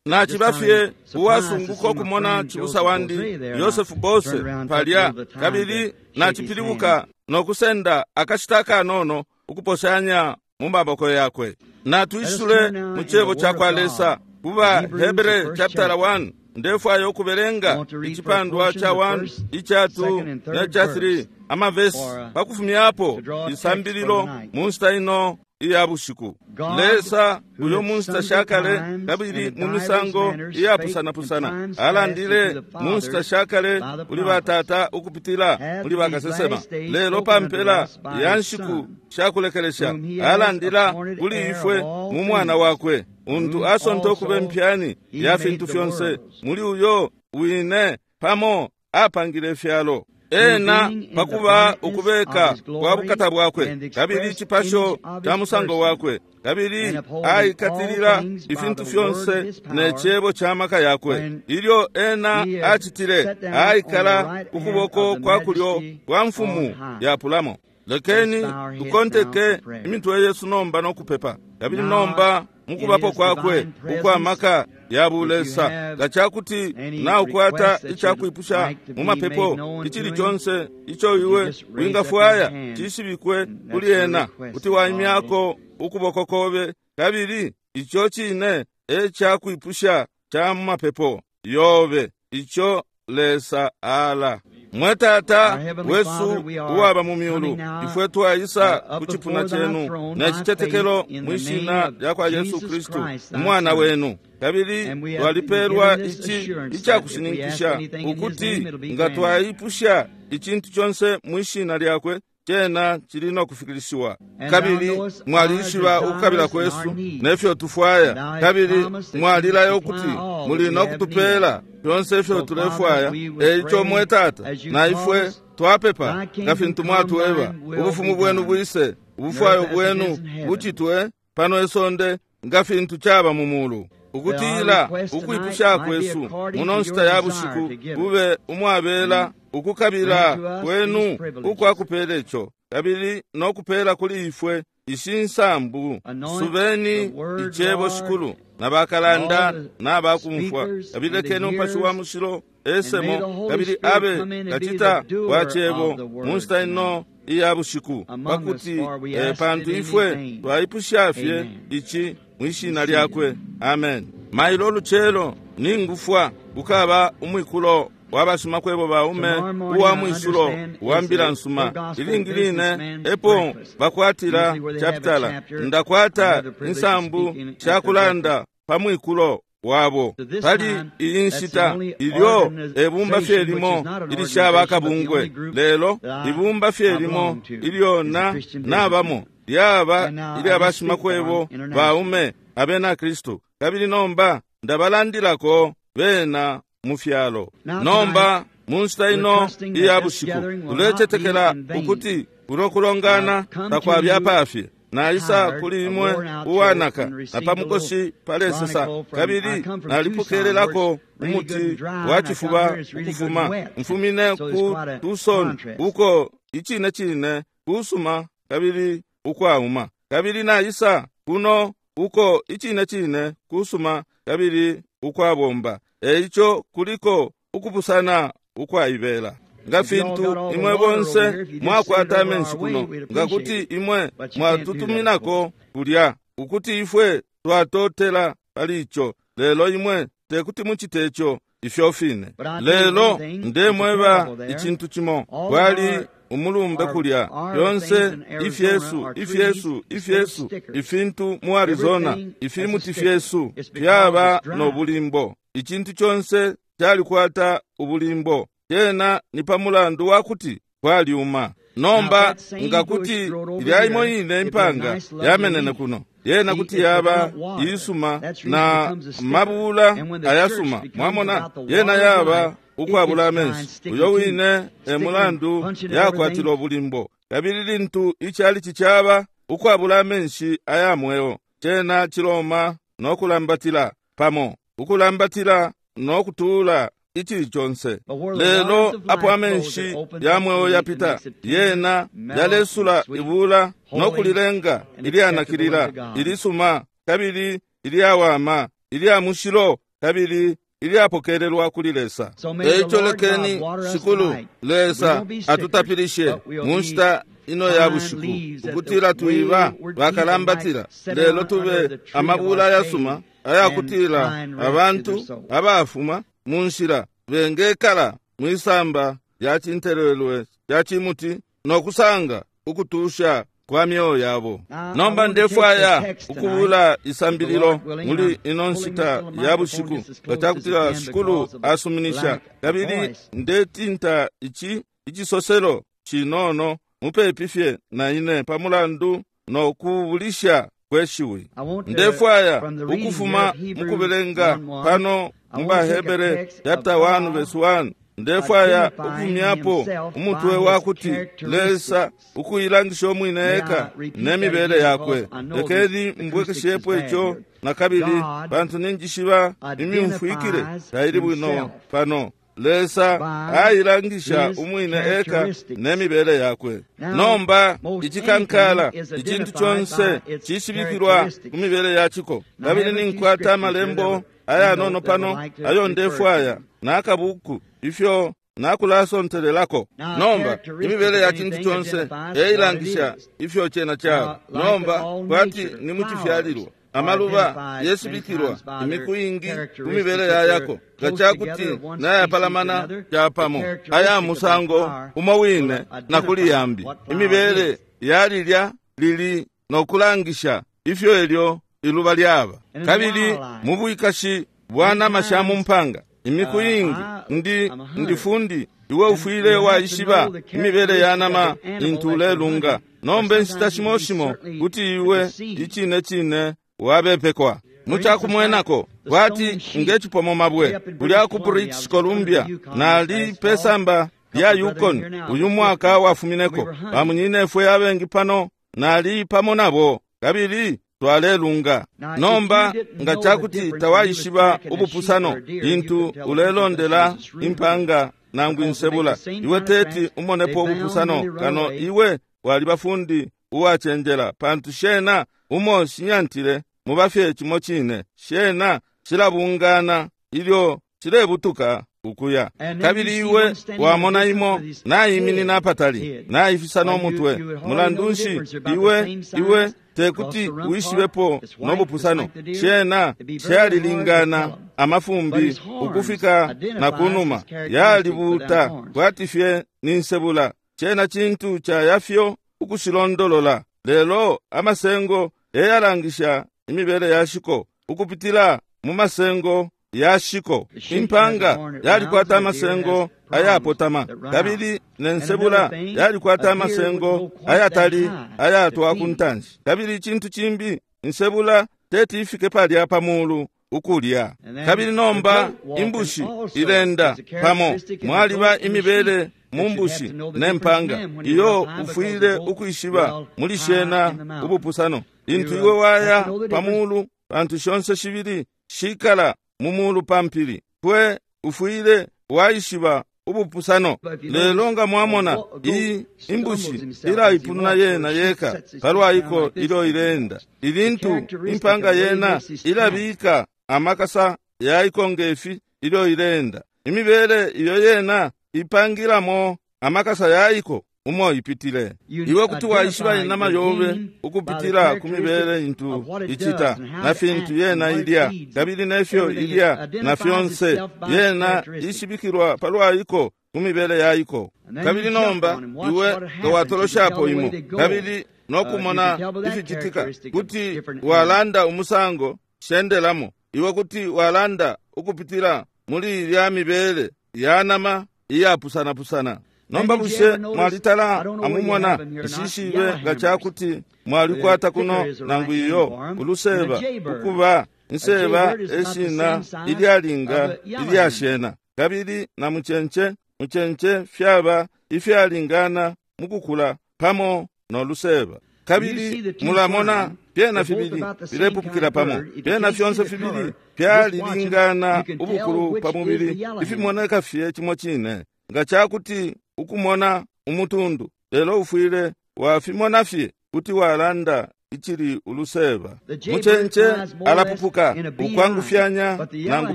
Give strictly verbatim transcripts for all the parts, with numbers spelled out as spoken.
Naciba fye uwasunguka ukumona cibusa wandi Yosefu Bose palya, kabili nacipilibuka no kusenda akashita kanono ukuposhanya mu maboko yakwe. Natwisule mu cebo ca kwa Lesa kuba Hebere chapter one. Ndefwayo ukubelenga icipandwa ca one, ica two ne ca three amavesi pakufumyapo isambililo mu nshita ino iya bushiku. Lesa uyo mu nshita shakale kabili mu misango iyapusanapusana alandile mu nshita shakale kuli batata ukupitila muli bakasesema, lelo pampela ya nshiku shakulekelesha alandila kuli ifwe mu mwana wakwe, untu asonta okuba empyani ya fintu fyonse, muli uyo wine pamo apangile ifyalo. Ena pakuba ukubeka kwa bukata bwakwe kabili icipasho ca musango wakwe, kabili aikatilila ifintu fyonse ne cebo ca maka yakwe. Ilyo ena acitile, aikala ukuboko kwa kulyo kwa mfumu yapulamo. Lekeni tukonteke imitwe yesu nomba no kupepa. Kabili nomba mukubapo kwakwe ukwa maka ya bulesa, nga cakuti naukwata icakwipusha mu mapepo icili conse ico iwe wingafwaya cishibikwe kuli ena, kuti waimyako ukuboko kobe, kabili ico cine e cakwipusha ca mu mapepo yobe ico Lesa ala. Mwe Tata wesu uwaba mu myulu, ifwe twaisa ku cipuna cenu ne citetekelo mwishina lya kwa Yesu Kristu umwana wenu, kabili twalipelwa ici icakushininkisha ukuti nga twaipusha icintu conse mwishina lyakwe, cena cili no kufikilishiwa. Kabili mwalishiba ukukabila kwesu nefyo tufwaya, kabili mwalilayo ukuti muli no kutupela fyonse ifyo tulefwaya. Eico mwe Tata, na ifwe twapepa nga fintu mwatweba, ubufumu bwenu bwise, ubufwayo bwenu bucitwe pano isonde nga fintu caba mu mulu. Ukutila ukwipusha kwesu muno nshita ya bushiku bube umwabela ukukabila kwenu ukwakupela ico, kabili no kupela kuli ifwe ishi nsambu. Subeni icebo shikulu na bakalanda na bakumfwa, kabili lekeni Umupashi wa Mushilo esemo, kabili abe kacita wa cebo mu nshita ino iya bushiku, pakuti eh, pantu ifwe twaipusha fye ici mwishina lyakwe. Amen. Mailo lucelo ningufwa kukaba umwikulo wabashimakwebo baume uwa mwisulo wa mbila nsuma. Ilingi line epo bakwatila chapitala, ndakwata insambu shakulanda pa mwikulo wabo. Pali iyi nshita ilyo ebumba fye limo ilishaba akabungwe, lelo ibumba fye limo ilyo na nabamo lyaba ilya bashimakwebo baume abena Kristu, kabili nomba ndabalandilako bena mu fyalo. Nomba mu nshita ino iya bushiku tulecetekela ukuti kuno kulongana takwabya pafye. Naisa kuli imwe uwanaka na pamukoshi palesesa, kabili nalipokelelako umuti wa cifuba ukufuma mfumine ku Tucson, uko icine cine kusuma kabili ukwauma, kabili naisa kuno uko icine cine kusuma kabili ukwabomba. Eico kuliko ukupusana ukwaibela. Nga fintu imwe bonse mwakwata amenshi kuno, nga kuti imwe mwatutuminako kulya, ukuti ifwe twatotela pali ico, lelo imwe tekuti mucite ico ifyo fine. Lelo ndemweba icintu cimo, kwali umulumbe kulya, fyonse ifyesu ifyesu ifyesu ifintu mu Arizona, ifimuti fyesu fyaba no bulimbo. Icintu conse calikwata ubulimbo, cena ni pa mulandu wakuti kwalyuma. Nomba nga kuti ilya imo ine impanga yamenene kuno, yena kuti yaba isuma na mabula ayasuma, mwamona, yena yaba ukwabula amenshi. Uyo wine e mulandu yakwatila ubulimbo. Kabili lintu icalici caba ukwabula amenshi aya mweo, cena ciloma no kulambatila pamo, ukulambatila no kutula icili conse. Lelo apo amenshi ya mweo yapita, yena yalesula ibula no kulilenga ilyanakilila, ilisuma kabili ilyawama, ilya mushilo kabili ilyapokelelwa kuli Lesa. Eico lekeni Shikulu Lesa atutapilishe mu nshita ino ya bushiku, ukutila twiba bakalambatila, lelo tube amabula ayasuma ayakutila abantu abafuma mu nshila bengekala mwisamba lya cintelelwe lya cimuti no kusanga ukutusha kwa myoyo yabo. Nomba ndefwaya ukubula isambililo muli ino nshita ya bushiku, nga cakutila Shikulu asuminisha, kabili ndetinta ici icisoselo cinono mupepi fye na ine pamulandu no kubulisha kweshiwi. Ndefwaya ukufuma mukubelenga pano mu Bahebere chapter one verse one. Ndefwaya ukufumyapo umutwe wakuti Lesa ukuilangisha umwine eka nemibele yakwe. Lekeni mbwekeshepo ico na kabili, pantu ninjishiba imyumfwikile taili bwino pano. Lesa ailangisha umwine eka nemibele yakwe. Nomba icikankala icintu conse cishibikilwa ku mibele yaciko. Kabili ninkwata amalembo ayanono pano ayo ndefwaya nakabuku ifyo nakulasontelelako. Nomba imibele ya cintu conse eilangisha ifyo cena caba. Nomba kwati ni mucifyalilwa amaluba yesibikilwa imiku ingi ku mibele yayako, nga cakuti nayapalamana capamo aya musango umo wine na kuli yambi. Imibele yalilya lili nokulangisha ifyo elyo iluba lyaba. Kabili mu bwikashi bwa nama sha mu mpanga imiku ingi ndi ndifundi iwe ufwile waishiba imibele ya nama intu ulelunga. Nomba inshita shimo shimo kuti iwe icine cine wabepekwa. Mucakumwenako kwati ngecipomo mabwe kulya ku British Columbia nali pesamba lya Yukon uyu mwaka wafumineko. Bamunyinefwe abengi pano nali pamo nabo kabili twalelunga. Nomba nga cakuti tawaishiba ubupusano lintu ulelondela impanga nangu insebula, iwe teti umonepo ubupusano kano iwe waliba fundi uwacenjela, pantu shena umo shinyantile mubafye cimo cine, shena shilabungana ilyo shilebutuka ukuya. Kabili iwe wamona imo naiminina apatali naifisa nomutwe. Mulandu nshi iwe iwe tekuti wishibepo nobupusano? Shena shalilingana amafumbi ukufika na kunuma, yalibuta kwati fye ni nsebula. Shena cintu cayafyo ukushilondolola, lelo amasengo eyalangisha imibele yashiko ukupitila mu masengo yashiko. Impanga yalikwata amasengo ayapotama, kabili nensebula yalikwata amasengo ayatali ayatwa ku ntanshi. Kabili icintu cimbi, insebula teti ifike palya pamulu ukulya. Kabili nomba imbushi ilenda pamo, mwaliba imibele mu mbushi nempanga iyo ufwile ukwishiba muli shena ubupusano. Lintu iwe waya pamulu, pantu shonse shibili shikala mumulu pampili, pwe ufwile waishiba ubupusano. Lelo nga mwamona iyi imbushi ilaipununa yena yeka palwaiko ilyo ilenda, ilintu impanga yena ilabika amakasa yaiko ngefi ilyo ilenda. Imibele iyo yena ipangilamo amakasa yaiko umo ipitile. Iwe kuti waishiba inama yobe ukupitila ku mibele intu icita na fintu yena ilya, kabili nefyo ilya na fyonse yena ishibikilwa palwaiko ku mibele yaiko. Kabili nomba iwe nga watoloshapo imo kabili nokumona ificitika, kuti walanda umusango shendelamo. Iwe kuti walanda ukupitila muli ilya mibele ya nama iyapusana-pusana. Nomba bushe mwalitala amumona ishishibe nga cakuti mwalikwata kuno nangu iyo uluseba ukuba inseba eshina ilyalinga ilyashena, kabili na mucence mucence fyaba ifyalingana mukukula pamo no luseba. Kabili mulamona fyena fibili filepupukila pamo, fyena fyonse fibili fyalilingana ubukulu pa mubili, ifimoneka fye cimo cine. Nga cakuti ukumona umutundu, lelo ufwile wafimona fye kuti walanda icili uluseba. Mucence alapupuka ukwangufyanya nangu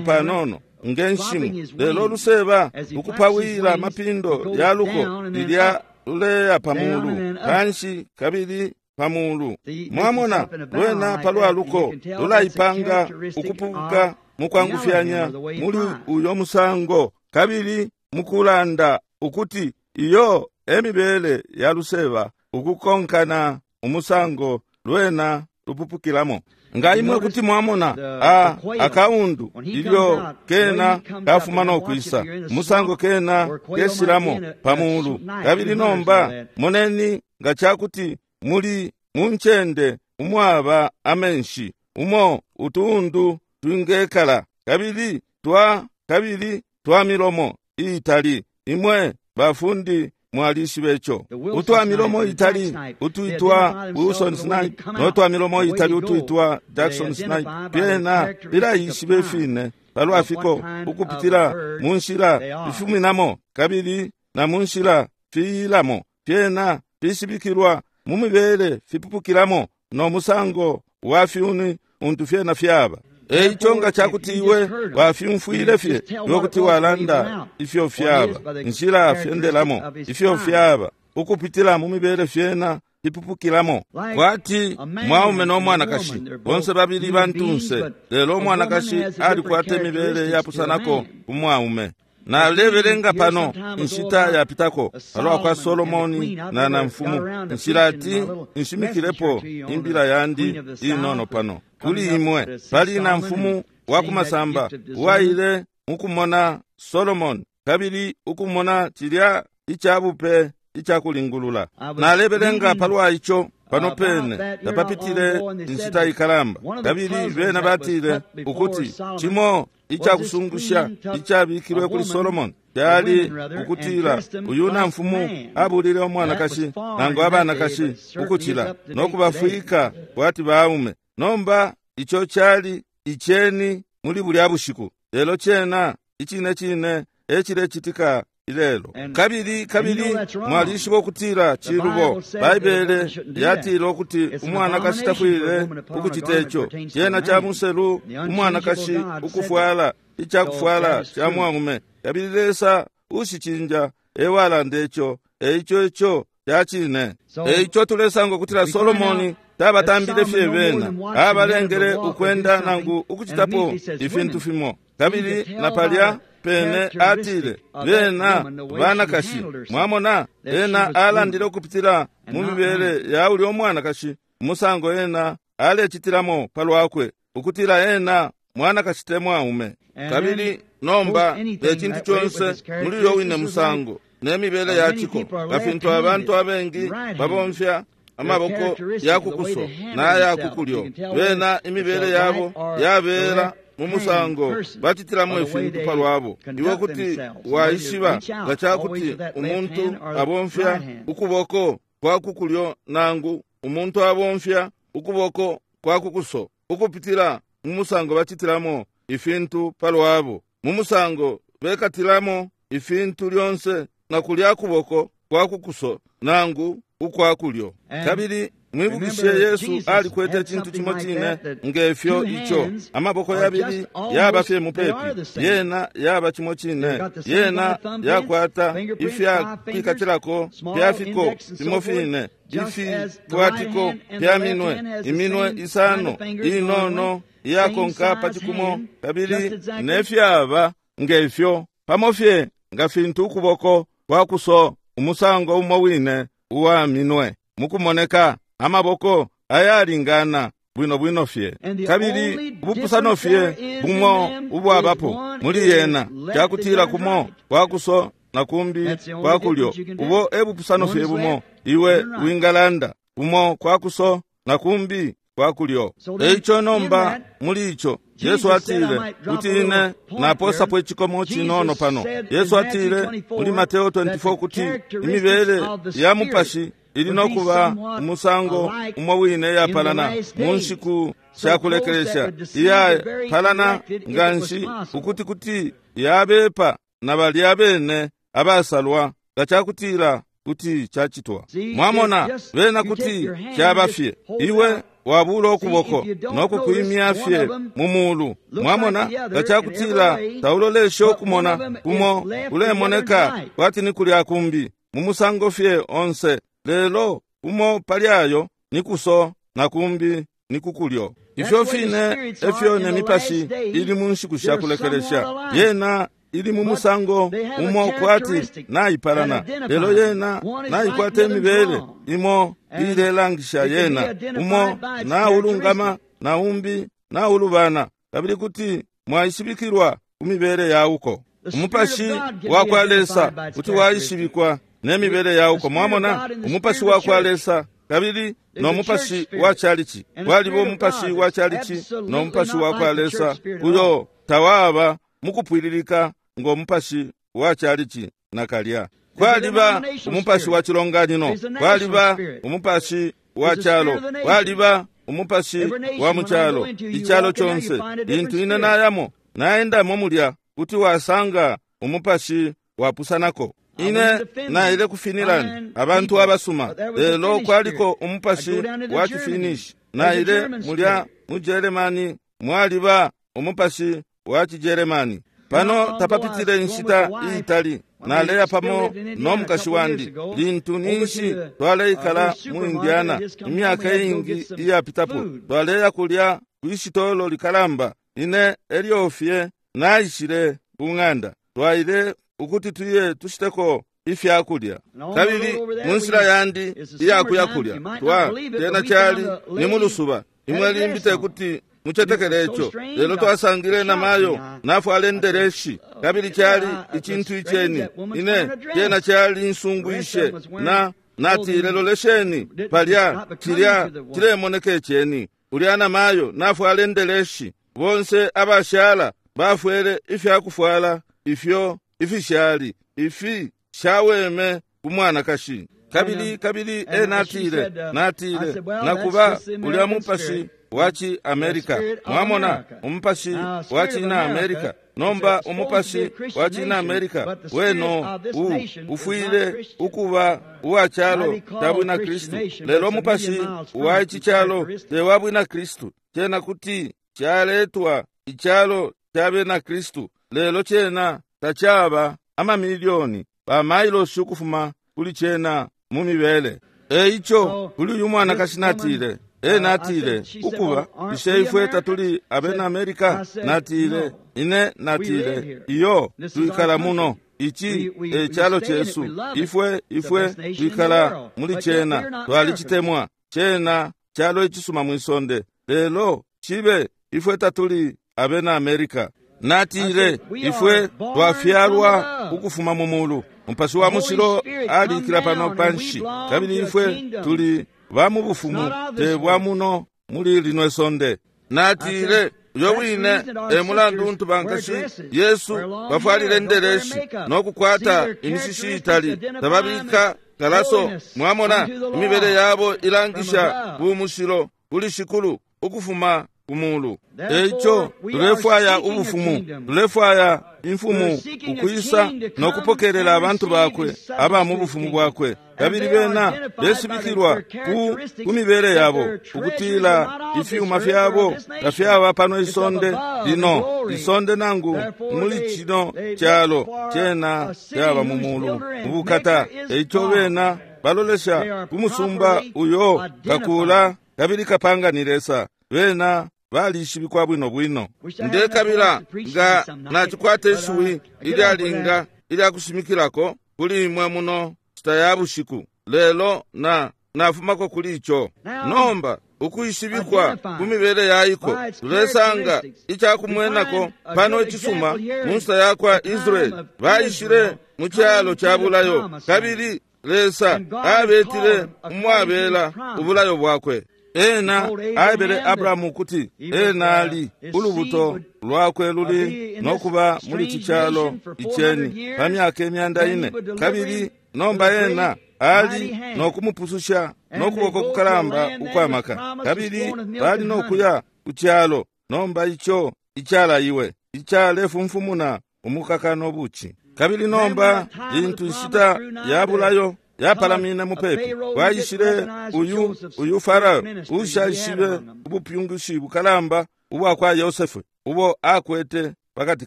panono nge nshimu, lelo luseba ukupawila mapindo yaluko lilya luleya pamulu panshi kabili pamulu. Mwamona lwena palwa luko lulaipanga ukupupuka mukwangufyanya muli uyo musango, kabili mukulanda ukuti iyo emibele ya luseba ukukonkana umusango lwena lupupukilamo. Nga imwe kuti mwamona a akaundu ilyo kena kafuma no kwisa musango kena kesilamo pamulu. Kabili nomba moneni nga chakuti muli munchende umwaba amenshi umo utundu twingekala kabili twa kabili twa milomo itali. Imwe bafundi mwalishibecho utwa milomo itali utuitwa Wilson snipe no twa milomo itali utuitwa Jackson snipe pyena bilaishibe fine palwafiko ukupitila munshila ifuminamo kabili na munshila fiilamo. Pyena fishibikilwa mu mibele fipupukilamo no musango wa fyuni untu fyena fyaba. Eico nga chakuti iwe wafyumfwile fye yokuti walanda ifyo fyaba nshila fyendelamo ifyo fyaba ukupitila mu mibele fyena ipupukilamo. Kwati mwaume no mwanakashi bonse babili bantunse, lelo umwanakashi alikwata imibele yapusanako ku mwaume. Nalebelenga pano inshita yapitako palwa kwa Solomoni na na mfumu nshilati nshimikilepo imbila yandi inono pano kuli imwe. Pali na mfumu wa kumasamba uwaile mukumona Solomoni kabili ukumona chilya ichabupe ichakulingulula. Nalebelenga palwa icho pano pene tapapitile inshita ikalamba, kabili bena batile ukuti chimo ichakusungusha ichabikilwe kuli Solomoni kyali ukutila uyu na mfumu abulile umwanakashi nangu abanakashi ukuchila nokubafwika kwati baume. Nomba icho kyali icheni muli bulya bushiku, lelo chena ichine chine echilechitika ilelo. Kabili kabili mwalishiba ukutila chilubo. Baibele yatila ukuti umwanakashi tafwile ukuchita icho. Chena cha muselu umwanakashi ukufwala ichakufwala cha mwaume, kabili Lesa ushichinja ewalanda icho. Eicho icho chachine. Eicho tulesanga ukutila Solomoni tabatambile fye bena abalengele ukwenda nangu ukuchitapo ifintu fimo. Kabili napalya pene atile bena banakashi. Mwamona ena alandile ukupitila mu mibele ya uli omwanakashi umusango ena alechitilamo palwakwe ukutila ena mwanakashi te mwaume. Kabili nomba echintu chonse muli uyo wine musango nemibele yachiko ngafintu abantu abengi babomfya amaboko yakukuso n'ayakukulyo bena imibele yabo yabela mu musango bachitilamo ifintu palwabo. Iwe kuti waishiba nga chakuti umuntu abomfya ukuboko kwa kukulyo nangu umuntu abomfya ukuboko kwa kukuso ukupitila mu musango bachitilamo ifintu palwabo, mu musango bekatilamo ifintu lyonse na kulya kuboko kwa kukuso nangu ukwa kulyo. Kabili mwibukishe Yesu alikwete chintu chimo chine ngefyo icho. Amaboko yabili yaba fye mupepi, yena yaba chimo chine, yena yakwata ifya kwikatilako pyafiko fimo fine, ifi kwatiko pya minwe iminwe isano inono iyakonka pachikumo, kabili nefyaba ngefyo pamo fye nga fintu ukuboko kwa kuso umusango umo wine uwa minwe mukumoneka amaboko ayalingana bwino bwino fye. Kabili ubupusano fye bumo ubwabapo muli yena kyakutila kumo kwakuso na kumbi kwakulyo. Ubo ebupusano fye bumo iwe wingalanda kumo kwakuso na kumbi kwakulyo. Eicho nomba muli icho Yesu atile kuti ine naposapo echikomo chinono pano. Yesu atile muli Mateo twenty-four kuti imibele ya mupashi ili nokuba umusango umo wine yapalana mu nshiku shakulekelesha iyapalana nganshi ukuti kuti yabepa na balya bene abasalwa nga chakutila kuti cacitwa. Mwamona, bena kuti caba fye iwe wabula ukuboko nokukwimya fye mu mulu. Mwamona, nga cakutila tauloleshe ukumona kumo ulemoneka kwati ni kulya kumbi mu musango fye onse, lelo umo pali ayo ni kuso na kumbi ni kukulyo. Ifyo fine efyo ne mipashi ili mu nshiku sha kulekelesha, yena ili mu musango umo kwati naipalana, lelo yena naikwata imibele imo ilelangisha yena umo naulungama na umbi naulubana, kabili kuti mwaishibikilwa ku mibele yauko. Umupashi wa kwa Lesa kuti waishibikwa ne mibele yauko. Mwamona, umupashi wa kwa Lesa kabili no mupashi wa chalichi, waliba umupashi wa chalichi no mupashi wa kwa Lesa uyo tawaba mukupwililika ngo mupashi wa chalichi nakalya. Kwaliba umupashi wa chilonganino, kwaliba umupashi wa chalo, kwaliba umupashi wa muchalo, ichalo chonse. Lintu ine nayamo naendamo mulya kuti wasanga umupashi wapusanako. Ine naile ku Finland, abantu abasuma, lelo kwaliko umupashi wa Chifinish. Naile mulya mu Germany, mwaliba umupashi wa Chigermani. Pano tapapitile inshita iitali naleya pamo no mukashi wandi lintu ninshi twaleikala mu Indiana imyaka iingi iyapitapo. Twaleya kulya kwishitolo likalamba. Ine elyo fye naishile ku ng'anda, twaile ukuti tuye tushiteko ifyakulya. Kabili mu nshila yandi iyakuya kulya twa tena chali ni mulusuba, imwe limbi tekuti muchetekele icho, lelo twasangile na mayo nafwale ndereshi, kabili chali ichintu icheni. Ine tena chali nsungwishe na natile lolesheni palya chilya chilemoneka icheni. Ulya na mayo nafwale ndereshi, bonse abashala bafwele ifyakufwala ifyo ifishali ifi shaweme kumwanakashi. Kabili kabili e natile natile nakuba ulya mupashi wachi America. Mwamona, umupashi wachi na America. Nomba umupashi wachi na America weno u ufwile ukuba uwa chalo cha bwina Kristu, lelo umupashi wa ichi chalo te wa bwina Kristu. Chena kuti chaletwa ichalo cha bena Kristu, lelo chena tachaba amamilioni bamailosi ukufuma kuli chena mu mibele. Eicho kuli uyu mwanakashi natile e natile ukuba ishe ifwe tatuli abena America. Natile ine natile iyo twikala muno, ichi e chalo chesu, ifwe ifwe twikala muli chena, twalichitemwa chena chalo ichisuma mwisonde, lelo chibe ifwe tatuli abena America. Natile ifwe twafyalwa ukufuma mu mulu, Mupashi wa mushilo alikila pano panshi, kabili ifwe tuli ba mu bufumu te bwa muno muli lino isonde. Natile uyo wine e mulandu untu bankashi Yesu bafwalile ndereshi nokukwata imishishi itali, tababika kalaso. Mwamona, imibele yabo ilangisha bumushilo kuli Shikulu ukufuma kumulu. Eicho tulefwaya ubufumu, tulefwaya imfumu ukwisa nokupokelela abantu bakwe aba mu bufumu bwakwe, kabili bena besibikilwa ku ku mibele yabo ukutila ifyuma fyabo tafyaba pano isonde lino isonde nangu muli chino chalo, chena fyaba mu mulu mubukata. Eicho bena balolesha ku musumba uyo kakula kabili kapanga ni Lesa, bena balishibikwa bwino bwino. Ndekabila nga nachikwata ishiwi ilyalinga ilyakushimikilako kuli imwe muno nshita ya bushiku, lelo na nafumako kuli icho. Nomba ukuishibikwa ku mibele yaiko, tulesanga icakumwenako pano icisuma mu nshita yakwa Israeli. Baishile mu chalo cha bulayo, kabili Lesa abetile umwabela ubulayo bwakwe. Ena aebele Abrahamu kuti ena ali ulubuto lwakwe luli nokuba muli chichalo icheni pa myaka imyanda ine, kabili nomba ena ali nokumupususha nokuboko kukalamba ukwamaka, kabili bali nokuya ku chalo nomba icho ichalaiwe ichalefumfumuna umukaka nobuchi. Kabili nomba lintu nshita ya bulayo yapalamine mupepi, kwaishile uyu uyu Farao ushaishibe ubupyungushi bukalamba ubwa kwa Yosefu ubo akwete pakati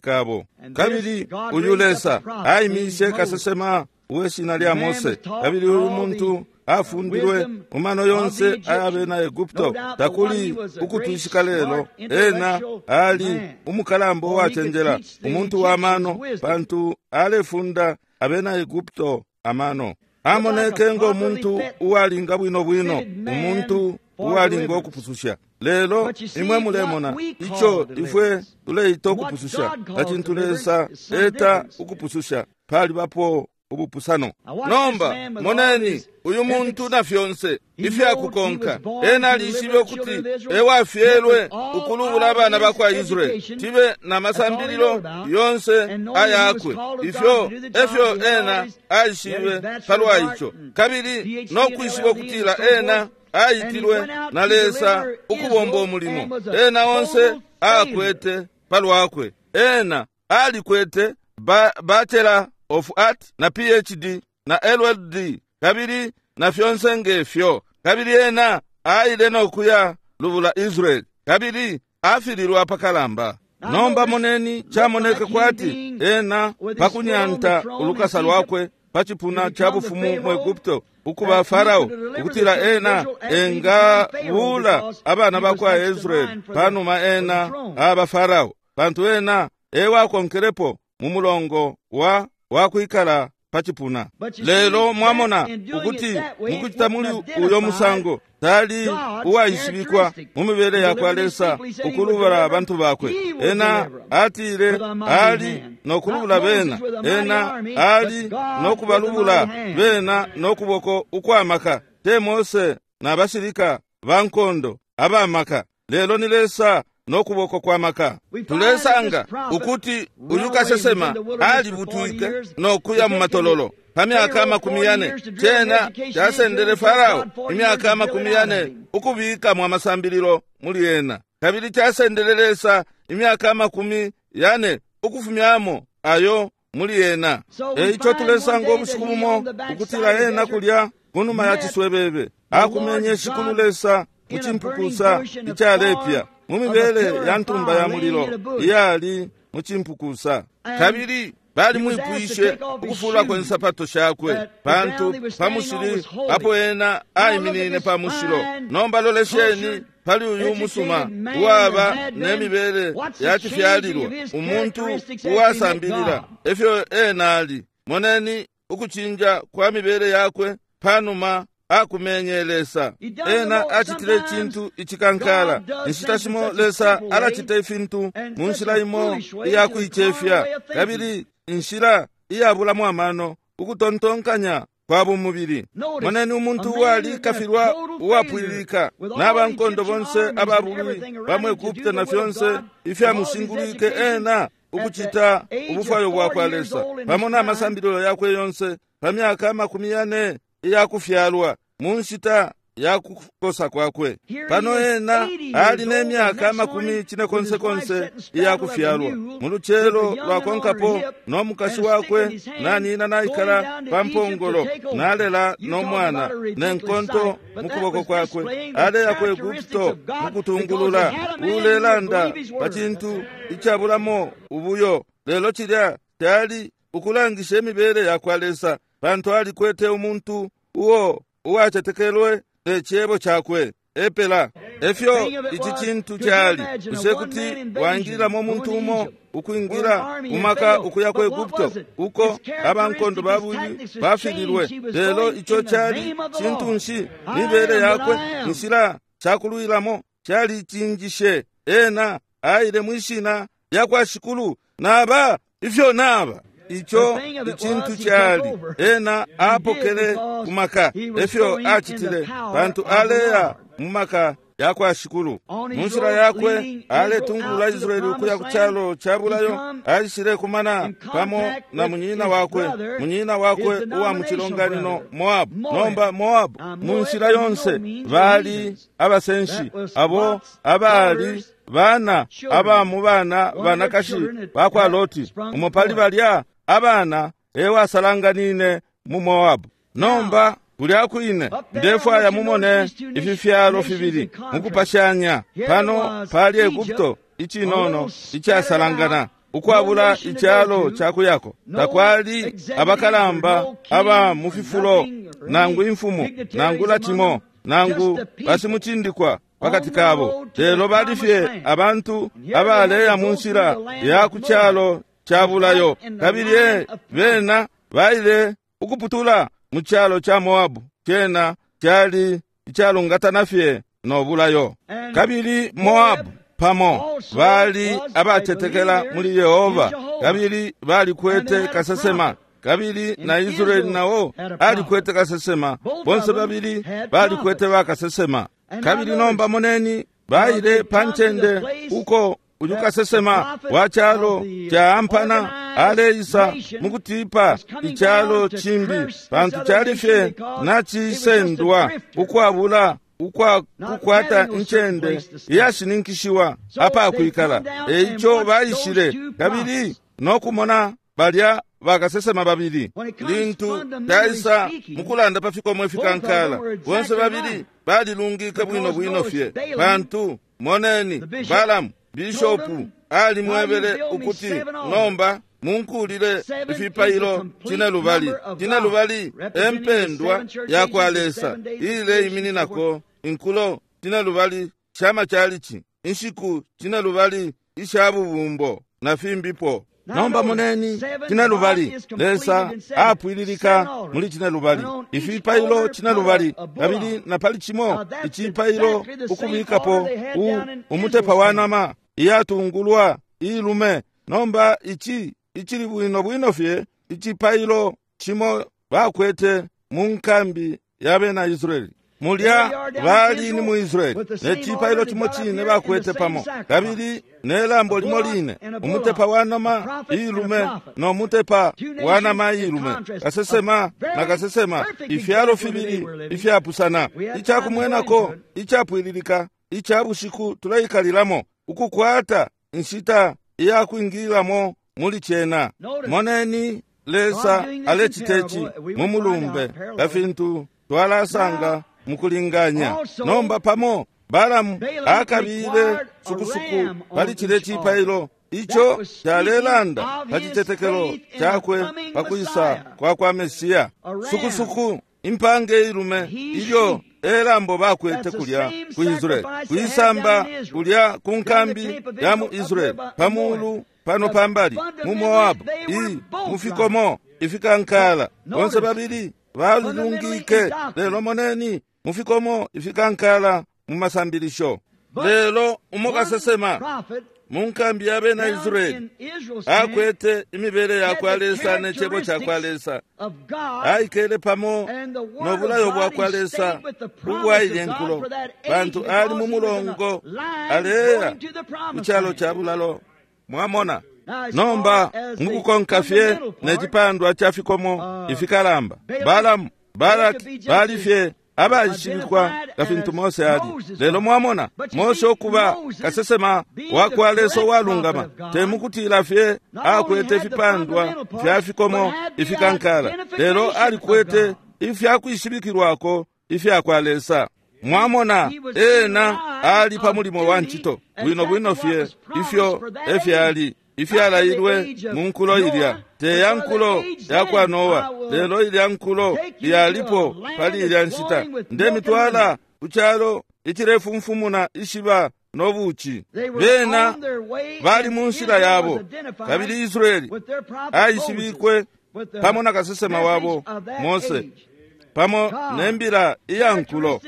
kabo. Kabili uyu Lesa aimishe kasesema uweshina lya Mose, kabili uyu muntu afundilwe mu mano yonse ayabena Egupto. Takuli ukutwishika lelo ena ali umukalamba uwachenjela, umuntu wa mano, pantu alefunda abena Egupto amano. Amoneke ngo muntu uwalinga bwino bwino, umuntu uwalinga ukupususha. Lelo imwe mulemona icho ifwe tuleita ukupususha na chintu Lesa eta ukupususha palibapo ubupusano. Nomba moneni uyu muntu na fyonse ifyakukonka, ena alishibe ukuti ewafyelwe ukulubula abana bakwa Israeli, tibe na masambililo yonse ayakwe, ifyo efyo ena aishibe palwa icho, kabili nokwishiba ukutila ena aitilwe na Lesa ukubomba umulimo. Ena onse akwete palwakwe, ena alikwete ba, Bachelor of Art na P H D na L L D kabili na fyonse ngefyo, kabili ena aile nokuya lubula Israeli, kabili afililwa pakalamba. Nomba moneni chamoneke kwati ena pakunyanta ulukasa lwakwe pachipuna cha bufumu mu Egupto ukuba Farao, ukutila ena engabula abana bakwa Israeli panuma ena aba Farao, pantu ena ewakonkelepo mu mulongo wa wakwikala pachipuna. Lelo mwamona ukuti mukuchita muli uyo musango tali uwaishibikwa mu mibele yakwa Lesa ukulubula abantu bakwe. Ena atile ali nokulubula bena, ena ali nokubalubula bena nokuboko ukwamaka, te Mose na bashilika bankondo abamaka, lelo ni Lesa nokuboko kwa maka. Tulesanga ukuti uyu kasesema alibutwike nokuya mu matololo pa myaka makumi yane. Chena chasendele Farao imyaka makumi yane ukubikamo amasambililo muli ena, kabili chasendele Lesa imyaka makumi yane ukufumyamo ayo muli ena. Eicho tulesanga obushiku bumo ukutila ena kulya kunuma ya chiswebebe akumenye shikulu Lesa muchimpukusa ichalepya mu mibele ya ntumba ya mulilo iyali muchimpukusa. Kabili bali mwipwishe ukufula kwensapato shakwe, pantu pamushili apo ena aiminine pamushilo. Nomba lolesheni pali uyu musuma uwaba nemibele ya chifyalilwa, umuntu uwasambilila efyo ena ali. Moneni ukuchinja kwa mibele yakwe panuma akumenye Lesa. Ena achitile chintu ichikankala. Inshita shimo Lesa alachita ifintu mu nshila imo iyakuichefya, kabili inshila iyabulamo amano ukutontonkanya kwa bumubili. Moneni umuntu uwali kafilwa uwapwililika n'abankondo bonse ababulwi bamwe Egupto na fyonse ifyamushingulwike ena ukuchita ubufwayo bwakwa Lesa pamo n'amasambililo yakwe yonse pa myaka makumi yane iyakufyalwa mu nshita yakukosa kwakwe. Pano ena ali n'emyaka makumi cinekonsekonse iyakufyalwa. Mu lucelo lwakonkapo n'omukashi wakwe nanina naikala pa mpongolo nalela n'omwana nenkonto mu kuboko kwakwe, aleya ku Egupto mukutungulula ulelanda pa chintu icabulamo ubuyo. Lelo chilya kyali ukulangisha emibele yakwa Lesa, pantu alikwete umuntu uwo uwachetekelwe nechebo chakwe epela. Efyo ichi chintu kyali bushe kuti waingililamo omuntu umo ukwingira umaka ukuya ku Egupto uko abankondo babili bafililwe. Lelo icho kyali chintu nshi mibele yakwe inshila chakulwilamo kyali chinjishe. Ena aile mwishina lyakwa shikulu naba ifyo naba icho ichintu kyali ena apokele kumaka efyo achitile pantu aleya mumaka yakwa shikulu. Munshila yakwe aletungulula Israeli ukuya ku chalo chabulayo, aishile kumana pamo na munyina wakwe munyina wakwe uwa muchilonganino Moabu. Nomba Moabu munshila yonse bali abasenshi abo abali bana aba mu bana banakashi bakwa Loti, umo pali balya abana ewasalanganine mu Moabu. Nomba kulya kwine ndefwaya mumone ifi fyalo fibili mukupashanya. Pano pali Egupto icinono icasalangana, ukwabula icalo cakuyako. Takwali abakalamba aba mu fifulo, nangu imfumu, nangula cimo, nangu basimucindikwa pakati kabo, lelo bali fye abantu abaleya mu nshila ya ku calo ca bulayo. Kabili bena baile ukuputula mu calo ca Moabu, cena cali icalungatana fye no bulayo. Kabili Moabu pamo bali abatetekela muli Yehova, kabili balikwete kasesema, kabili na Israeli nao alikwete kasesema. Bonse babili balikwete bakasesema. Kabili nomba moneni, baile pa ncende uko uyu kasesema wa calo ca ampana aleisa mukutipa icalo cimbi, pantu cali fye nacisendwa ukwabula ukwa kukwata incende iyashininkishiwa apakwikala. Eico baishile kabili nokumona balya bakasesema babili. Lintu taisa mukulanda pa fikomo ifikankala, bonse babili balilungike bwino bwino fye, pantu moneni, Balamu bishopu alimwebele ukuti, nomba munkulile ifipailo cine lubali. Cine lubali empendwa ya kwa Lesa, iileimininako inkulo cine lubali shamachalichi, inshiku cine lubali isha bubumbo na fimbipo. Nomba moneni, cine lubali, Lesa apwililika muli cine lubali, ifipailo cine lubali, kabili na pali cimo icipailo ukubikapo umutepa wa nama iyatungulwa ilume. Nomba ici icili bwino bwino fye icipailo cimo bakwete mu nkambi ya bena Israeli. Mulya bali ni mu Israeli, ne cipailo cimo cine bakwete pamo, kabili ne lambo limo line, umutepa wa nama ilume no mutepa wa nama ilume, kasesema na kasesema, ifyalo fibili ifyapusana. Icakumwenako icapwililika ica bushiku tuleikalilamo, ukukwata inshita iyakwingililamo muli cena. Moneni, Lesa aleciteci mu mulumbe kafintu twalasanga mukulinganya. Nomba pamo Balamu akabile sukusuku pali cile cipailo, ico calelanda pa citetekelo cakwe pakwisa kwa kwa Mesiya. Sukusuku impange ilume, ilyo elambo bakwete kulya ku Israeli, kwisamba kulya ku nkambi ya mu Israeli, pamulu pano pambali mu Moabu, i mufikomo ifikankala. Bonse babili balilungike, lelo moneni mufikomo ifikankala mu masambilisho. Lelo umo kasesema mu nkambi ya bena Israeli akwete imibele ya kwa Lesa ne cebo ca kwa Lesa, aikele pamo no bulayo bwa kwa Lesa ubwaile nkulo, pantu ali mu mulongo aleya mu calo ca bulalo. Mwamona, nomba mukukonka fye ne cipandwa ca fikomo ifikalamba, Balamu, Balaki bali fye abaishibikwa nga fintu Mose ali. Lelo mwamona, Mose ukuba kasesema wa kwa Lesa uwalungama, temukutila fye akwete ifipandwa fya fikomo ifikankala, lelo alikwete ifyakwishibikilwako ifya kwa Lesa. Mwamona, ena ali pa mulimo wa ncito bwino bwino fye ifyo efyali ifyalailwe mu nkulo ilya, te ya nkulo ya kwa Noa, lelo ilya nkulo yalipo pali ilya nshita. Ndemitwala ku calo icilefumfumuna ishiba no buci. Bena bali mu nshila yabo, kabili Israeli aishibikwe pamo na kasesema wabo Mose, pamo ne mbila iya nkulo.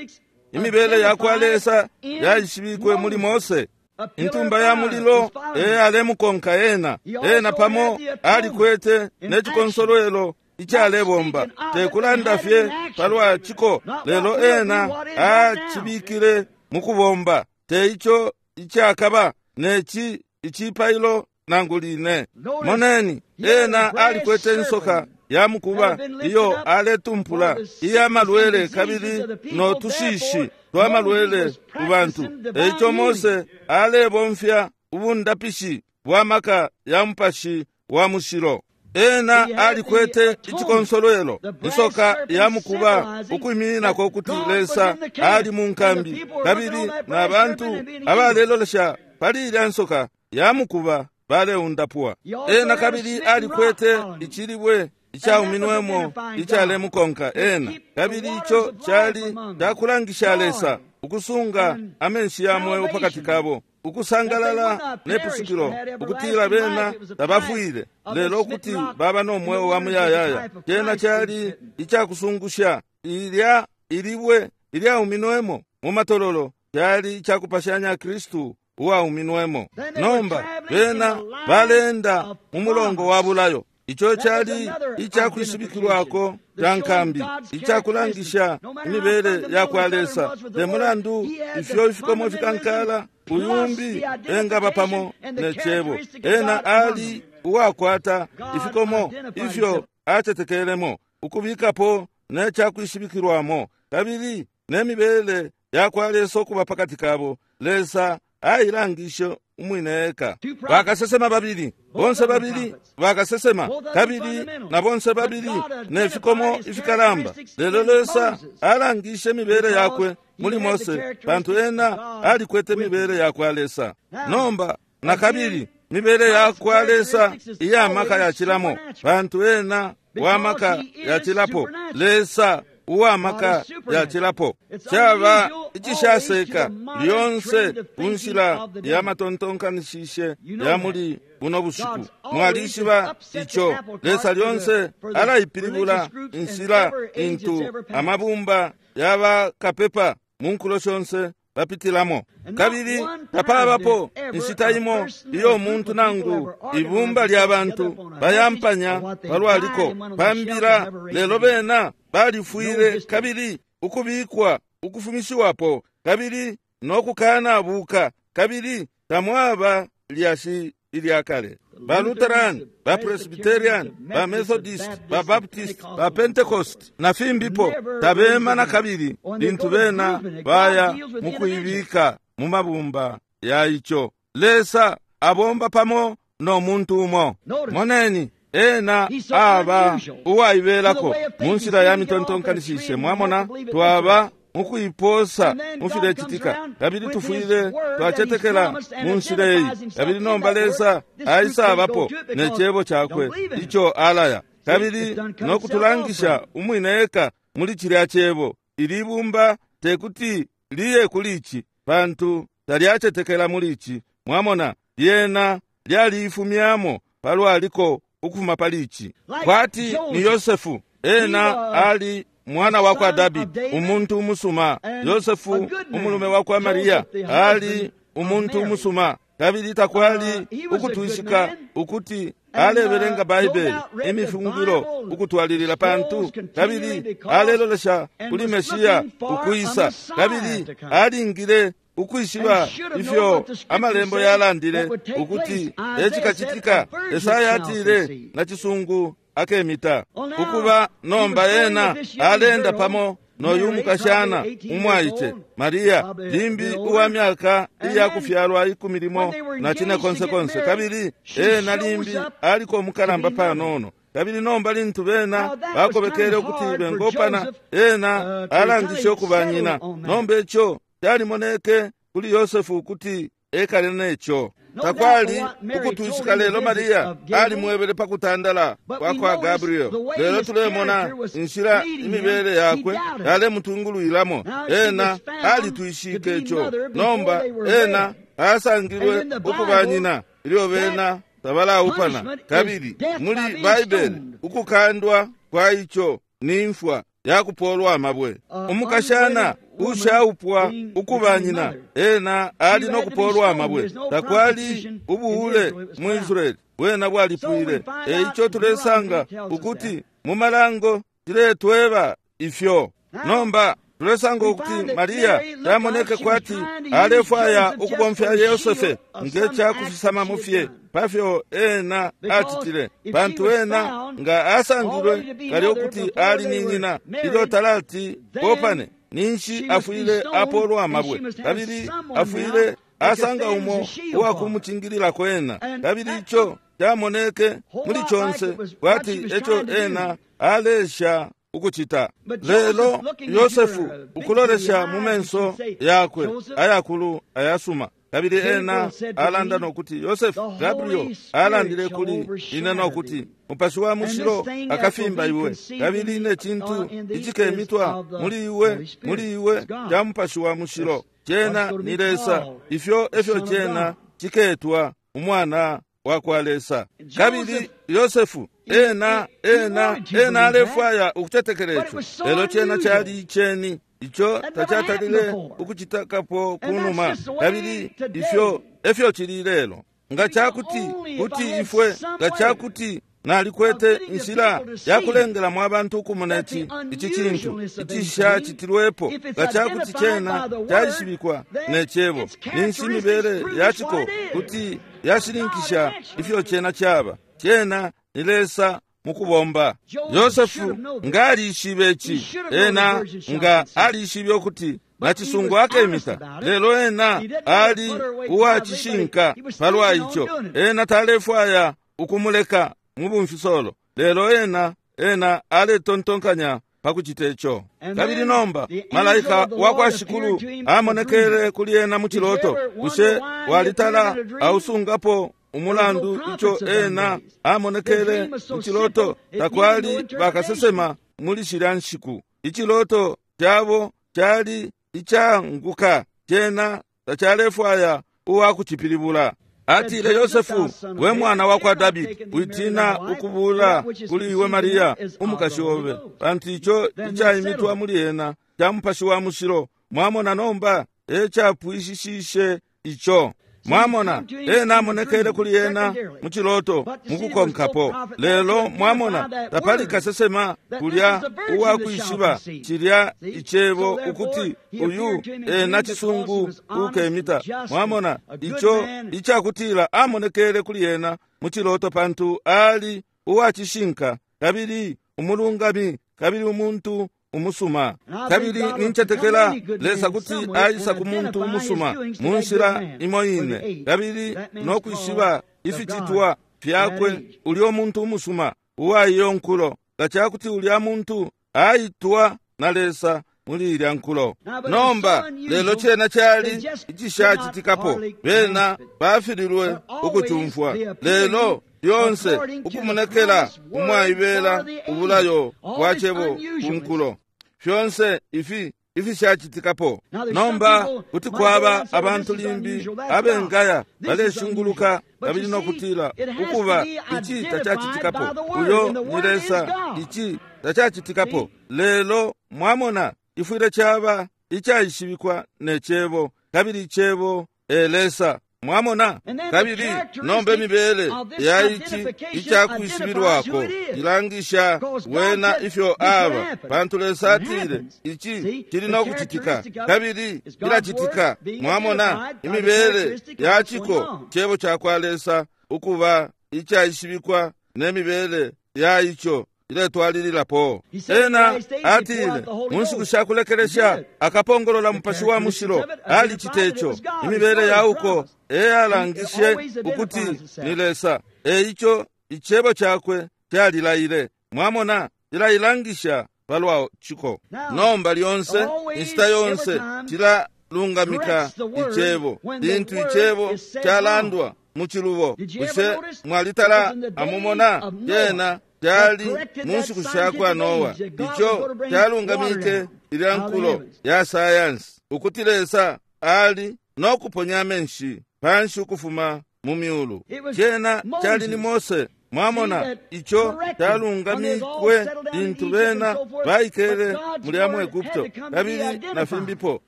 Imibele ya kwa Lesa yaishibikwe muli Mose. Intumba ya mulilo eyalemukonka ena. Ena pamo alikwete ne cikonsolwelo icalebomba, tekulanda fye palwa ciko, lelo ena acibikile mukubomba, te ico icakaba neci icipailo nangu line. Moneni, ena alikwete insoka ya mukuba iyo aletumpula iya malwele kabili no tushishi twa malwele ku bantu. Eico Mose alebomfya ubundapishi bwa maka ya mupashi wa mushilo. Ena alikwete icikonsolwelo, insoka ya mukuba ukwimininako ukuti Lesa ali mu nkambi, kabili na bantu abalelolesha pali ilya nsoka ya mukuba baleundapwa. Ena kabili alikwete icilibwe icauminwemo icalemukonka ena, kabili ico cali cakulangisha Lesa ukusunga amenshi ya mweo pakati kabo, ukusangalala nepusukilo, ukutila bena tabafwile, lelo ukuti baba no mweo wa muyayaya. Cena cali icakusungusha. Ilya ilibwe ilyauminwemo mu matololo cali icakupashanya Kristu uwauminwemo. Nomba bena balenda mu mulongo wa bulayo. Ico cali icakwishibikilwako ca nkambi, icakulangisha imibele ya kwa Lesa. Te mulandu ifyo ifikomo fikankala, uyumbi engaba pamo ne cebo, ena ali uwakwata ifikomo ifyo acetekelemo, ukubikapo ne cakwishibikilwamo, kabili ne mibele ya kwa Lesa ukuba pakati kabo. Lesa ailangishe umwine eka. Bakasesema babili, bonse babili bakasesema, kabili na bonse babili ne fikomo ifikalamba. Lelo Lesa alangishe mibele yakwe muli Mose, pantu ena alikwete mibele ya kwa Lesa. Nomba na kabili mibele ya kwa Lesa iya maka yachilamo, pantu ena wa maka yachilapo. Lesa uwa maka yachilapo. Caba icishaseka lyonse kunshila ya matontonkanishishe ya muli buno bushiku. Mwalishiba ico. Lesa lyonse alaipilibula inshila intu amabumba yabakapepa mu nkulo shonse bapitilamo. Kabili tapabapo inshita imo iyo umuntu nangu ibumba lya bantu bayampanya palwaliko pambila, lelo bena balifwile kabili ukubikwa ukufumishiwapo kabili nokukanabuka, kabili tamwaba lyashi ilya kale. Ba Lutheran, ba Presbyterian, ba Methodist, ba Baptist, ba Pentecost na fimbipo tabema na kabili lintu bena baya mukuibika mu mabumba ya ico. Lesa abomba pamo no muntu umo. Moneni, ena aba uwaibelako mu nshila ya mitontonkanishishe. Mwamona, twaba mukuiposa mufilecitika, kabili tufwile twacetekela mu nshila iyi. Kabili nomba Lesa aisabapo ne cebo cakwe ico alaya, kabili nokutulangisha umwine eka muli cilya cebo. Ili bumba tekuti liye kuli ici, pantu talyacetekela muli ici. Mwamona, lyena lyaliifumyamo palwaliko ukufuma pali ici. Kwati ni Yosefu, ena ali mwana wa kwa Davidi, umuntu umusuma. Yosefu umulume wa kwa Maria ali umuntu umusuma, kabili takwali ukutwishika ukuti alebelenga Baibele imifungilo ukutwalilila, pantu kabili alelolesha kuli Meshiya ukwisa, kabili alingile ukwishiba ifyo amalembo yalandile ukuti ecikacitika. Esaya atile na cisungu akemita ukuba. Nomba ena alenda pamo noyu mukashana umwaice Maria, limbi uwa myaka iya kufyalwa ikumi limo na cine konse konse, kabili ena limbi aliko umukalamba panono. Kabili nomba lintu bena bakobekele ukuti bengopana, ena alangishe ukuba nyina. Nomba ico calimoneke kuli Yosefu ukuti ekale neco. Takwali ukutwishika, lelo Maria alimwebele pa kutandala kwa kwa Gabriel. Lelo tulemona inshila imibele yakwe yalemutungulwilamo. Ena alitwishike ico. Nomba ena asangilwe ukuba nyina ilyo bena tabalaupana. Kabili muli Baibele ukukandwa kwa ico ni mfwa yakupolwa amabwe. Umukashana ushaupwa ukuba nyina ena ali nokupolwa amabwe. Takwali ubuhule mu Israeli, bwena bwalipwile. Eico tulesanga ukuti mu malango ciletweba ifyo. Nomba tulesanga ukuti Maria tamoneke kwati alefwaya ukubomfya Yosefe nge cakufisama fye pafyo ena acitile, pantu ena nga asangilwe kale ukuti ali ni nyina ilyo talati kopane, ninshi afwile apolwa amabwe, kabili afwile asanga umo uwakumucingililako ena. Kabili ico camoneke muli conse kwati eco ena alesha ukucita. Lelo Yosefu ukulolesha mu menso yakwe ayakulu ayasuma, kabili ena alanda nokuti Yosefu, Gabriel alandile kuli ine nokuti Mupashi wa Mushilo akafimba iwe, kabili ne cintu icikemitwa muli iwe muli iwe ca Mupashi wa Mushilo cena ni Lesa. Ifyo efyo cena ciketwa umwana wa kwa Lesa. Kabili Yosefu ena ena ena alefwaya ukucetekela ico, lelo cena cali iceni ico tacatalile ukucitakapo kunuma. Kabili ifyo efyo cili lelo. Nga cakuti kuti ifwe nga cakuti nalikwete inshila yakulengelamo abantu ukumona ici ici cintu icishacitilwepo, nga cakuti cena calishibikwa ne cebo, ninshi imibele yaciko kuti yashininkisha ifyo cena caba. Cena ni Lesa mukubomba. Yosefu nga alishibe ici, ena nga alishibe ukuti nacisungu akemita, lelo ena ali uwacishinka palwa ico. Ena talefwaya ukumuleka mubumfisolo, lelo ena ena aletontonkanya pakucita ico. Kabili nomba malaika wa kwa Shikulu amonekele kuli ena mu ciloto. Bushe walitala ausungapo umulandu ico ena amonekele mu ciloto? Takwali bakasesema muli shilya nshiku. Iciloto cabo cali icanguka, cena tacalefwaya uwakucipilibula. Atile, Yosefu, we mwana wa kwa Davidi, witina ukubula kuli iwe Maria umukashi obe, pantu ico icaimitwa muli ena ca Mupashi wa Mushilo. Mwamona nomba ecapwishishishe ico. Mwamona ena amonekele kuli ena mu ciloto mukukonkapo, lelo mwamona tapali kasesema kulya uwakwishiba cilya icebo ukuti uyu ena cisungu ukemita. Mwamona ico icakutila amonekele kuli ena mu ciloto pantu ali uwacishinka kabili umulungami kabili umuntu umusuma. Kabili nincetekela Lesa kuti aisa ku muntu umusuma mu nshila imo ine, kabili nokwishiba ificitwa fyakwe ulyo muntu umusuma uwa iyo nkulo, nga cakuti ulya muntu aitwa na Lesa muli ilya nkulo. Nomba lelo cena cali icishacitikapo, bena bafililwe ukucumfwa. Lelo lyonse ukumonekela umwaibela ubulayo bwa cebo ku nkulo, fyonse ifi ifishacitikapo. Nomba kuti kwaba abantu limbi abengaya baleshunguluka kabili nokutila ukuba ici tacacitikapo, uyo ni Lesa, ici tacacitikapo. Lelo mwamona ifwile caba icaishibikwa ne cebo, kabili icebo e Lesa. Mwamona? Kabili nomba imibele ya ici icakwishibilwako ilangisha wena ifyo aba, pantu Lesa atile ici cili nokucitika kabili cilacitika. Mwamona imibele ya ciko cebo ca kwa Lesa ukuba icaishibikwa ne mibele ya ico iletwalililapo. Ena atile mu nshiku sha kulekelesha akapongolola Mupashi wa Mushilo. Alicite ico. Imibele ya uko eyalangishe ukuti ni Lesa. Eico icebo cakwe calilaile. Mwamona, cilailangisha palwa ciko. Nomba lyonse inshita yonse cilalungamika icebo lintu icebo calandwa mu cilubo. Bushe mwalitala amumona? Cena cali mu nshiku sha kwa Noa, ico calungamike ilya nkulo ya sayansi ukuti Lesa ali nokuponya amenshi panshi ukufuma mu myulu. Cena cali ni Mose. Mwamona ico calungamikwe lintu bena baikele mulya mu Egupto kabili na fimbipo.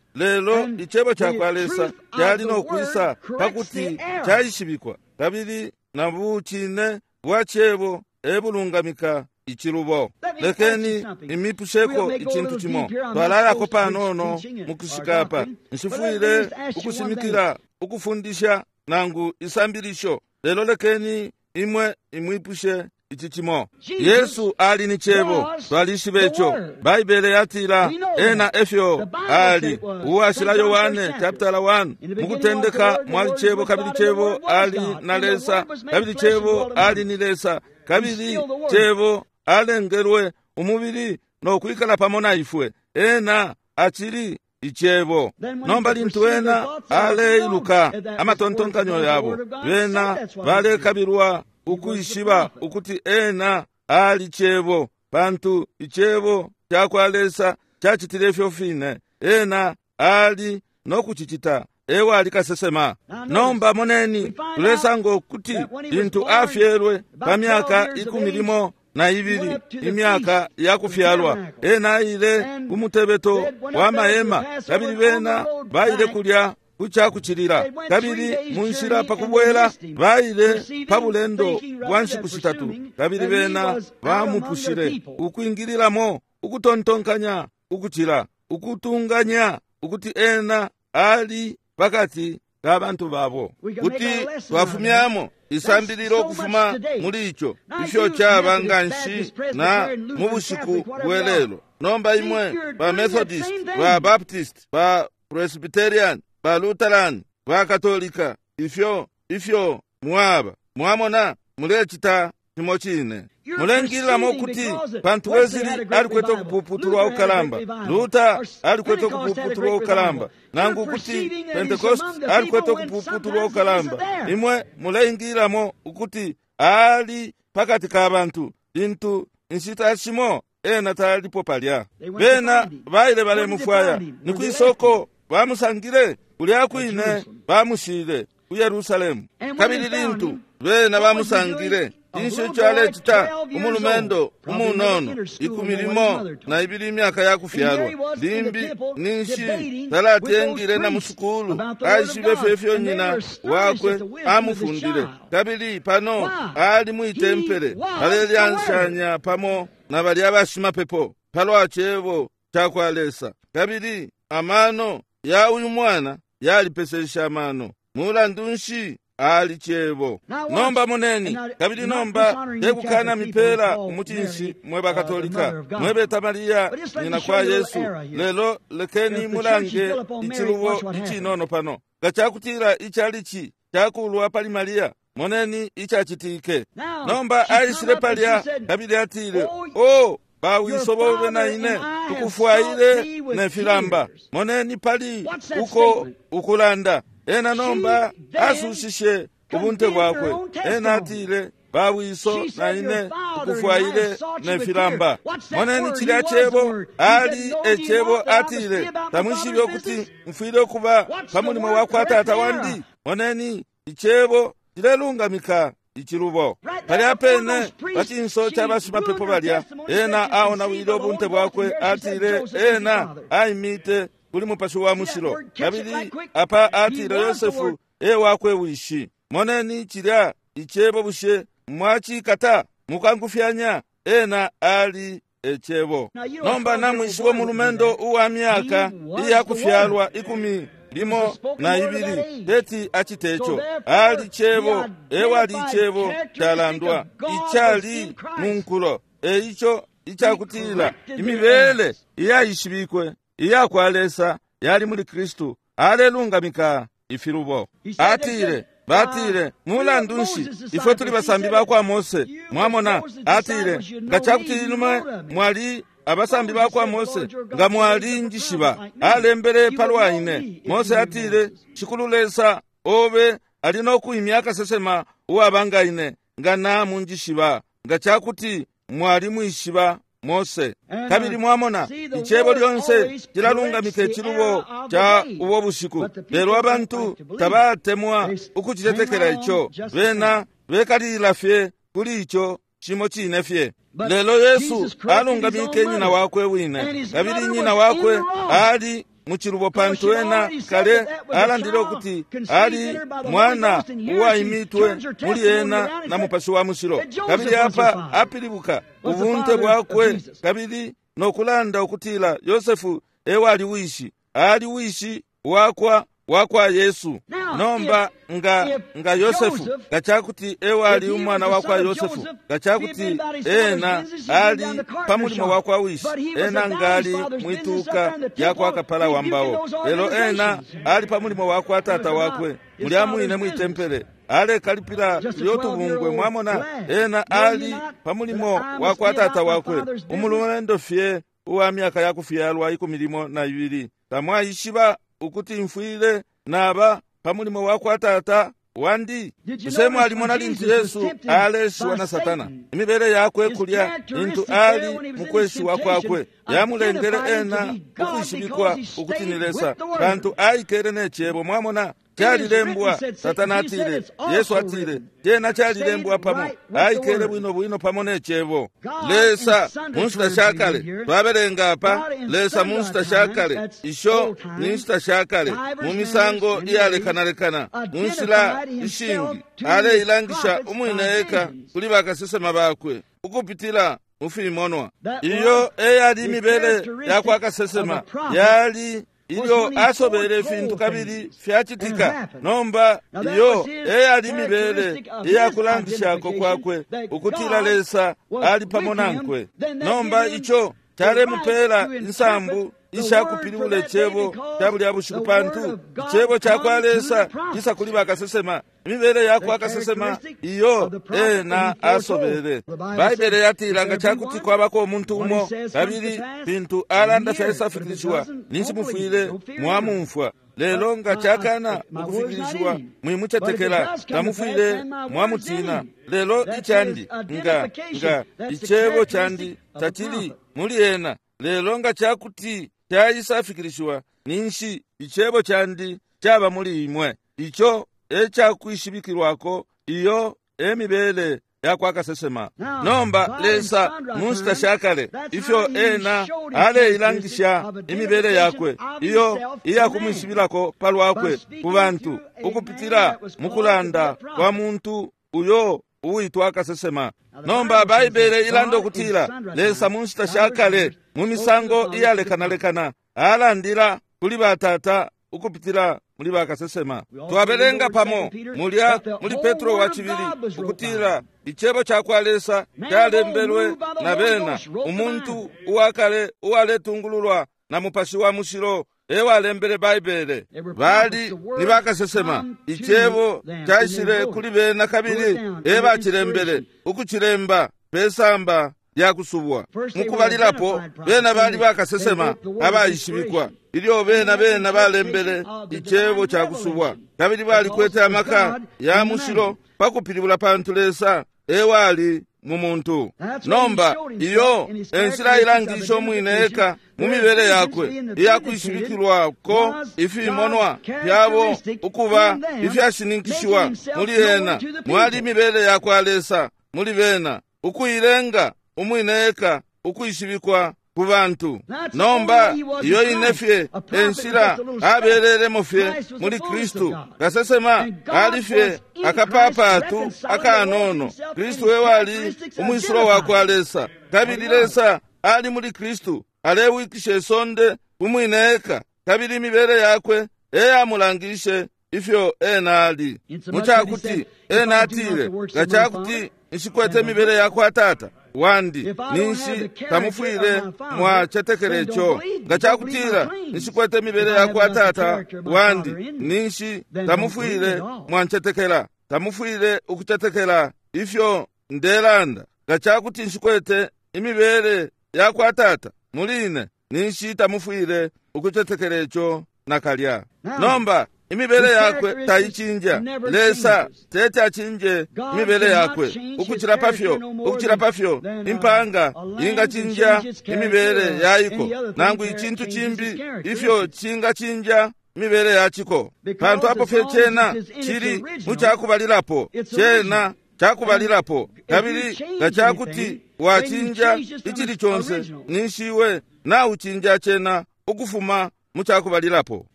Lelo icebo ca kwa Lesa cali nokwisa pakuti caishibikwa, kabili na bucine bwa cebo ebulungamika icilubo. Lekeni imipusheko icintu cimo. Twalalako panono mukushikapa. Nshifwile ukushimikila ukufundisha nangu isambilisho, lelo lekeni imwe imwipushe ici cimo. Yesu ali ni Cebo, twalishiba ico. Baibele yatila ena efyo ali. Uwashila Yohane chapter one, mukutendeka mwali Cebo, kabili Cebo ali na Lesa, kabili Cebo ali ni Lesa, kabili Cebo alengelwe umubili no kwikala pamo na ifwe. Ena achili Icebo. Nomba lintu ena aleiluka amatontonkanyo yabo, bena balekabilwa ukwishiba ukuti ena ali Cebo, pantu Icebo cakwa Lesa cacitile ifyo fine. Ena ali nokucicita, ewe ali kasesema. Nomba moneni, tulesanga ukuti lintu afyelwe pa myaka ikumi limo na ibili, imyaka ya kufyalwa, ena aile kumutebeto wa mahema, kabili bena baile kulya kucakucilila, kabili munshila pakubwela baile pa bulendo bwa nshiku shitatu, kabili bena bamupushile ukwingililamo ukutontonkanya ukucila ukutunganya ukuti ena ali pakati ka bantu babo. Kuti twafumyamo isambililo ukufuma muli ico ifyo caba nganshi na mu bushiku bwelelo. Nomba imwe ba Methodist, ba Baptist, ba Presbyterian, ba Lutheran, ba Katolika, ifyo ifyo mwaba, mwamona mulecita cimo cine. Mulengililamo ukuti pantu Wesley alikwete ukupuputulwa ukalamba, Luther alikwete ukupuputulwa ukalamba, nangu ukuti Pentecost alikwete ukupuputulwa ukalamba. Imwe mulengililamo ukuti ali pakati ka bantu, lintu inshita shimo ena talipo palya. Bena baile balemufwaya, ni kwisoko bamusangile, kulya kwine bamushile ku Yerusalemu. Kabili lintu bena bamusangile, inshi ico alecita umulumendo umunono ikumi limo na ibili imyaka ya kufyalwa, limbi ninshi talatengile na musukulu, aishibe fye ifyo nyina wakwe amufundile. Kabili pano ali mwitempele alelyanshanya pamo na balya bashimapepo palwa cebo cakwa Lesa. Kabili amano ya uyu mwana yalipesesha amano. Mulandu nshi ali Cebo? Nomba moneni, kabili nomba tekukana mipela umutinshi mwe bakatolika, mwebeta Maria nyina kwa Yesu. Lelo lekeni mulange icilubo icinono pano. Nga cakutila icalici cakulwa pali Maria, moneni icacitike. Nomba aishile palya kabili atile, o bawiso bobe na ine tukufwaile ne filamba. Moneni pali uko ukulanda. Ena nomba asushishe ubunte bwakwe. Ena atile, bawiso na ine tukufwaile ne filamba. Moneni cilya Cebo, ali ecebo. Atile, tamwishibe ukuti mfwile ukuba pa mulimo wa kwa tata wandi. Moneni icebo cilelungamika icilubo. Palya pene pa cinso ca bashimapepo balya, ena aonawile ubunte bwakwe. Atile, ena aimite kuli Mupashi wa Mushilo, kabili apa atile Yosefu e wakwe wishi. Moneni cilya icebo, bushe mwacikata mukangufyanya? Ena ali ecebo. Nomba namwishiba umulumendo uwa myaka iya kufyalwa ikumi limo na ibili teti acite ico. Ali cebo, ewali icebo calandwa icali munkulo. Eico icakutila imibele iyaishibikwe iya kwa Lesa yali muli Kristu, alelungamika ifilubo. Atile, batile, mulandu nshi ifwe tuli basambi bakwa Mose? Mwamona, atile, nga cakuti inume mwali abasambi bakwa Mose, nga mwali njishiba. Alembele palwa ine. Mose atile, Shikulu Lesa obe ali nokuimya kasesema uwabanga ine, nga namunjishiba. Nga cakuti mwali mwishiba Mose. Kabili mwamona, icebo lyonse cilalungamika icilubo ca ubo bushiku, lelo abantu tabatemwa ukucitetekela ico. Bena bekalilila fye kuli ico cimo cine fye. Lelo Yesu alungamike nyina wakwe wine, kabili nyina wakwe ali mucilubo, pantu ena kale alandile ukuti ali mwana uwaimitwe muli ena na Mupashi wa Mushilo. Kabili apa apilibuka ubunte bwakwe, kabili nokulanda ukutila Yosefu ewali wishi, ali wishi wakwa wakwa Yesu. Nomba nga nga Yosefu nga cakuti ewali umwana wakwa Yosefu, nga cakuti ena ali pa mulimo wakwa wishi, ena ngali mwituka yakwa kapala wa mbao, lelo ena ali pa mulimo wakwa tata wakwe mulya mwine mwitempele alekalipila lyotubungwe. Mwamona, ena ali pa mulimo wakwa tata wakwe, umulumendo fye uwa myaka yakufyalwa ikumi limo na ibili. Tamwaishiba ukuti mfwile naba pa mulimo wakwa tata wandi? Bushe mwalimona lintu Yesu aleshiwa na Satana, imibele yakwe kulya lintu ali mukweshiwa kwakwe yamulengele ena ukwishibikwa ukuti ni Lesa, pantu aikele ne cebo. Mwamona, calilembwa. Satana atile, Yesu atile, cena calilembwa pamo. Aikele bwino bwino pamo ne cebo. Lesa mu nshita shakale, twabelenga apa, Lesa mu nshita shakale, isho ni nshita shakale, mu misango iyalekanalekana, mu nshila ishingi aleilangisha umwine eka kuli bakasesema bakwe ukupitila mu fimonwa. Iyo eyali imibele yakwa kasesema, yali ilyo asobele ifintu kabili fyacitika. Nomba iyo eyali imibele iyakulangishako kwakwe ukutila Lesa ali pamo nankwe. Nomba ico calemupela insambu ishakupilibula icebo ca bulya bushiku, pantu icebo cakwa Lesa cisa kuli bakasesema. Imibele yakwa kasesema iyo ena asobele. Baibele yatila nga cakuti kwabako umuntu umo kabili fintu alanda fyaisafikilishiwa, ninshi mufwile mwamumfwa. Lelo nga cakana ukufikilishiwa, mwimucetekela, tamufwile mwamutina. Lelo icandi nga nga icebo candi tacili muli ena. Lelo nga cakuti caisafikilishiwa, ninshi icebo candi caba muli imwe. Ico ecakwishibikilwako, iyo emibele yakwa kasesema. Nomba Lesa mu nshita shakale, ifyo ena aleilangisha imibele yakwe iyo iyakumwishibilako palwakwe ku bantu ukupitila mu kulanda kwa muntu uyo uwitwa kasesema. Nomba Baibele ilanda ukutila Lesa mu nshita shakale mu misango iyalekanalekana alandila kuli batata ukupitila muli bakasesema. Twabelenga pamo mulya muli Petro wa cibili ukutila icebo cakwa Lesa calembelwe na bena, umuntu uwakale uwaletungululwa na Mupashi wa Mushilo ewalembele Baibele. Bali ni bakasesema, icebo caishile kuli bena kabili ebacilembele ukucilemba pesamba lyakusubwa. Mukubalilapo bena bali bakasesema abaishibikwa, ilyo bena bena balembele icebo cakusubwa, kabili balikwete amaka ya mushilo pakupilibula, pantu Lesa ewali mu muntu. Nomba iyo enshila ilangisha umwine eka mu mibele yakwe iyakwishibikilwako ifimonwa fyabo ukuba ifyashininkishiwa muli ena. Mwali imibele yakwa Lesa muli bena, ukuilenga umwine eka ukwishibikwa ku bantu. Nomba iyo ine fye enshila abelelemo fye muli Kristu. Kasesema ali fye akapapatu akanono. Kristu ewali umwisulo wakwa Lesa, kabili Lesa ali muli Kristu alewikisha isonde umwine eka, kabili imibele yakwe eyamulangishe ifyo ena ali. Mucakuti ena atile, nga cakuti nshikwete imibele yakwa tata wandi, ninshi tamufwile mwacetekele ico. Nga cakutila nshikwete imibele yakwa tata wandi, ninshi tamufwile mwancetekela, tamufwile ukucetekela ifyo ndelanda. Nga cakuti nshikwete imibele yakwa tata muli ine, ninshi tamufwile ukucetekela ico nakalya. Nomba imibele yakwe taicinja. Lesa tete acinje imibele yakwe ukucila pafyo ukucila pafyo impanga ingacinja imibele yaiko, nangu icintu cimbi ifyo cingacinja imibele yaciko, pantu apo fye cena cili mucakubalilapo, cena cakubalilapo. Kabili nga cakuti wacinja icili conse, ninshi iwe naucinja cena ukufuma mucakubalilapo.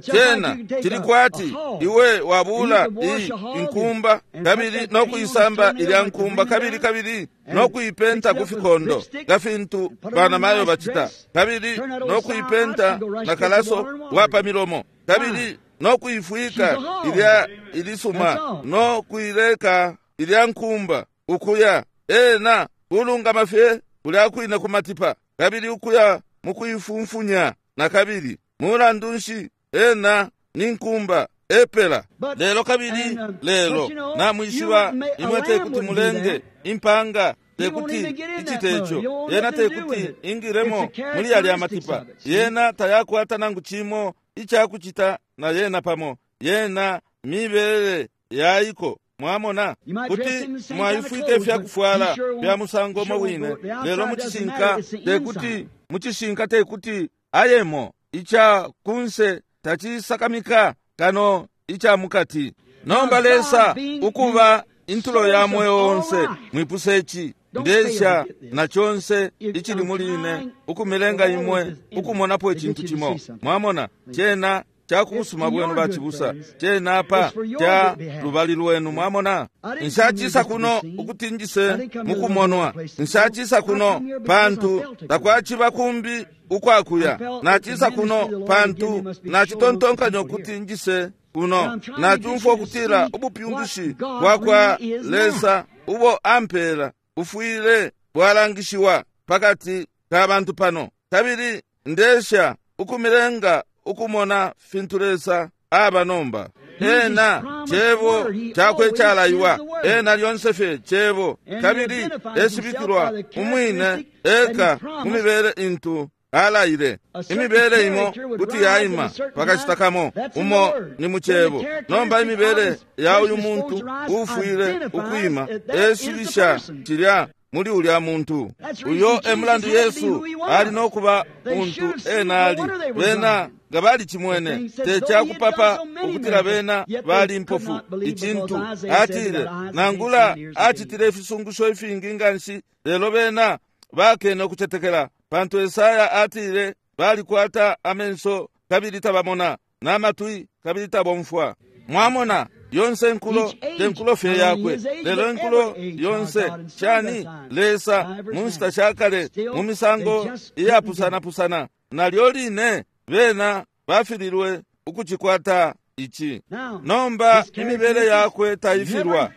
Cena cili kwati iwe wabula iyi inkumba kabili nokuisamba ilya nkumba kabili kabili nokuipenta ku fikondo nga fintu banamayo bacita, kabili nokuipenta na kalaso wapa milomo, kabili no kuifwika ilya ilisuma no kuileka ilya nkumba ukuya ena kulungama fye kulya kwine kumatipa kabili ukuya mukuifumfunya na kabili mulandu nshi ena ni nkumba epela lelo kabili lelo namwishiba imwe tekuti mulenge impanga tekuti ichitecho yena tekuti ingilemo muli yalya matipa yena tayakwata nangu chimo ichakuchita na yena pamo yena mibele yaiko mwamona kuti mwaifwike fyakufwala fya musango mo wine lelo muchishinka tekuti muchishinka tekuti ayemo icha kunse tachisakamika kano icha mukati nomba Lesa ukuba intulo ya mweo onse mwipuse ichi ndesha na chonse ichili muline ukumilenga imwe ukumonapo ichintu chimo mwamona chena chakusuma bwenu bachibusa chena apa cha lubali lwenu mwamona nshachisa kuno ukutinjise mukumonwa nshachisa kuno pantu takwachiba kumbi ukwakuya nachisa kuno pantu nachitontonkanya ukuti njise kuno nachumfwa ukutila ubupyungushi bwakwa Lesa ubo ampela ufwile bwalangishiwa pakati ka bantu pano kabili ndesha ukumilenga ukumona fintu Lesa aba nomba ena chebo chakwe chalaiwa ena lyonse fye chebo kabili esibikilwa umwine eka mumibele intu alaile imibele imo kuti yaima pakashita kamo umo ni muchebo nomba imibele ya uyu muntu ufwile ukwima esibisha chilya muli ulya muntu uyo emulandu Yesu ali nokuba muntu ena ali bena nga bali chimwene techakupapa ukutila bena bali mpofu ichintu atile nangula achitile ifisungusho ifingi nganshi lelo bena bakene okuchetekela pantu Esaya atile balikwata amenso kabili tabamona n'amatwi kabili tabomfwa mwamona yonse nkulo tenkulo fye yakwe lelo nkulo yonse shani Lesa mu nshita shakale mu misango iyapusanapusana nalyo line bena bafililwe ukuchikwata ichi nomba imibele yakwe taifilwa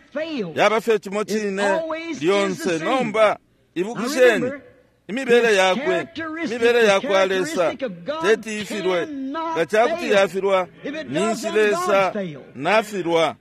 yaba fye chimo chine lyonse nomba ibukisheni imibele yakwe imibele yakwa Lesa teti ifilwe nga chakuti yafilwa ninshi Lesa nafilwa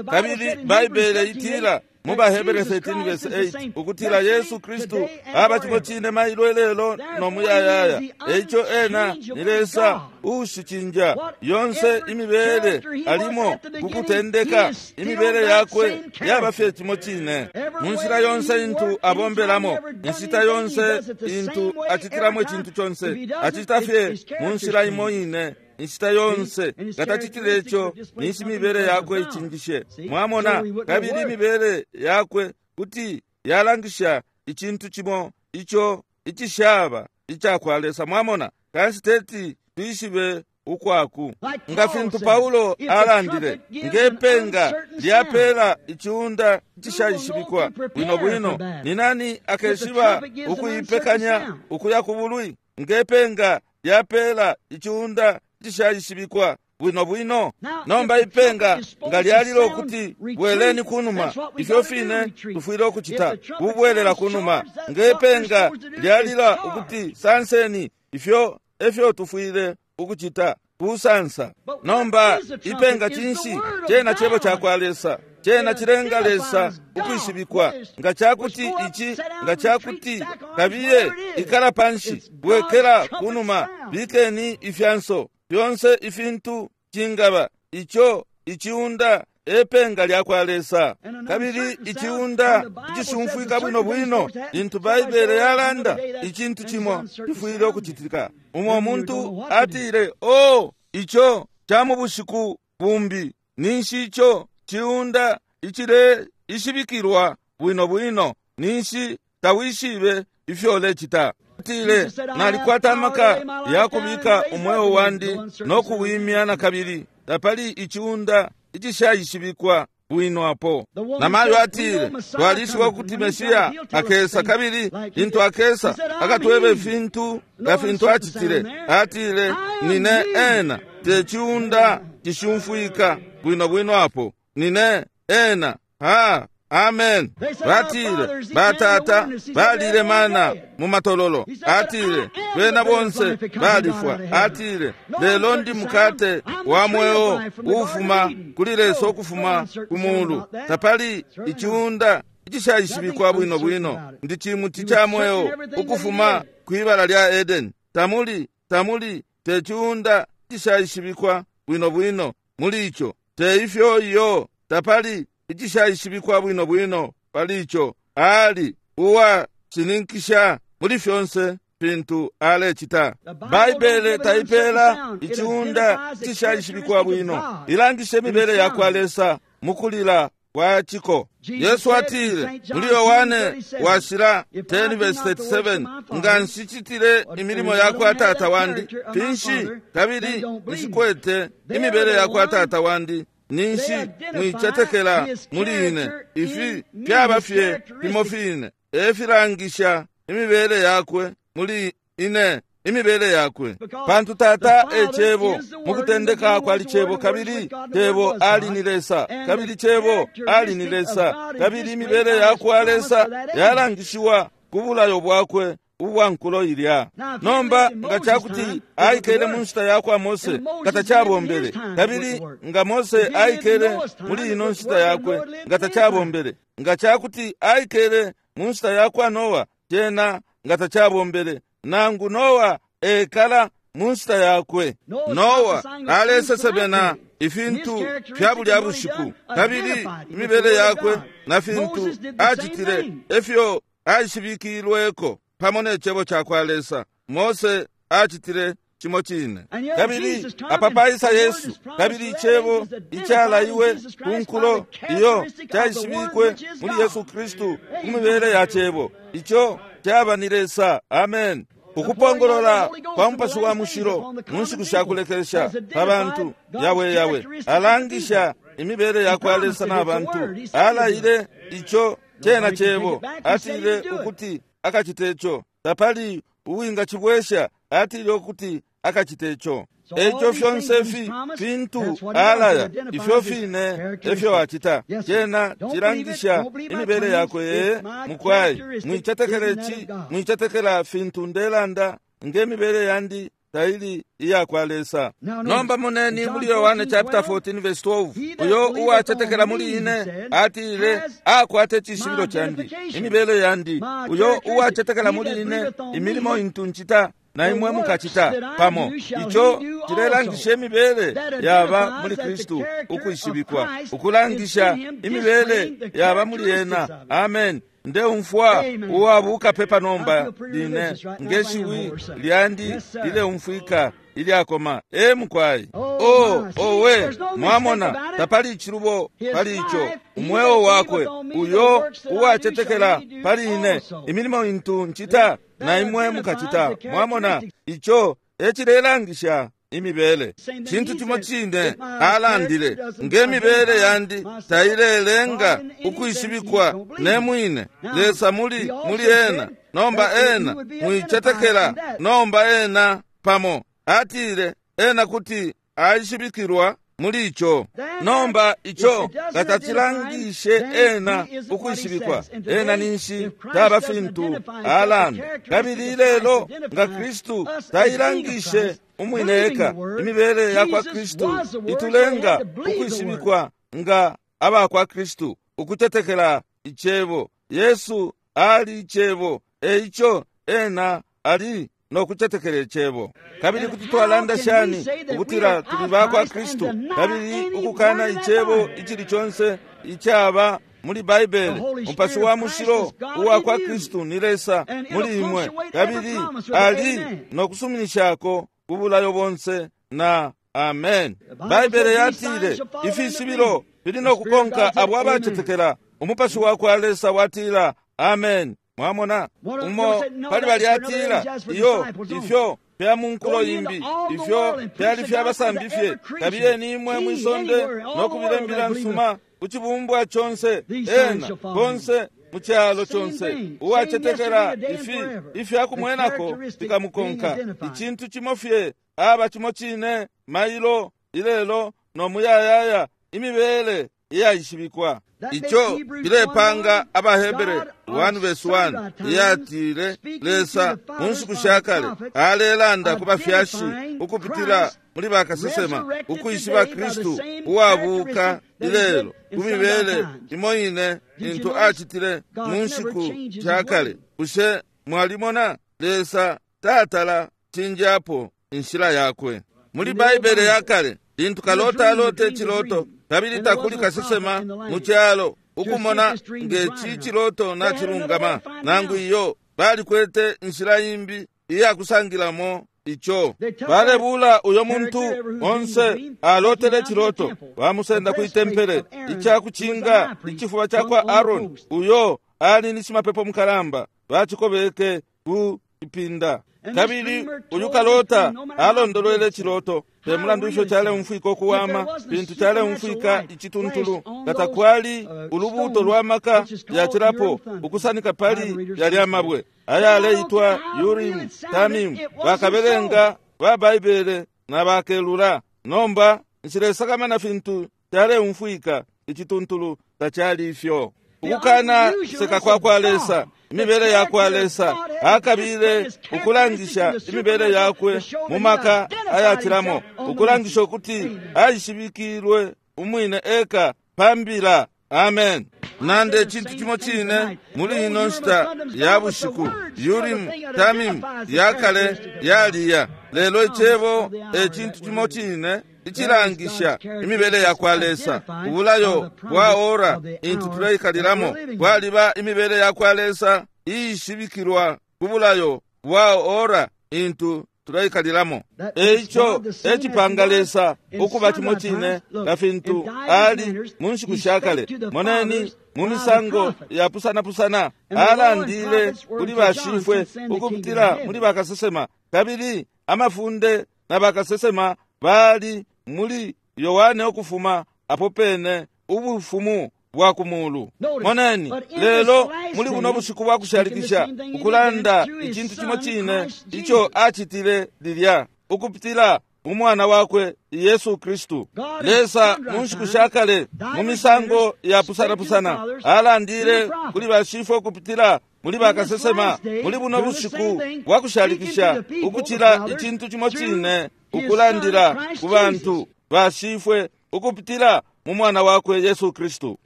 kabili Baibele itila mu Bahebere thirteen verse eight ukutila Yesu Kristu aba chimo chine mailo lelo no muyayaya eicho ena ni Lesa ushichinja yonse imibele alimo kukutendeka imibele yakwe yaba fye chimo chine munshila yonse intu abombelamo inshita yonse intu achitilamo ichintu chonse achita fye munshila imo ine inshita yonse ngatachitile icho ninshi imibele yakwe ichinjishe mwamona kabili imibele yakwe kuti yalangisha ichintu chimo icho ichishaba ichakwa Lesa mwamona kanshi teti tuishibe ukwaku nga fintu Paulo alandile ngepenga lyapela ichiunda ichishayishibikwa bwino bwino ni nani akeshiba ukuipekanya ukuya kubulwi ngepenga lyapela ichiunda ichishayishibikwa bwino bwino nomba ipenga nga lyalilo kuti bweleni kunuma ifyo fine tufwile ukuchita kubwelela kunuma ngepenga lyalila ukuti sanseni ifyo efyo tufwile ukuchita kusansa nomba ipenga chinshi chena chebo chakwa Lesa chena chilenga Lesa ukwishibikwa nga chakuti ichi nga chakuti kabiye ikala panshi bwekela kunuma bikeni ifyanso fyonse ifintu chingaba icho ichiunda epenga lyakwa Lesa kabili ichiunda ichishumfwika bwino bwino lintu Baibele yalanda ichintu chimo chifwile okuchitika umo muntu atile o icho cha mu bushiku bumbi ninshi icho chiunda ichile ishibikilwa bwino bwino ninshi tawishibe ifyo lechita atile nalikwata amaka yakubika umweo wandi nokuwimya na kabili tapali ichiunda ichishayishibikwa bwino apo namayo atile twalishiba ukuti Mesiya akesa kabili lintu akesa akatweba ifintu nga fintu achitile atile nine ena techiunda cishumfwika bwino bwino apo. Nine ena. Ha, amen. Batile batata balile mana mu matololo. Atile bena bonse balifwa. Atile lelo ndi mukate wa mweo ufuma kuli Lesa ukufuma ku mulu. Tapali ichiunda icishaishibikwa bwino bwino. Ndi chimuti cha mweo ukufuma kwibala lya Eden. Tamuli tamuli te chiunda icishaishibikwa bwino bwino muli icho. Te ifyo iyo tapali icishaishibikwa bwino bwino pali icho. Ali uwa chininkisha muli fyonse fintu alecita. Baibele taipela ichiunda icishaishibikwa bwino. Ilangisha imibele ya kwa Lesa mukulila kwa chiko. Yesu atile muli Yohane washila ten verse thirty-seven, nga nshicitile imilimo ya kwa tata wandi finshi kabili nshikwete imibele ya kwa tata wandi ninshi mwicetekela muli ine. Ifi fyaba fye fimo fine efilangisha imibele yakwe muli ine, imibele yakwe. Pantu tata e cebo, mukutendeka kwali cebo, kabili cebo ali ni Lesa, kabili cebo ali ni Lesa, kabili imibele yakwa Lesa yalangishiwa ku bulayo bwakwe ubwa nkulo ilya. Nomba nga chakuti aikele mu nshita yakwa Mose nga tachabombele, kabili nga Mose aikele muli ino nshita yakwe nga tachabombele, nga chakuti aikele mu nshita yakwa Noa tena nga tachabombele, nangu Noa ekala mu nshita yakwe. Noa alesesebena ifintu fya bulya bushiku, kabili imibele yakwe na fintu acitile efyo aishibikilweko pamo ne cebo ca kwa Lesa. Mose acitile cimo cine. Kabili apapaisa Yesu, kabili icebo icalaiwe ku nkulo iyo caishibikwe muli Yesu Kristu ku mibele ya cebo ico caba ni Lesa. Amen. Ukupongolola kwa Mupashi wa Mushilo mu nshiku sha kulekelesha pa bantu yawe yawe alangisha imibele ya kwa Lesa na bantu. Alaile ico cena cebo, atile ukuti akacite ico. Tapali uwingacibwesha, atile ukuti akacite ico. Eco fyonse fi fintu alaya, ifyo fine efyo acita. Cena cilangisha imibele yakwe. Mukwai mwicetekela ici, mwicetekela fintu ndelanda nge mibele yandi taili iya kwa Lesa. Nomba moneni muli Yohane chapter fourteen verse twelve, uyo uwacetekela muli ine atile akwate cishibilo candi, imibele yandi. Uyo uwacetekela muli ine, imilimo intu ncita na imwe mukacita pamo. Ico cilelangisha imibele yaba muli Kristu ukwishibikwa, ukulangisha imibele yaba muli ena. Amen. Ndeumfwa uwabuka pepa nomba line ngeshiwi lyandi lileumfwika ilyakoma. E mukwai, o owe, mwamona tapali ichilubo pali ico. Umweo wakwe uyo uwacetekela pali ine, imilimo intu ncita na imwe mukacita. Mwamona ico ecilelangisha imibele. Cintu cimo cine alandile, nge mibele yandi tailelenga ukwishibikwa ne mwine. Lesa muli muli ena. Nomba ena mwicetekela, nomba ena pamo atile ena kuti aishibikilwa muli ico. Nomba ico katacilangishe ena ukwishibikwa, ena ninshi taba fintu alanda. Kabili ilelo nga Kristu tailangishe umwine eka, imibele ya kwa Kristu itulenga ukwishibikwa nga aba kwa Kristu, ukutetekela icebo. Yesu ali icebo, eico ena ali no kutetekela icebo. Kabili kuti twalanda shani ukutila tuli ba kwa Kristu kabili ukukana icebo icili conse icaba muli Baibele? Umupashi wa Mushilo uwa kwa Kristu ni Lesa muli imwe, kabili ali no kusuminishako kubulayo bonse na amen. Baibele yatile ifishibilo fili no kukonka abo abacetekela. Umupashi wa kwa Lesa watila amen. Mwamona umo pali balyatila iyo ifyo fya munkulo imbi, ifyo fyali fya basambi fye. Kabiyeni imwe mwisonde no kubila imbila nsuma ku cibumbwa conse, ena konse mu cyalo conse. Uwacetekela ifi ifyakumwenako fikamukonka. Icintu cimo fye aba cimo cine mailo ilelo no muyayaya, imibele iyaishibikwa. Ico cilepanga AbaHebere one verse one iyatile Lesa mu nshiku sha kale alelanda ku bafyashi ukupitila muli bakasesema, ukwishiba Kristu uwabuka ilelo ku mibele imo ine intu acitile mu nshiku sha kale. Bushe mwalimona? Lesa tatala cinjapo inshila yakwe. Muli Baibele ya kale, lintu kalota alote iciloto kabili takuli kasesema mu calo ukumona ngeci ciloto nacilungama nangu iyo, balikwete inshila imbi iyakusangilamo ico. Balebula uyo muntu onse alotele ciloto, bamusenda kwi tempele icakucinga icifuba cakwa Aaron, uyo ali ni shimapepo mukalamba, bacikobeke ku ipinda. Kabili uyu kalota alondolwele ciloto te mulandu ifyo caleumfwika ukuwama, pintu caleumfwika icituntulu, nga takwali ulubuto lwa maka yacilapo ukusanika pali yalya mabwe ayaleitwa Urim Tamim. Bakabelenga ba Baibele na bakelula. Nomba nshilesakamana fintu caleumfwika icituntulu, tacali ifyo. Ukukana seka kwa kwa Lesa, imibele ya kwa Lesa, akabile ukulangisha imibele yakwe mu maka ayacilamo, ukulangisha ukuti aishibikilwe umwine eka pambila. Amen. Nande icintu cimo cine muli ino nshita ya bushiku. Urim Tamim ya kale yaliya, lelo icebo e cintu cimo cine icilangisha imibele ya kwa Lesa. Ubulayo bwa ora intu tuleikalilamo bwaliba imibele ya kwa Lesa iishibikilwa ku bulayo bwa ora intu tuleikalilamo. Eico ecipanga Lesa ukuba cimo cine nga fintu ali mu nshiku sha kale. Moneni mu misango yapusanapusana alandile kuli bashifwe ukupitila muli bakasesema, kabili amafunde na bakasesema bali muli Yohane ukufuma apo pene ubufumu bwa kumulu. Moneni lelo muli buno bushiku bwa kushalikisha ukulanda icintu cimo cine ico acitile lilya ukupitila mu mwana wakwe Yesu Kristu. Lesa mu nshiku sha kale mu misango yapusanapusana alandile kuli bashifwe ukupitila muli bakasesema, muli buno bushiku bwa kushalikisha ukucila icintu cimo cine ukulandila ku bantu bashifwe ukupitila mu mwana wakwe Yesu Kristu.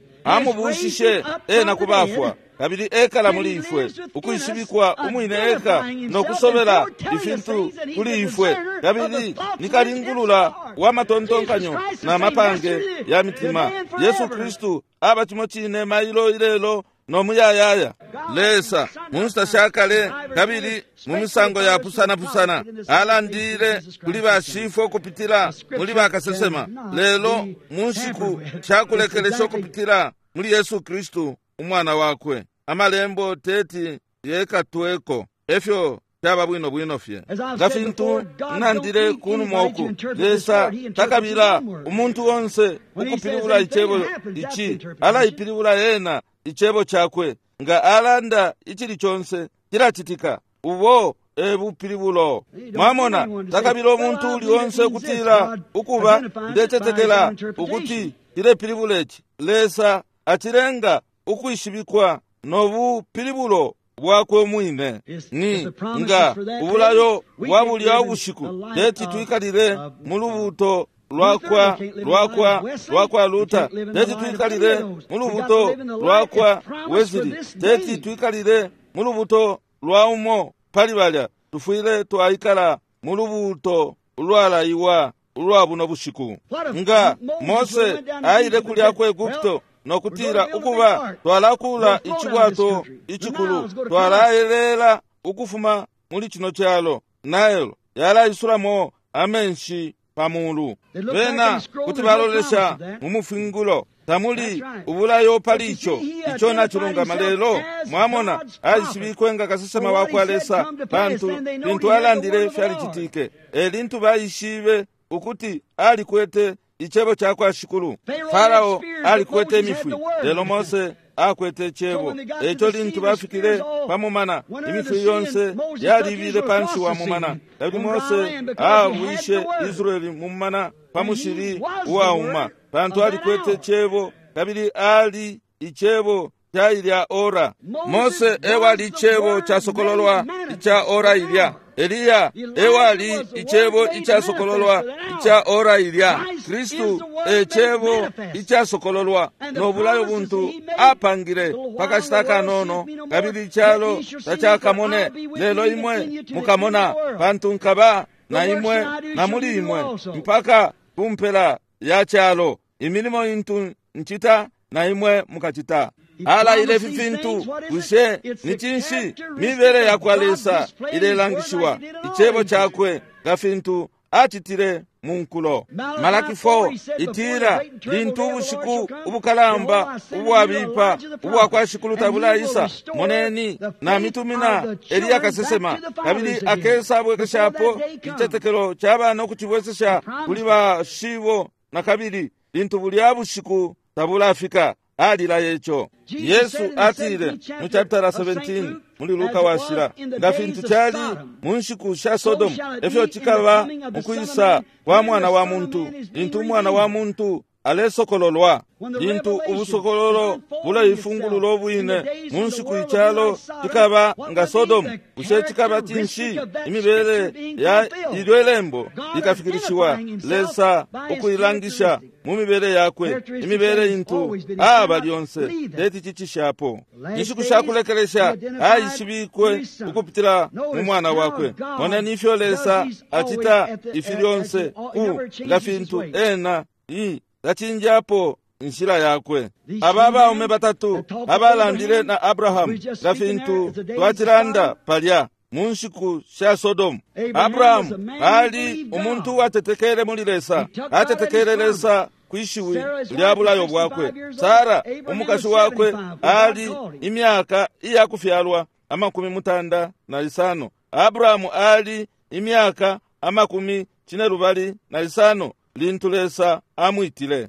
Amubushishe ena kubafwa, kabili ekala muli ifwe, ukwishibikwa umwine eka no kusobela ifintu kuli ifwe, kabili nikalingulula wa matontonkanyo na mapange ya mitima. Yesu Kristu aba cimo cine mailo ilelo no muyayaya. Lesa mu nshita sha kale kabili mu misango yapusanapusana alandile kuli bashifwe ukupitila muli bakasesema, lelo mu nshiku sha kulekelesha ukupitila muli Yesu Kristu umwana wakwe. Amalembo teti yekatweko efyo caba bwino bwino fye. Nga fintu nandile kunuma uku, Lesa takabila umuntu onse ukupilibula icebo ici, alaipilibula ena icebo cakwe. Nga alanda icili conse cilacitika. Ubo e bupilibulo. Mwamona, takabila umuntu uli onse ukutila ukuba ndecetekela ukuti cilepilibula ici. Lesa acilenga ukwishibikwa no bupilibulo bwakwe mwine. Ni nga ubulayo bwa bulya ubushiku teti twikalile mu lubuto lwakwa lwakwa lwakwa Luther, teti twikalile mu lubuto lwakwa Wesley, teti twikalile mu lubuto lwa umo pali balya. Tufwile twaikala mu lubuto ulwalaiwa ulwa buno bushiku. Nga Mose aile kulya ku Egupto nokutila ukuba twalakula icibwato icikulu, twalaelela ukufuma muli cino calo, Nile yalaisulamo amenshi pamulu. Bena kuti balolesha mu mufingulo, tamuli ubulayo pali ico. Ico nacilungama. Lelo mwamona aishibikwe nga kasesema wa kwa Lesa, pantu lintu alandile fyalicitike. E lintu baishibe ukuti alikwete icebo ca kwa Shikulu. Farao alikwete imifwi, lelo Mose akwete Cebo. Eco lintu bafikile pa mumana, imifwi yonse yalibile panshi wa mumana, kabili Mose awishe Israeli mu mumana pa mushili uwauma, pantu alikwete Cebo, kabili ali Icebo ca ilya ora. Mose ewali Icebo casokololwa ica ora ilya. Eliya ewali Icebo icasokololwa ica ora ilya. Kristu e Cebo icasokololwa no bulayo buntu apangile pakashita kanono, kabili icalo tacakamone, lelo imwe mukamona, pantu nkaba na imwe na muli imwe mpaka kumpela ya calo. Imilimo intu ncita na imwe mukacita. Alaile ifi fintu. Bushe ni cinshi? Mibele ya kwa Lesa ilelangishiwa, Icebo cakwe nga fintu acitile mu nkulo. Malaki four itila, lintu ubushiku ubukalamba ubwabipa ubwa kwa Shikulu tabulaisa, moneni namitumina Eliya kasesema, kabili akesa abwekeshapo icitetekelo ca bana ukucibwesesha kuli bashibo na kabili, lintu bulya bushiku tabulafika. Alila eco. Yesu atile mu chapter seventeen muli Luka washila, nga fintu cali mu nshiku sha Sodomu, efyo cikaba mukwisa kwa mwana wa muntu, lintu umwana wa muntu alesokololwa, lintu ubusokololo buleifungulula ubwine mu nshiku icalo cikaba nga Sodomu. Bushe cikaba cinshi? Imibele ya ilyo ilembo ikafikilishiwa, Lesa ukuilangisha mu mibele yakwe, imibele intu aba lyonse teti cicishapo. Inshiku shakulekelesha aishibikwe ukupitila mu mwana wakwe. Moneni ifyo Lesa acita ifi lyonse ku nga fintu ena i tacinjapo inshila yakwe. Aba baume batatu abalandile na Abrahamu nga fintu twacilanda palya mu nshiku sha Sodomu. Abrahamu ali umuntu uwatetekele muli Lesa, atetekele Lesa kwishiwi lya bulayo bwakwe. Sara umukashi wakwe ali imyaka iya kufyalwa amakumi mutanda na isano. Abrahamu ali imyaka amakumi cinelubali na isano lintu Lesa amwitile.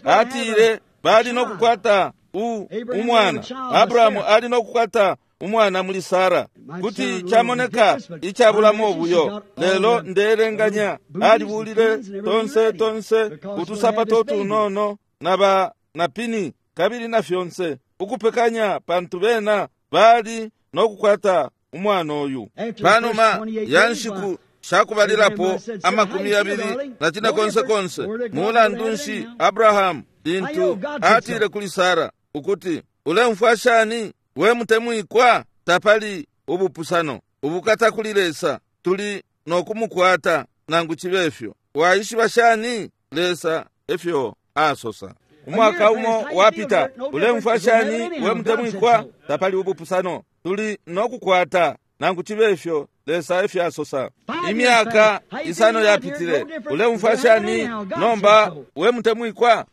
Atile bali no kukwata u umwana. Abrahamu ali no kukwata umwana muli Sara. Kuti camoneka icabulamo obuyo, lelo ndelenganya alibulile tonse tonse utusapato tunono na ba na pini kabili na fyonse ukupekanya, pantu bena bali no kukwata umwana oyu. Panuma ya nshiku shakubalilapo amakumi yabili na cine konse konse, mulandu nshi Abrahamu lintu atile kuli Sara ukuti, ulemfwa shani we mutemwikwa? Tapali ubupusano, ubukata kuli Lesa, tuli no kumukwata nangu chibe efyo. Waishiba shani? Lesa efyo asosa. Umwaka umo wapita, ulemfwa shani we mutemwikwa? Tapali ubupusano, tuli no kukwata nangu chibe efyo. Lesa efyo asosa. Imyaka isano yapitile, ulemfwa shani nomba we mutemwikwa?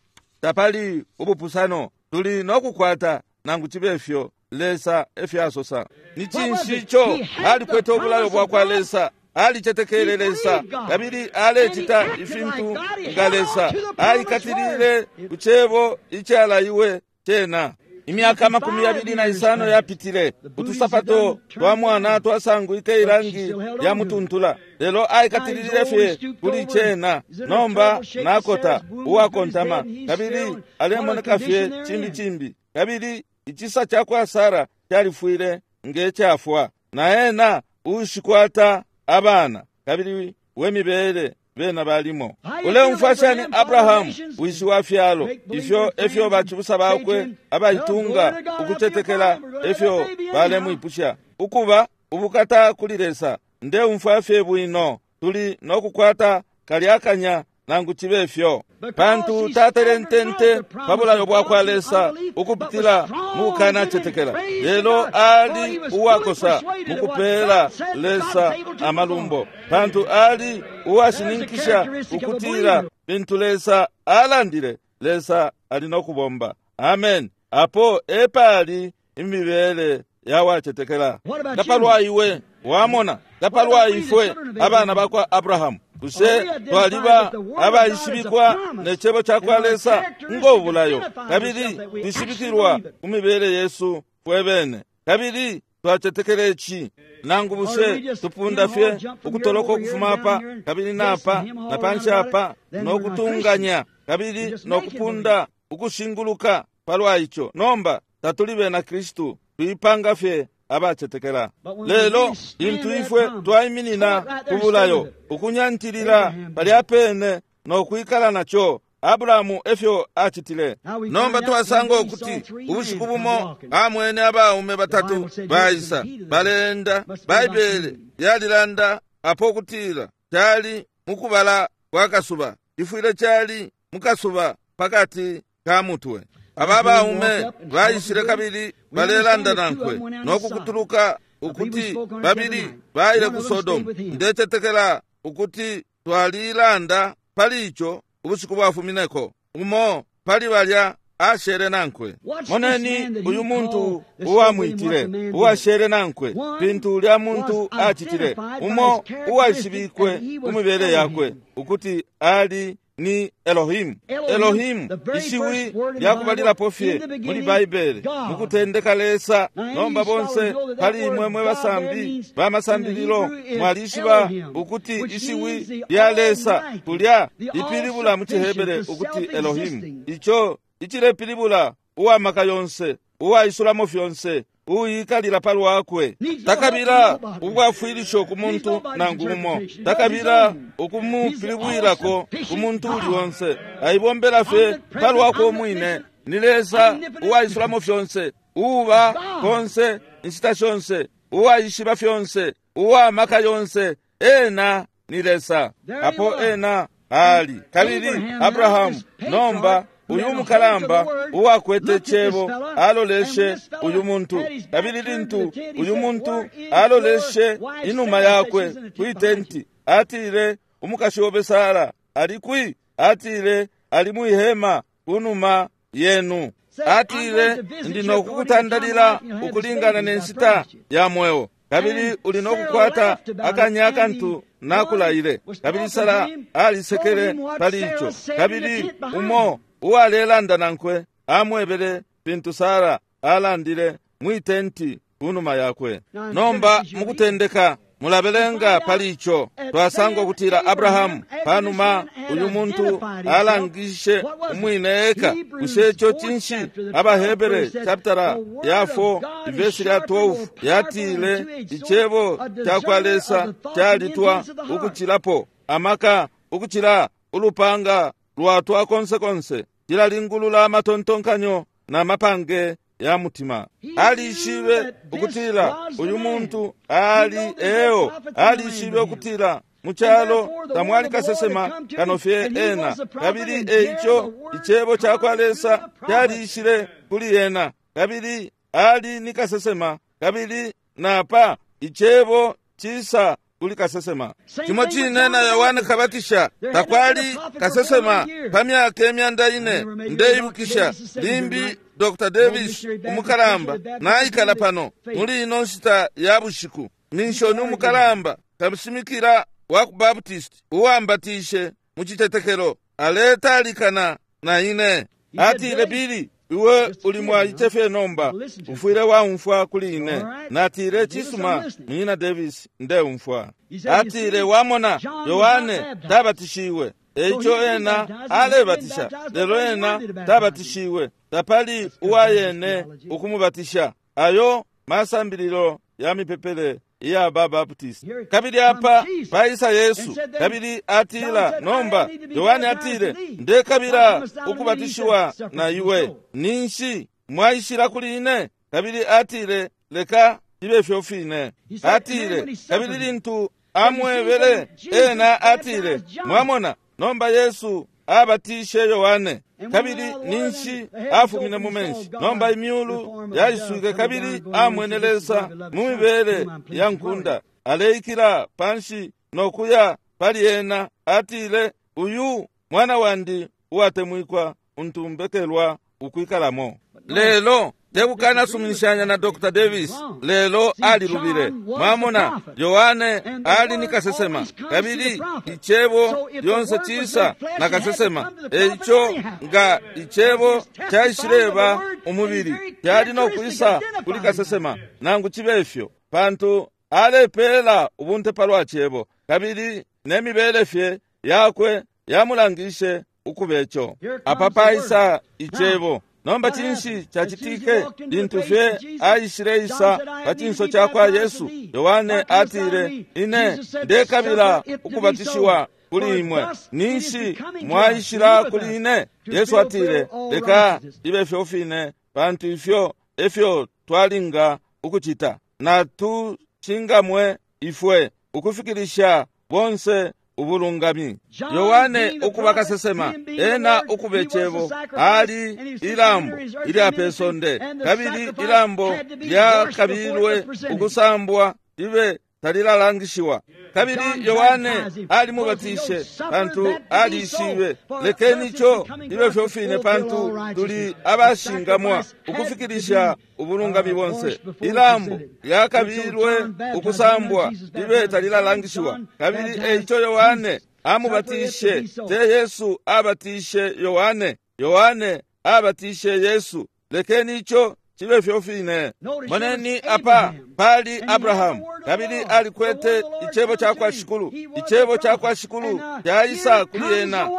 Tapali ubupusano, tuli no kukwata nangu chibe efyo. Lesa efyo asosa. Ni cinshi ico? Alikwete ubulayo bwa kwa Lesa, alicetekele Lesa, kabili alecita ifintu nga Lesa. Aikatilile ku cebo icalaiwe cena. Imyaka amakumi yabili na isano yapitile, utusapato twa mwana twasangwike irangi lya mutuntula, lelo aikatilile fye kuli cena. Nomba nakota uwakontama, kabili alemoneka fye chimbi chimbi, kabili icisa ca kwa Sara califwile nge cafwa, na ena ushikwata abana, kabili wemibele bena balimo. Uleumfwa shani Abrahamu wishi wa fyalo? Ifyo efyo bachibusa bakwe abaitunga ukutetekela efyo balemwipusha ukuba ubukata kuli Lesa. Ndeumfwa fye bwino, tuli no kukwata kalyakanya nangu chibe efyo, pantu tatalentente pabulayo bwa kwa Lesa ukupitila mukana chetekela, lelo ali uwakosa mukupela Lesa amalumbo, pantu ali uwashininkisha ukutila bintu Lesa alandile, Lesa ali no kubomba. Amen. Apo epali imibele yawachetekela. Ngapalwa iwe wamona, ngapalwa ifwe abana bakwa Abrahamu, Bushe twaliba abaishibikwa ne cebo cakwa Lesa ngo bulayo, kabili twishibikilwa ku mibele yesu fwe bene, kabili twacetekela ici? Nangu bushe tupunda fye ukutoloka ukufuma apa kabili napa na panshi apa no kutunganya kabili no kupunda ukushinguluka palwa ico? Nomba tatuli bena Kristu, tuipanga fye abacetekela. Lelo lintu ifwe twaiminina ku bulayo, ukunyantilila palya pene no kwikala naco, Abrahamu efyo acitile. Nomba twasanga ukuti ubushiku bumo amwene abaume batatu baisa baleenda. Baibele yalilanda apo kutila cali mukubala kwa kasuba, ifwile cali mukasuba pakati ka mutwe. Aba baume baishile kabili balelanda nankwe no kukutuluka ukuti babili baile ku Sodomu. Ndecetekela ukuti twalilanda pali ico ubushiku bwafumineko. Umo pali balya ashere nankwe. Moneni uyu muntu uwamwitile uwashere nankwe, pintu ulya muntu acitile. Umo uwaishibikwe ku mibele yakwe ukuti ali ni Elohim. Elohim ishiwi lyakubalilapo fye muli Baibele, mukutendeka Lesa. Nomba bonse pali imwe mwe basambi bamasambililo mwalishiba ukuti ishiwi lya Lesa kulya lipilibula mu Cihebere ukuti Elohim, ico icilepilibula uwamaka yonse, uwaisulamo fyonse, uyikalila palwakwe. Takabila ubwafwilisho ku muntu nangu umo, takabila ukumupilibwilako ku muntu uli onse, aibombela fye palwakwe umwine. Ni Lesa uwaisulamo fyonse, uwa konse inshita shonse, uwaishiba fyonse, uwamaka yonse. Ena ni Lesa. Apo ena ali. Kabili Abrahamu nomba uyu mukalamba uwakwete cebo aloleshe uyu muntu, kabili lintu uyu muntu aloleshe inuma yakwe kwitenti, atile, umukashi obe Sara ali kwi? Atile, ali mwihema kunuma yenu. Atile, ndi nokukutandalila ukulingana nenshita ya mweo, kabili uli nokukwata akanya akantu nakulaile. Kabili Sara alisekele pali ico. Kabili umo uwalelanda nankwe amwebele pintu Sara alandile mwitenti kunuma yakwe. Nomba mukutendeka mulabelenga pali ico, twasanga ukutila Abrahamu panuma uyu muntu alangishe umwine eka. Bushe ico cinshi? AbaHebere chapter ya four verse ya twelve yatile icebo cakwa Lesa calitwa ukucilapo amaka ukucila ulupanga lwatwa konse konse, cilalingulula amatontonkanyo na mapange ya mutima. Alishibe ukutila uyu muntu ali eo, alishibe ukutila mu calo tamwali kasesema kano fye ena, kabili eico icebo cakwa Lesa calishile kuli ena, kabili ali ni kasesema, kabili napa icebo cisa kuli kasesema. Cimo cine na Yohane Kabatisha takwali kasesema pa myaka emyanda ine. Ndeibukisha limbi Doctor Davis umukalamba naikala pano muli ino nshita ya bushiku, minshoni umukalamba kamushimikila wa ku Baptist uwambatishe mu citetekelo, aletalikana na ine. Atile, Bili, iwe uli mwaice fye nomba, ufwile waumfwa kuli ine. Natile, cisuma, Munyina Davis, ndeumfwa. Atile, wamona, Yohane tabatishiwe, eico ena alebatisha, lelo ena tabatishiwe, tapali uwayene ukumubatisha. Ayo masambililo ya mipepele iya ba Baptist. Kabili apa paisa Yesu, kabili atila, nomba Yohane atile, ndekabila ukubatishiwa na iwe, ninshi mwaishila kuli ine? Kabili atile, leka ibe fyo fine. Atile, kabili lintu amwebele ena atile, mwamona, nomba Yesu abatishe Yohane, kabili ninshi afumine mu menshi. Nomba imyulu yaiswike, kabili amwene Lesa mu mibele ya nkunda aleikila panshi nokuya pali ena. Atile, uyu mwana wandi uwatemwikwa untumbekelwa ukwikalamo. Lelo Tebukana suminishanya na Doctor Davis, lelo alilubile. Mwamona, Yohane ali ni kasesema, kabili icebo lyonse cisa na kasesema. Eico nga icebo caishileba umubili, cali no kwisa kuli kasesema, nangu cibe ifyo, pantu alepela ubunte palwa cebo, kabili nemibele fye yakwe yamulangishe ukubecho. Apa paisa icebo. Nomba cinshi cacitike lintu fye aishileisa pa cinso ca kwa Yesu? Yohane atile, ine ndekabila ukubatishiwa kuli imwe, ninshi mwaishila kuli ine? Yesu atile, leka ibe fyo fine, pantu ifyo efyo twalinga ukucita, natuchingamwe ifwe ukufikilisha bonse ubulungami. Yohane ukuba kasesema, ena ukube cebo, ali ilambo ilya pesonde, kabili ilambo lyakabilwe ukusambwa libe talilalangishiwa. Kabili Yohane alimubatishe pantu alishibe, lekeni ico libe fyo fine, pantu tuli abashingamwa ukufikilisha ubulungami bonse. Ilambo lyakabilwe ukusambwa libe talilalangishiwa. Kabili eico Yohane amubatishe, te Yesu abatishe Yohane, Yohane abatishe Yesu. Lekeni ico cibe fyo fine. Moneni apa pali Abrahamu, kabili alikwete icebo ca kwa Shikulu. Icebo ca kwa Shikulu caisa kuli ena,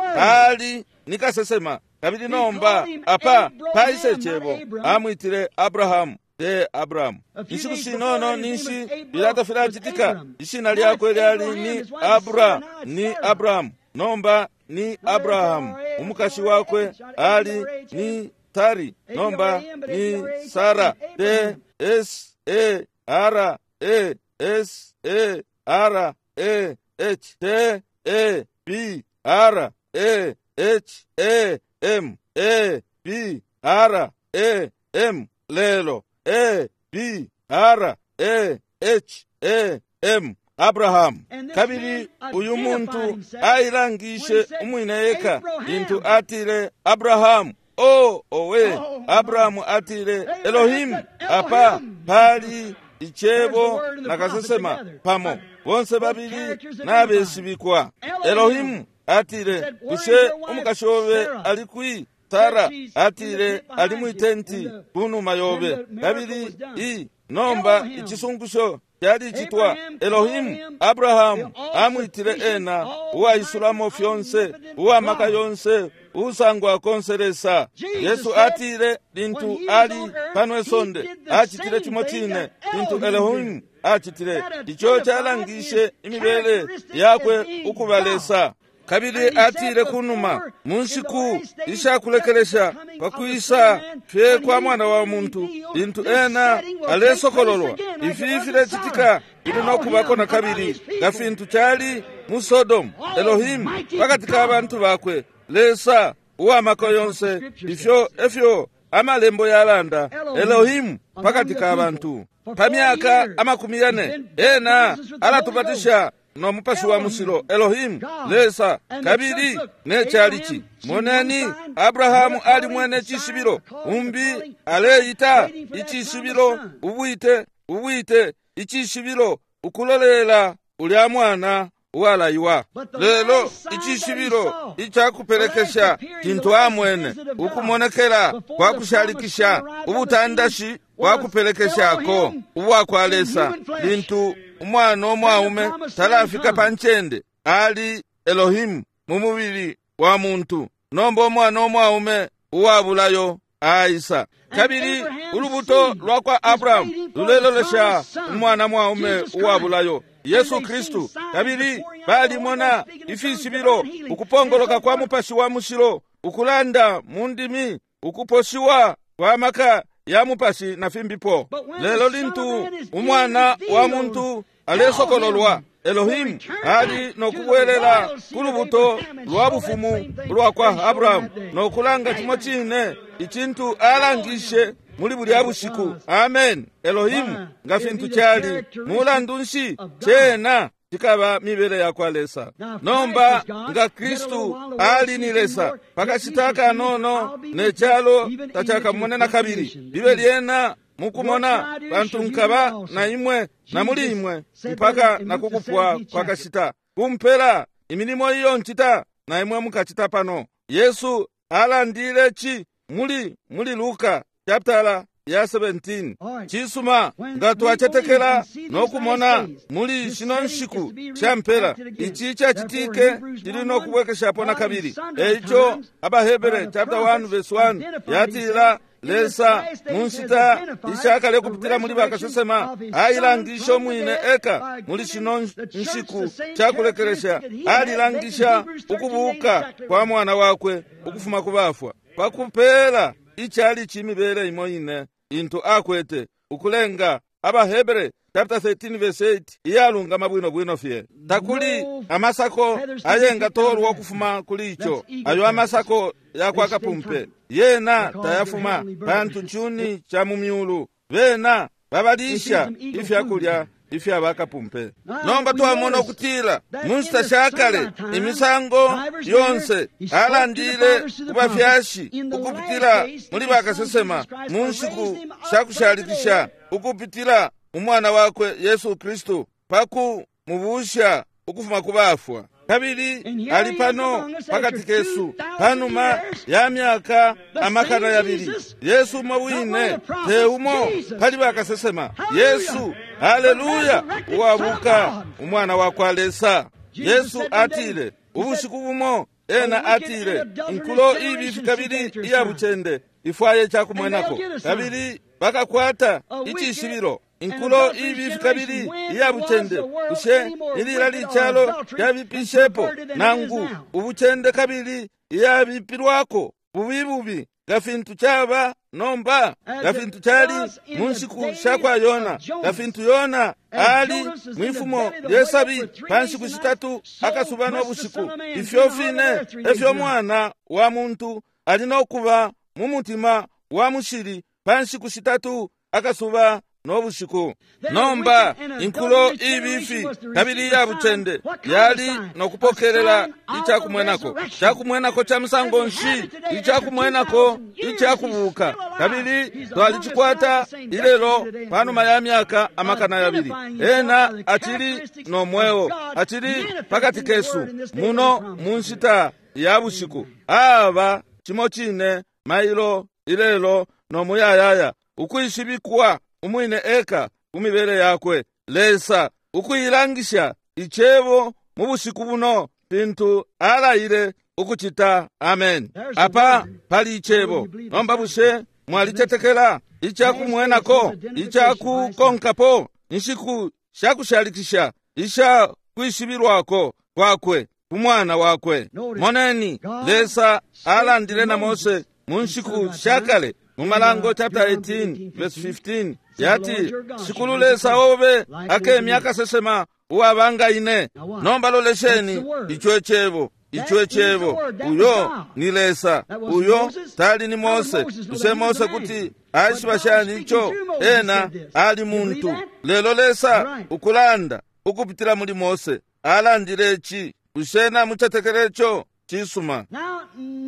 ali ni kasesema. Kabili nomba apa paisa icebo, amwitile Abrahamu, te Abrahamu. Inshiku shinono ninshi bilata filacitika, ishina lyakwe lyali ni Abra, ni Abrahamu, nomba ni Abrahamu. Umukashi wakwe ali ni Tari, nomba ni Sara. T S E R E S E R E H T E B R E H E M E B R E M lelo E B R E H E M Abraham. Kabili uyu muntu ailangishe umwine eka lintu atile Abrahamu. O owe, Abrahamu atile Elohim. Apa pali icebo na kasesema pamo, bonse babili nabeshibikwa. Elohimu atile, bushe umukashi obe ali kwi? Sara atile, ali mwitenti kunuma yobe. Kabili i nomba icisungusho cyalicitwa. Elohimu Abrahamu amwitile ena uwaisulamo fyonse, uwamaka yonse, usangwa konselesa. Yesu atile lintu ali pano esonde acitile cimo cine lintu Elohimu acitile. Ico calangishe imibele yakwe ukuba Lesa. Kabili atile kunuma mu nshiku ishakulekelesha pakwisa fye kwa mwana wa muntu, lintu ena alesokololwa, ifi filecitika bili nokubako na kabili nga fintu cali mu Sodomu. Elohimu pakati ka bantu bakwe, Lesa uwamaka yonse, ifyo efyo amalembo yalanda. Elohimu pakati ka bantu pa myaka amakumi yane ena alatubatisha no mupashi wa mushilo. Elohimu Lesa kabili ne chalichi. Moneni, Abrahamu ali mwene chishibilo, umbi aleita ichishibilo, ubwite ubwite ichishibilo, ukulolela ulya mwana uwalaiwa. Lelo ichishibilo ichakupelekesha chintu amwene, ukumonekela kwa kushalikisha, ubutandashi bwa kupelekeshako ubwa kwa Lesa, lintu umwana omwaume talafika pa ncende, ali Elohimu mu mubili wa muntu. Nomba umwana omwaume uwabulayo aisa. Kabili ulubuto lwa kwa Abrahamu lulelolesha umwana mwaume uwabulayo, Yesu Kristu. Kabili balimona ifishibilo, ukupongoloka kwa mupashi wa mushilo, ukulanda mu ndimi, ukuposhiwa kwa maka ya mupashi na fimbipo. Lelo lintu umwana wa muntu alesokololwa, Elohimu ali nokubwelela ku lubuto lwa bufumu lwa kwa Abrahamu nokulanga cimo cine icintu alangishe muli bulya bushiku. Amen. Elohimu nga fintu cali mulandu nshi cena cikaba mibele yakwa Lesa. Nomba nga Kristu ali ni Lesa, pakashita kanono ne calo tachakamone na kabili. Libe lyena mukumona pantu nkaba na imwe na muli imwe mpaka na kukupwa kwa kashita. Kumpela imilimo iyo ncita na imwe mukacita pano. Yesu alandile chi muli muli Luka chapter ya seventeen. Cisuma nga twacetekela no kumona muli shino nshiku shampela ici cacitike cili no kubwekeshapo na kabili. Eico Abahebere chapter one verse one yatila Lesa munshita ishakale kupitila muli bakasesema ailangisha umwine eka muli shino nshiku chakulekelesha alilangisha ukubuka kwa mwana wakwe ukufuma ku bafwa pakupela ichali chimibele imo ine into akwete ukulenga Abahebere chapter thirteen verse eight iyalungama bwino bwino fye. Takuli amasako ayenga tolwa kufuma kuli icho ayo amasako yakwa kapumpe yena tayafuma pantu chuni cha mumyulu bena babalisha ifyakulya ifya bakapumpe. Nomba twamona ukutila munshita shakale imisango yonse alandile kubafyashi ukupitila muli bakasesema mu nshiku shakushalikisha ukupitila umwana wakwe Yesu Kristu paku mubusha ukufuma kubafwa. Kabili ali pano pakati kesu panuma ya myaka amakana yabili. Yesu umo wine te umo pali bakasesema. Yesu, haleluya, uwabuka umwana wakwa Lesa. Yesu atile ubushiku bumo ena atile inkulo ibifi kabili iyabucende ifwaye chakumwenako kabili bakakwata icishibilo. Inkulo ibifi kabili iyabucende ushe ilila lichalo lyabipishepo nangu ubucende kabili iyabipilwako bubi bubi gafintu chaba nomba gafintu chali munshiku shakwa Yona gafintu Yona ali mwifumo lyesabi panshiku shitatu akasuba n'obushiku. Ifyo fine efyo mwana wa muntu ali nokuba mu mutima wa mushili panshiku shitatu akasuba n'obushiku. Nomba inkulo ibifi kabili iyabucende yali nokupokelela ichakumwenako chakumwenako cha musango nshi ichakumwenako ichakubuka kabili twalicikwata ilelo panuma ya myaka amakana yabili. Ena acili nomweo acili pakati kesu muno munshita ya bushiku. Aba chimo chine mailo ilelo nomuyayaya ukwishibikwa umwine eka kumibele yakwe Lesa ukuilangisha ichebo mu bushiku buno pintu alaile ukuchita. Amen. Apa pali ichebo. Nomba bushe mwalicetekela ichakumwenako ichakukonkapo inshiku shakushalikisha isha kwishibilwako kwakwe kumwana wakwe. Moneni Lesa alandile na Mose mu nshiku shakale mu Malango chapter eighteen verse fifteen yati shikulu Lesa obe akemya kasesema uwabanga ine. Nomba lolesheni icho echebo icho echebo uyo ni Lesa uyo tali ni Mose. Use Mose kuti aishibashani icho ena ali muntu. Lelo Lesa ukulanda ukupitila muli Mose alandile ichi ushena muchetekerecho chisuma.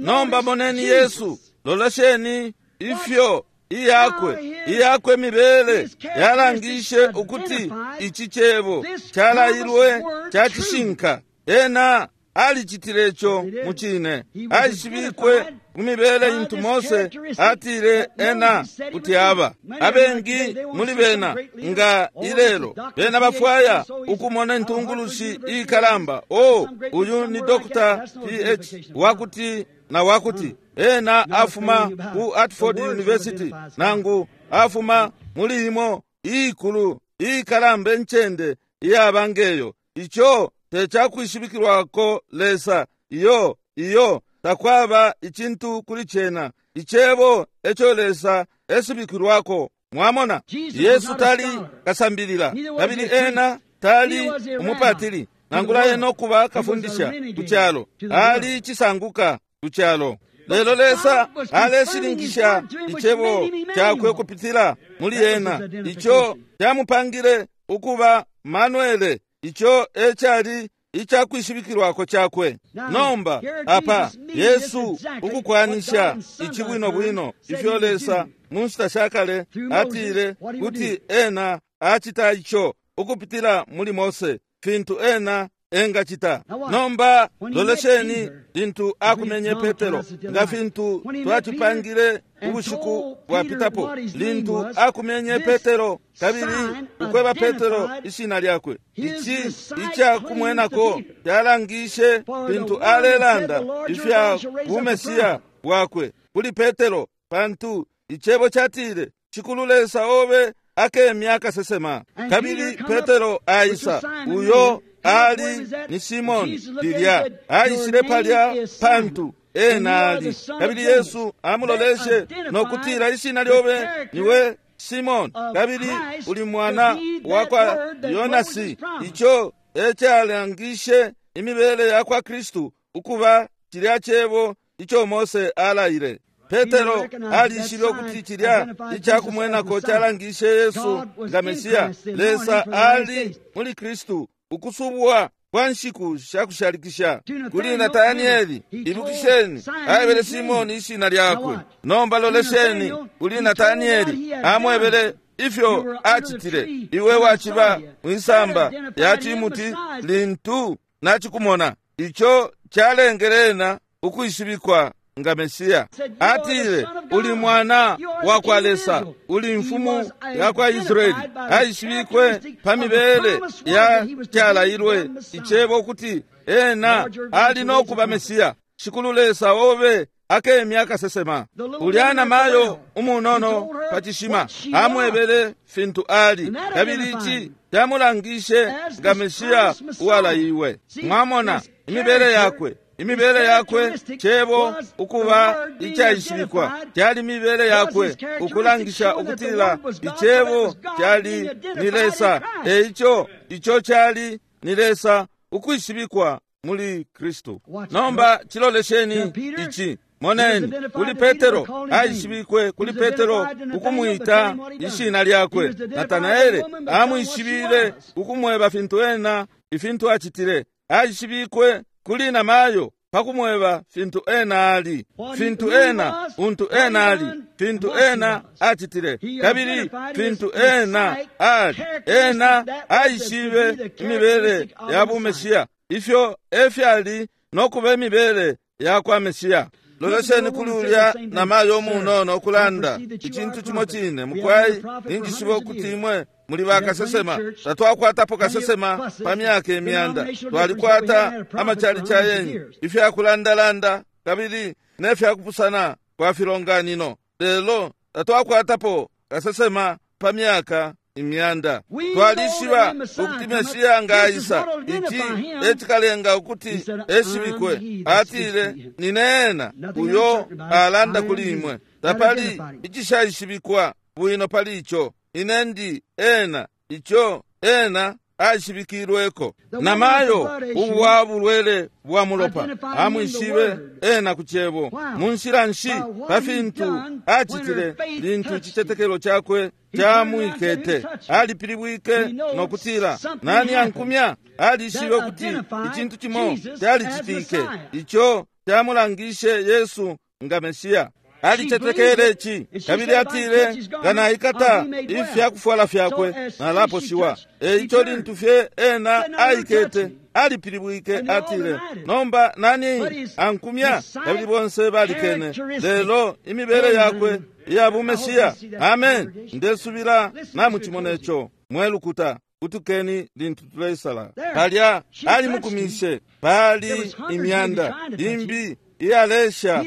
Nomba moneni Yesu lolesheni ifyo iyakwe iyakwe mibele yalangishe ukuti ichi chebo chalailwe chacishinka. Ena alicitilecho muchine aishibikwe kumibele intu Mose atile ena kuti aba abengi muli bena nga ilelo bena bafwaya ukumona intungulushi ikalamba. O uyu ni Doctor P H wakuti na wakuti ena afuma ku Hartford University nangu afuma muli imo ikulu ikalamba encende iyabangeyo. Icho techakwishibikilwako Lesa iyo iyo takwaba ichintu kuli chena ichebo echo Lesa esibikilwako. Mwamona Yesu tali kasambilila kabili ena tali umupatili nangula eno kuba kafundisha kuchalo ali chisanguka kuchalo. Lelo Lesa aleshilingisha ichebo chakwe kupitila muli ena icho chamupangile ukuba Manuele Ico ecali icakwishibikilwako cakwe. Nomba apa Yesu ukukwanisha ici bwino bwino ifyo Lesa mu nshita shakale atile kuti ena acita ico ukupitila muli Mose, fintu ena engacita. Nomba lolesheni lintu akumenye Petero, nga fintu twacipangile ubushiku bwapitapo, lintu akumenye Petero kabili ukweba Petero ishina lyakwe. Ici icakumwenako calangishe fintu alelanda ifya bumesiya bwakwe kuli Petero, pantu icebo catile Shikulu Lesa obe akemya akasesema. Kabili Petero aisa, uyo ali ni Simoni lilya aishile palya pantu ena ali. Kabili Yesu amuloleshe nokutila ishina lyobe niwe Simoni, kabili uli mwana wakwa Yonasi. Ico ecalangishe imibele yakwa Kristu ukuba cilya cebo ico Mose alaile. Petero alishibe ukuti cilya icakumwenako calangishe Yesu nga Mesiya. Lesa ali muli Kristu ukusubwa kwa nshiku shakushalikisha. Kuli Natanieli, ibukisheni, aebele Simoni ishina lyakwe. Nomba lolesheni kuli Natanieli, amwebele ifyo acitile. Iwe waciba mwisamba ya cimuti lintu nacikumona. Ico calengele ena ukwishibikwa nga Mesiya. Atile, uli mwana wakwa Lesa, uli mfumu yakwa Israeli. Aishibikwe pa mibele ya calailwe icebo ukuti ena ali nokuba Mesiya. Shikulu Lesa obe akemya akasesema. Ulya namayo umunono pa cishima amwebele fintu ali, kabili ici camulangishe nga Mesiya uwalaiwe. Mwamona imibele yakwe. Imibele yakwe cebo ukuba icaishibikwa cali mibele yakwe ukulangisha ukutila icebo cali ni Lesa. Eico ico cali ni Lesa ukwishibikwa muli Kristu. Nomba cilolesheni ici. Moneni kuli Petero aishibikwe kuli Petero ukumwita ishina lyakwe. Natanaele amwishibile ukumweba fintu ena ifintu acitile. Aishibikwe kuli namayo pakumweba fintu ena ali, fintu ena untu ena ali, fintu ena acitile, kabili fintu ena ali. Ena aishibe imibele ya bumesiya, ifyo efyali nokuba imibele yakwa Mesiya. Lolesheni kuli ulya namayo umunono okulanda icintu cimo cine. Mukwai ninjishiba ukuti imwe muli bakasesema. Tatwakwatapo kasesema pa myaka imyanda. Twalikwata amachalichi ayengi, ifyakulandalanda kabili nefyakupusana kwa filonganino, lelo tatwakwatapo kasesema pa myaka imyanda. Twalishiba ukuti Mesiya nga aisa, ici ecikalenga ukuti eshibikwe. Atile, nine ena uyo alanda kuli imwe. Tapali icishaishibikwa bwino pali ico. Ine ndi ena, ico ena aishibikilweko. Namayo ubwa bulwele bwa mulopa amwishibe ena ku cebo. Mu nshila nshi pa fintu acitile lintu icitetekelo cakwe camwikete. Alipilibwike nokutila, nani ankumya? Alishibe ukuti icintu cimo calicitike ico camulangishe Yesu nga Mesiya. Alicetekele ici kabili atile, nga naikata ifyakufwala fyakwe nalaposhiwa. Eico lintu fye ena aikete, alipilibwike atile, nomba nani ankumya? Kabili bonse balikene. Lelo imibele yakwe iya bumesiya. Amen. Ndesubila namucimona ico mwe lukuta. Kutukeni lintu tuleisala. Palya alimukumishe, pali imyanda imbi iyalesha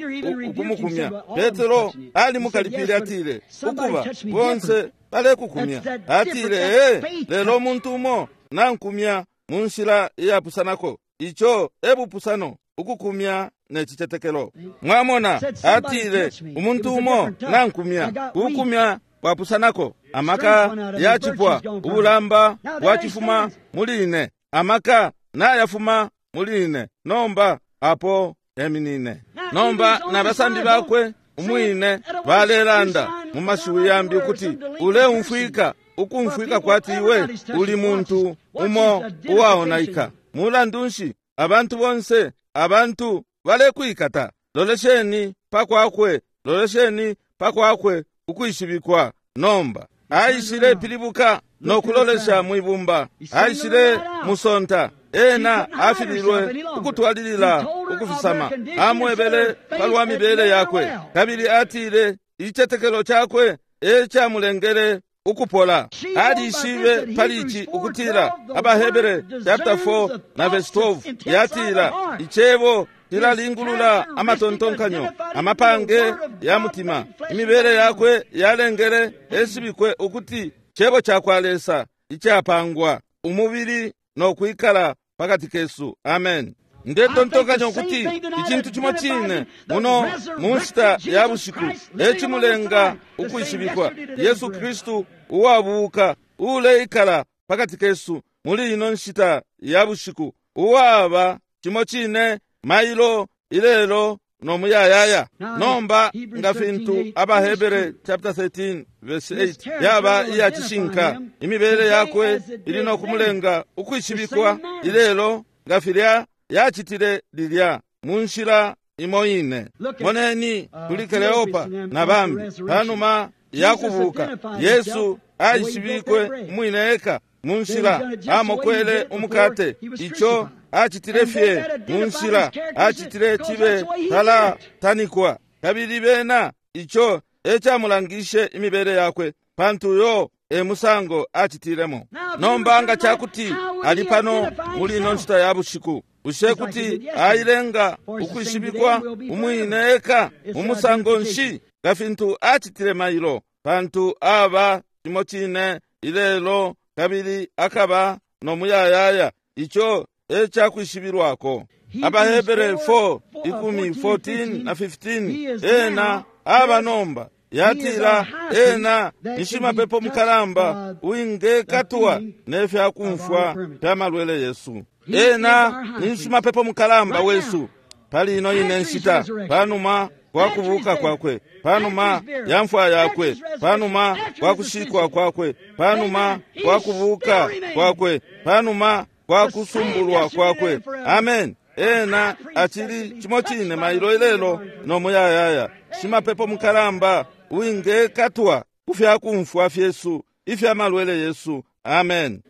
ukumukumya. Petero alimukalipile atile, ukuba bonse balekukumya. Atile, ee, lelo umuntu umo nankumya mu nshila iyapusanako. Ico ebupusano, ukukumya ne cicetekelo. Mwamona, atile, umuntu umo nankumya, kukumya kwapusanako. Amaka yacipwa, ubulamba bwacifuma muli ine, amaka nayafuma muli ine. Nomba apo eminine. Nomba nabasambi bakwe umwine balelanda mu mashiwi yambi ukuti uleumfwika ukumfwika kwati iwe uli muntu umo uwaonaika. Mulandu nshi abantu bonse abantu balekwikata? Lolesheni pakwakwe, lolesheni pakwakwe ukwishibikwa. Nomba aishile pilibuka no kulolesha mwibumba, aishile musonta. Ena afililwe ukutwalilila ukufisama. Amwebele palwa mibele yakwe, kabili atile icetekelo chakwe ecamulengele ukupola. Alishibe pali ici ukutila AbaHebere chapter four na verse twelve yatila icebo cilalingulula amatontonkanyo amapange ya mutima. Imibele yakwe yalengele eshibikwe ukuti cebo cakwa Lesa icapangwa umubili no kwikala pakati kesu. Amen. Ndetontonkanya ukuti icintu cimo cine muno mu nshita ya bushiku ecimulenga ukwishibikwa Yesu Kristu uwabuka uleikala pakati kesu muli ino nshita ya bushiku, uwaba cimo cine mailo ilelo no muyayaya. Nomba nga fintu AbaHebere chapter thirteen verse eight yaba iyacishinka, imibele yakwe ili no kumulenga ukwishibikwa ilelo nga filya yacitile lilya mu nshila imo ine. Moneni kuli Kleopa na bambi panuma yakubuka, Yesu aishibikwe umwine eka mu nshila amokwele umukate. Ico acitile fye mu nshila acitile cibe tala tanikwa, kabili bena ico ecamulangishe imibele yakwe, pantu yo e musango acitilemo. Nomba nga cakuti ali pano muli ino nshita ya bushiku, bushe kuti ailenga ukwishibikwa umwine eka mu musango nshi nga fintu acitile mailo? Pantu aba cimo cine ilelo kabili akaba no muyayaya. Ico ecakwishibilwako. AbaHebere four ikumi fourteen na fifteen ena aba nomba yatila ena nishimapepo mukalamba uwingekatwa nefyakumfwa fya malwele Yesu. Ena nishimapepo mukalamba wesu pali ino ine nshita, panuma kwa kubuka kwakwe, panuma ya mfwa yakwe, panuma kwa kushikwa kwakwe, panuma kwa kubuka kwakwe, panuma kwa kusumbulwa kwakwe. Amen. Ena acili cimo cine mailo ilelo no muyayaya, shimapepo mukalamba uwingekatwa kufyakumfwa fyesu ifya malwele Yesu. Amen.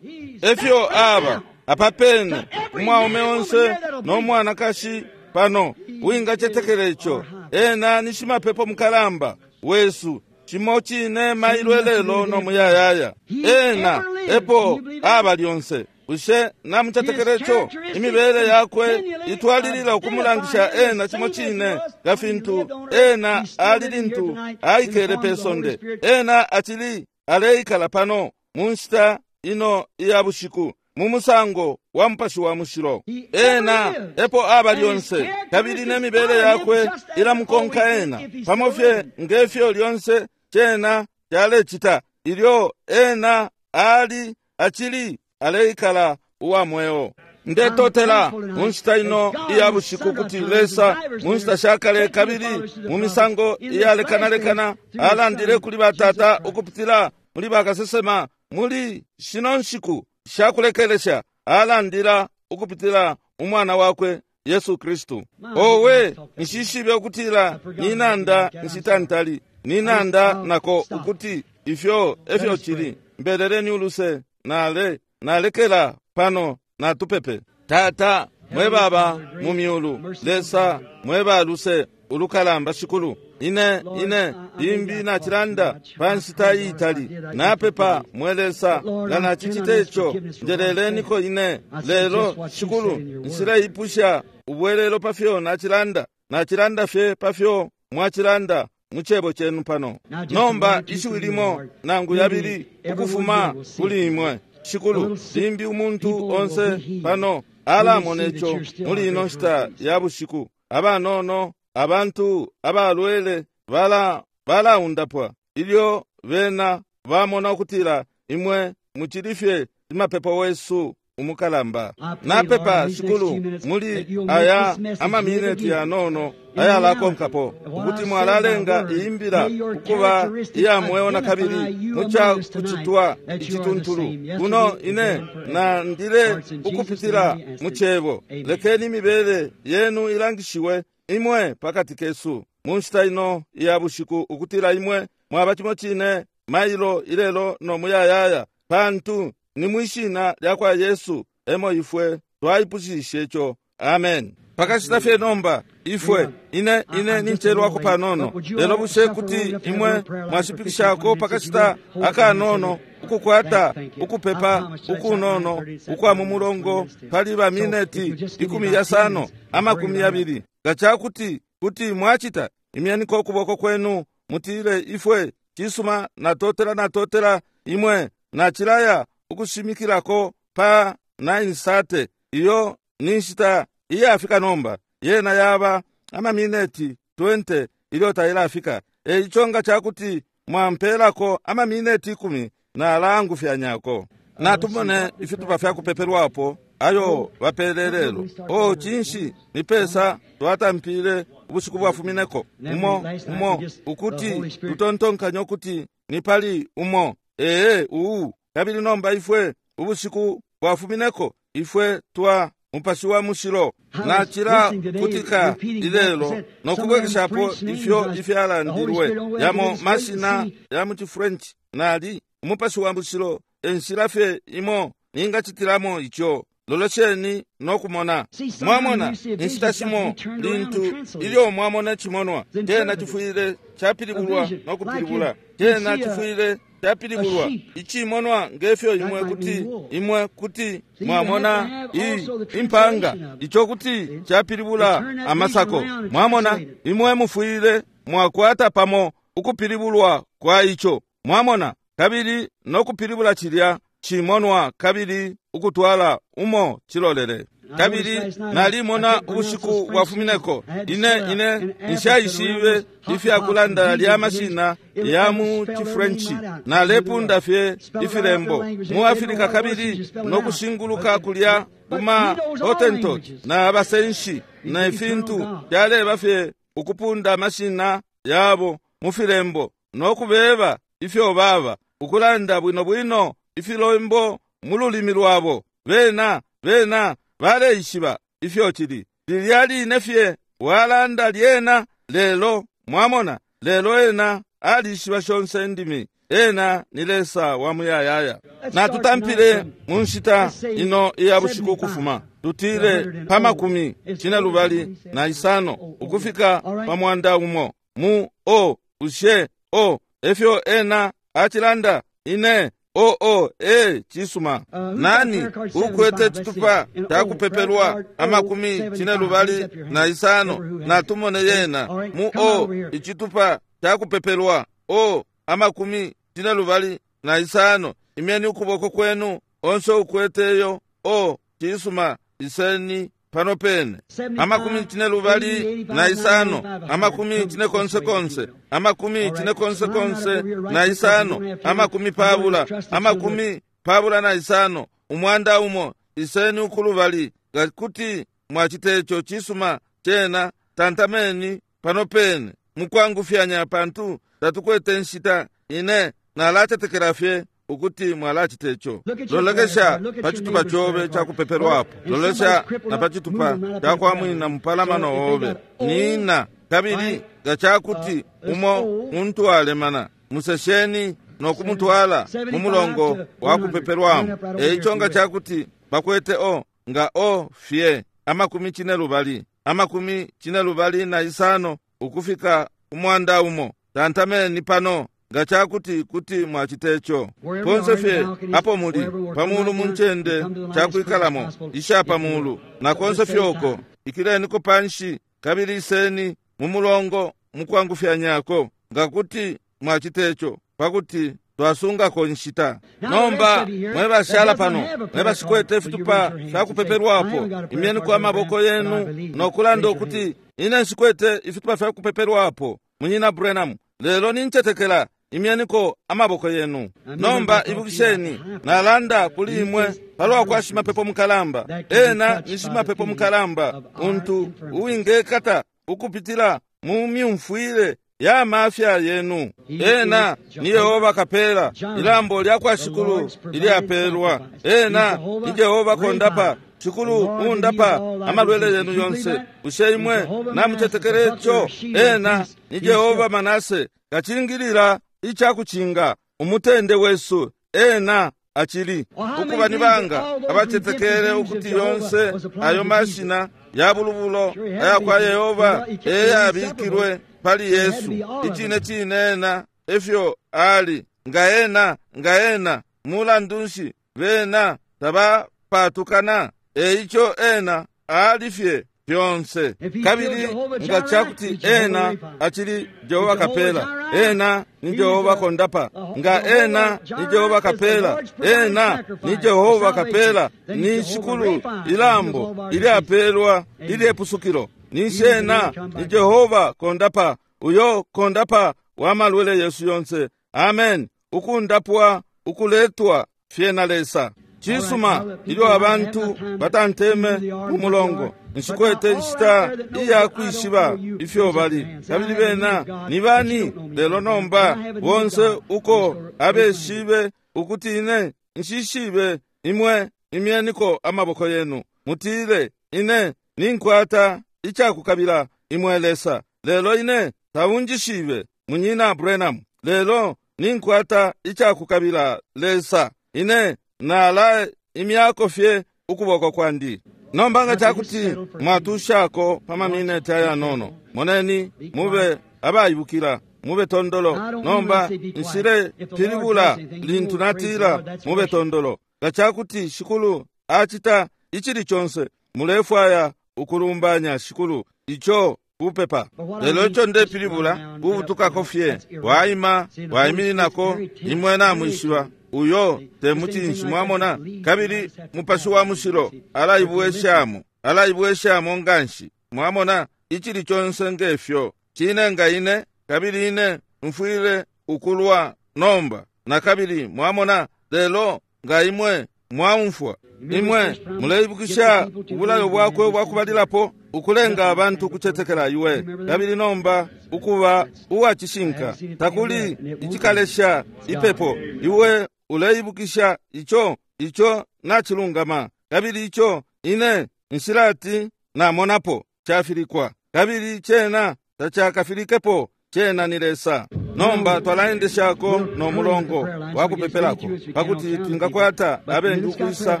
Efyo aba apapene umwaume onse no mwanakashi pano uwingacetekela ico. Ena ni shimapepo mukalamba wesu cimo cine mailo ilelo no muyayaya. Ena epo aba lyonse. Bushe namucetekela ico? Imibele yakwe itwalilila ukumulangisha ena cimo cine nga fintu ena ali lintu aikele pe sonde. Ena acili aleikala pano mu nshita ino iya bushiku mu musango wa Mupashi wa Mushilo. Ena epo aba lyonse, kabili nemibele yakwe ilamukonka ena pamo fye ngefyo lyonse cena calecita ilyo ena ali acili aleikala uwa mweo. Ndetotela mu nshita ino iya bushiku kuti Lesa mu nshita shakale kabili mu misango iyalekanalekana alandile kuli batata ukupitila muli bakasesema. Muli shino nshiku shakulekelesha alandila ukupitila umwana wakwe Yesu Kristu. Owe, nshishibe ukutila ninanda nshitantali ninanda nako ukuti ifyo efyo cili. Mbeleleni uluse nale nalekela pano natupepe. Tata mwe baba mu myulu, Lesa mwe baluse ulukalamba shikulu, ine ine limbi nachilanda pa nshita iitali napepa mwe Lesa nga nachicita ico njeleleniko ine lelo shikulu nshileipusha ubwelelo pafyo nachilanda, nachilanda fye pafyo mwachilanda mu cebo chenu pano. Nomba ishiwi limo nangu yabili ukufuma kuli imwe shikulu, limbi umuntu onse pano alamona ico muli ino nshita ya bushiku. Abanono abantu abalwele bala balaundapwa ilyo bena bamona ukutila imwe mucili fye shimapepo wesu umukalamba. Napepa, Shikulu, muli aya amamineti yanono ayalakonkapo, ukuti mwalalenga iyimbila ukuba iya mweo na kabili muca kucitwa icituntulu. Kuno ine nandile ukupitila mu cebo. Lekeni imibele yenu ilangishiwe imwe pakati kesu mu nshita ino iya bushiku, ukutila imwe mwaba cimo cine mailo ilelo no muyayaya, pantu ni mwishina lya kwa Yesu emo ifwe twaipushishe ico. Amen. Pakashita fye nomba ifwe ine ine ninchelwako panono, lelo bushe kuti imwe mwashipikishako pakashita akanono ukukwata ukupepa ukunono ukwa mu mulongo pali ba mineti ikumi yasano amakumi yabili? Nga cakuti kuti mwachita, imyeniko ukuboko kwenu mutile, ifwe cisuma, natotela natotela imwe nachilaya ukushimikilako pa nine thirty. Iyo ni nshita iyafika nomba, yena yaba amamineti twenty ilyo tailafika. Eico nga cakuti mwampelako amamineti ikumi, nalangufyanyako. Natumone ifitupa fya kupepelwapo ayo bapele lelo. O cinshi ni pesa twatampile ubushiku bwafumineko umo umo ukuti tutontonkanye ukuti ni pali umo ee uu. Kabili nomba ifwe ubushiku bwafumineko ifwe twa Mupashi wa Mushilo nachila kutika ilelo nokubwekeshapo ifyo ifyalandilwe yamo mashina ya mu French nali Umupashi wa Mushilo enshila fye imo ningachitilamo icho. Lolesheni nokumona. Mwamona inshita shimo lintu ilyo mwamona chimonwa tena chifwile chapilibulwa nokupilibula, tena chifwile chapilibulwa ichimonwa ngefyo imwe kuti imwe kuti mwamona i impanga icho kuti chapilibula amasako. Mwamona imwe mufwile mwakwata pamo ukupilibulwa kwa icho. Mwamona kabili nokupilibula chilya chimonwa kabili ukutwala umo chilolele. Kabili nalimona ubushiku bwafumineko ine ine nshaishibe ifyakulanda lya mashina ya mu Chifrenchi, nalepunda fye ifilembo mu Afrika kabili nokushinguluka kulya kuma Hottentot na abasenshi na ifintu fyaleba fye ukupunda mashina yabo mu filembo nokubeba ifyo baba ukulanda bwino bwino ifilembo mu lulimi lwabo. Bena bena baleishiba ifyo chili lilya line fye walanda lyena lelo. Mwamona lelo ena alishiba shonse ndimi, ena ni Lesa wa muyayaya. Natutampile mu nshita ino iya bushiku kufuma tutile pa makumi cine lubali na isano ukufika pa mwanda umo mu o ushe o efyo ena achilanda ine o o e chisuma. Nani ukwete chitupa chakupepelwa amakumi cine lubali na isano? Natumone yena mu o ichitupa chakupepelwa o amakumi cine lubali na isano. Imyeni ukuboko kwenu onse ukweteyo o chisuma iseni pano pene. Amakumi cine lubali na isano, amakumi cine konse konse, amakumi cine konse konse na isano, amakumi pabula, amakumi pabula na isano, umwanda umo iseni ukulubali. Kuti mwachitecho chisuma chena tantameni pano pene mukwangufyanya pantu tatukwete nshita. Ine nalatetekela fye ukuti mwalachitecho. Lolekesha pachitupa chobe chakupepelwapo, lolesha na pachitupa chakwamwina mupalamano obe nina. Kabili ngachakuti umo muntu alemana, musesheni nokumutwala mu mulongo wakupepelwamo. Eicho ngachakuti bakwete o nga o fye amakumi cine lubali amakumi cine lubali na isano ukufika umwanda umo, tantameni pano ngachakuti kuti mwachitecho. Ponse fye apo muli pamulu munchende chakwikalamo isha pamulu na konse fyoko ikileniko panshi kabili iseni mu mulongo mukwangufyanyako ngakuti mwachitecho, pakuti twasungako nshita. Nomba mwe bashala pano mwe bashikwete fitupa fyakupepelwapo, imyeni kwa maboko yenu nokulanda ukuti ine nshikwete ifitupa fyakupepelwapo, Munyina Branham, lelo ninchetekela. Imyeniko amaboko yenu. Nomba ibukisheni, nalanda kuli imwe palwa kwa shimapepo mukalamba. Ena ni shimapepo mukalamba untu uwingekata ukupitila mu myumfwile ya mafya yenu. Ena ni Yehova kapela ilambo lya kwa shikulu ilyapelwa. Ena ni Yehova kondapa, shikulu undapa amalwele yenu yonse. Bushe imwe namutetekele ico? Ena ni Yehova Manase, kachingilila ichakuchinga umutende wesu. Ena achili ukuba ni banga abatetekele ukuti yonse ayo mashina ya bulubulo aya kwa Yehova eyabikilwe pali Yesu. Ichine chine ena efyo ali nga ena nga ena mulandu nshi bena tabapatukana. Eico ena ali fye fyonse. Kabili nga chakuti ena achili Jehova kapela, ena ni Jehova kondapa. Nga ena ni Jehova kapela, ena ni Jehova kapela, ni shikulu ilambo ilyapelwa ilyepusukilo. Ni ena ni Jehova kondapa, uyo kondapa wa malwele Yesu yonse. Amen. Ukundapwa ukuletwa fye na Lesa. Chisuma ilyo abantu batanteme umulongo, nshikwete nshita iya kwishiba ifyo bali kabili bena ni bani. Lelo nomba bonse uko abeshibe ukuti ine nshishibe imwe, imyeniko amaboko yenu mutile, ine ninkwata ichakukabila imwe Lesa, lelo ine taunjishibe munyina Branham, lelo ninkwata ichakukabila Lesa, ine nala imyako fye ukuboko kwandi. Nomba nga chakuti mwatushako pa mamineti ayanono, moneni mube abayibukila, mube tondolo. Nomba nshile pilibula lintu natila mube tondolo. Nga chakuti shikulu acita ichili chonse, mulefwaya ukulumbanya shikulu icho kupepa. Lelo icho ndepilibula kubutukako fye, waima waimininako imwe namwishiba uyo temuchinshi, mwamona. Kabili mupashi wa mushilo alaibweshamo, alaibweshamo nganshi, mwamona. Ichili chonse ngefyo chine nga ine, kabili ine mfwile ukulwa nomba na kabili, mwamona. Lelo nga imwe mwaumfwa, imwe muleibukisha ubulayo bwakwe bwakubalilapo ukulenga abantu kuchetekela iwe, kabili nomba ukuba uwachishinka takuli ichikalesha ipepo. Iwe uleibukisha icho, icho nachilungama, kabili icho ine nshilati namonapo chafilikwa, kabili chena tachakafilikepo, chena ni Lesa. Nomba twalaendeshako no mulongo wakupepelako pakuti twingakwata abengi ukwisa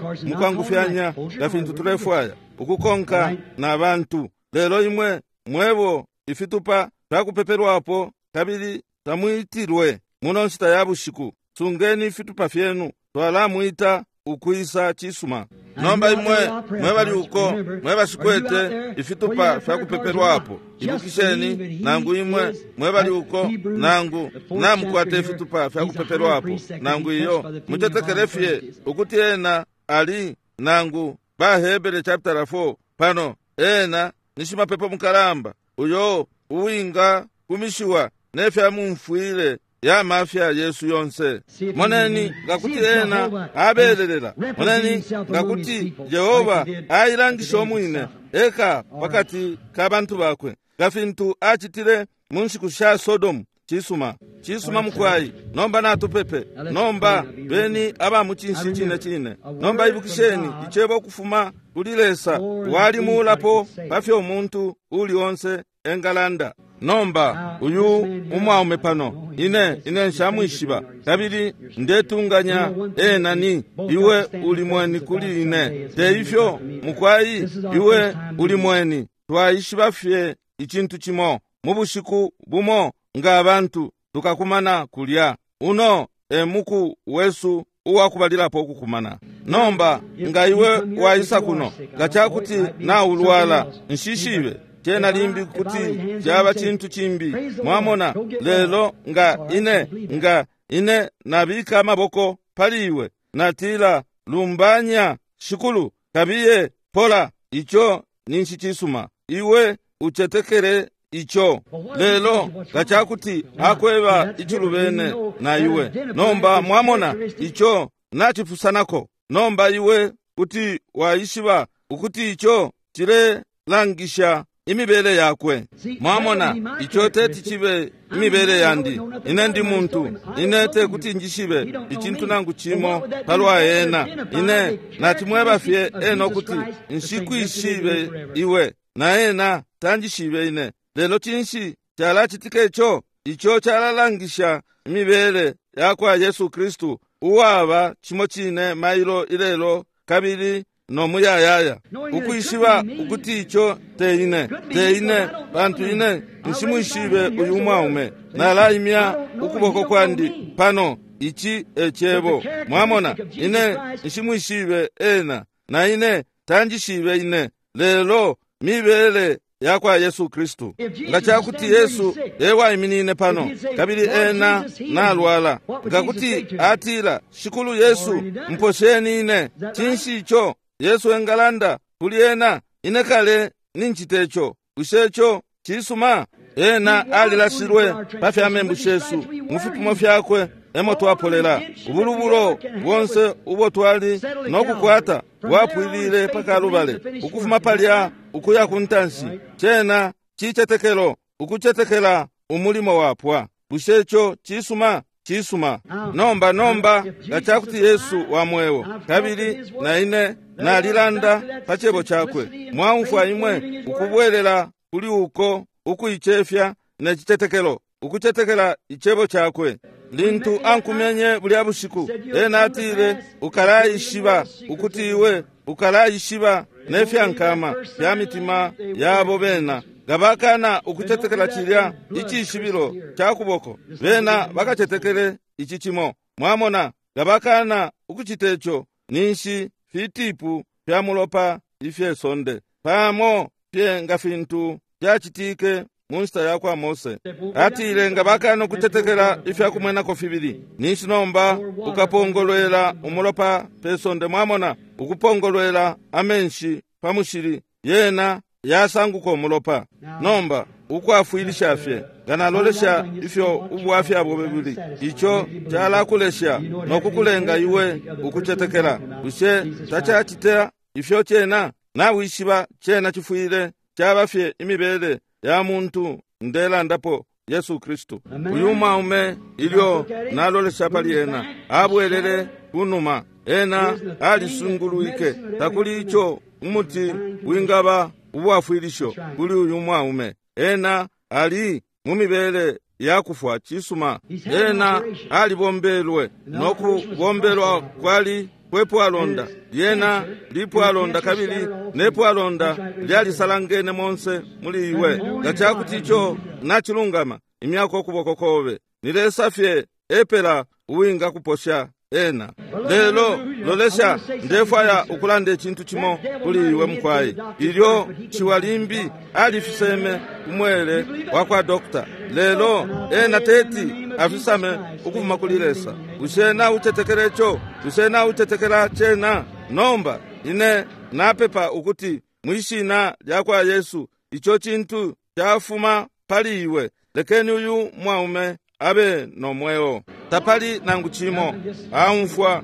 mukwangufyanya nga fintu tulefwaya ukukonka na bantu. Lelo imwe mwebo ifitupa fyakupepelwapo kabili tamwitilwe muno nshita ya bushiku, sungeni ifitupa fyenu, twalamwita ukwisa chisuma. Nomba imwe mwebali uko mwebashikwete ifitupa fyakupepelwapo, ibukisheni nangu imwe mwebali uko nangu namukwate ifitupa fyakupepelwapo nangu iyo, mutetekele fye ukuti ena ali nangu Bahebere chapter four pano, ena ni shimapepo mukalamba uyo uwinga kumishiwa nefya mumfwile ya mafya Yesu yonse. Moneni ngakuti ena abelelela, moneni ngakuti Yehova ailangisha omwine eka pakati ka bantu bakwe nga fintu achitile mu nshiku sha Sodomu. Chisuma, chisuma mukwai. Nomba natupepe. Nomba beni aba muchinshi chine chine. Nomba ibukisheni ichebo kufuma kuli Lesa walimulapo pafyo umuntu uli onse engalanda. Nomba uyu umwaume pano, ine ine nshamwishiba, kabili ndetunganya ena ni iwe uli mweni kuli ine. Te ifyo mukwai, iwe uli mweni. Twaishiba fye ichintu chimo mu bushiku bumo nga abantu tukakumana kulya. Uno emuku wesu uwakubalilapo okukumana. Nomba nga iwe waisa kuno nga chakuti naulwala, nshishibe chena limbi kuti chaba chintu chimbi, mwamona. Lelo nga ine nga ine nabika amaboko pali iwe natila lumbanya shikulu kabiye pola, icho ninshi chisuma. Iwe uchetekele ico. Lelo nga cakuti akweba icilubene na iwe, nomba mwamona ico nacipusanako. Nomba iwe kuti waishiba ukuti ico cilelangisha imibele yakwe. Mwamona, ico teti cibe imibele yandi. Ine ndi muntu, ine tekuti njishibe icintu nangu cimo palwa ena. Ine nacimweba fye ena ukuti nshikwishibe iwe, na ena tanjishibe ine. Lelo cinshi calacitika ico? Ico calalangisha imibele yakwa Yesu Kristu, uwaba cimo cine mailo ilelo kabili no muyayaya. Ukwishiba ukuti ico te ine, te ine, pantu ine nshimwishibe uyu mwaume. Nalaimya ukuboko kwandi pano, ici e cebo. Mwamona, ine nshimwishibe ena, na ine tanjishibe ine. Lelo mibele yakwa Yesu Kristu. Nga cakuti Yesu ewaiminine pano, kabili ena nalwala, nga kuti atila, Shikulu Yesu, mposheni ine, cinshi ico Yesu engalanda kuli ena? Ine kale nincite ico. Bushe ico cisuma? Ena alilashilwe pa fya membu shesu, mu fipimo fyakwe emo twapolela. Ubulubulo bonse ubo twali nokukwata bwapwilile pa Kalubale. Ukufuma palya ukuya ku ntanshi, cena cicetekelo, ukucetekela umulimo wapwa. Bushe ico cisuma? Cisuma. Nomba nomba nga cakuti Yesu wa mweo, kabili na ine nalilanda pa cebo cakwe, mwaumfwa imwe ukubwelela kuli uko ukuicefya ne cicetekelo, ukucetekela icebo cakwe. Lintu ankumenye bulya bushiku, ena atile, ukalaishiba ukuti iwe ukalaishiba ne fyankama fya mitima yabo bena. Nga bakana ukucetekela cilya icishibilo ca kuboko, bena bakacetekele ici cimo. Mwamona, nga bakana ukucita ico, ninshi fitipu fya mulopa ifye sonde, pamo fye nga fintu fyacitike mu nshita yakwa Mose. Atile nga bakana ukucetekela ifya kumwenako fibili, ninshi nomba ukapongolwela umulopa pe sonde. Mwamona, ukupongolwela amenshi pa mushili, yena yasanguka umulopa. Nomba ukwafwilisha fye, nga nalolesha ifyo ubwafya bwobe buli, ico calakulesha nokukulenga iwe ukucetekela. Bushe tacacita ifyo cena? Nawishiba cena cifwile caba fye imibele ya muntu ndelandapo, Yesu Kristu. Uyu mwaume, ilyo nalolesha pali ena, abwelele kunuma. Ena alisungulwike. Takuli ico umuti wingaba ubwafwilisho kuli uyu mwaume. Ena ali mu mibele yakufwa. Cisuma. Ena alibombelwe, nokubombelwa kwali kwepwalonda. Lyena lipwalonda, kabili nepwalonda lyalisalangene monse muli iwe. Nga cakuti ico nacilungama, imyako ukuboko kobe. Ni Lesa fye epela uwinga kuposha ena. Lelo lolesha, ndefwaya ukulanda icintu cimo kuli iwe mukwai. Ilyo ciwa limbi alifiseme umwele wa kwa dokta, lelo ena teti afisame ukufuma kuli Lesa. Bushe naucetekela ico? Bushe naucetekela cena? Nomba ine napepa ukuti mwishina lya kwa Yesu ico cintu cafuma pali iwe. Lekeni uyu mwaume abe no mweo. Tapali nangu cimo aumfwa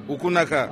ukunaka.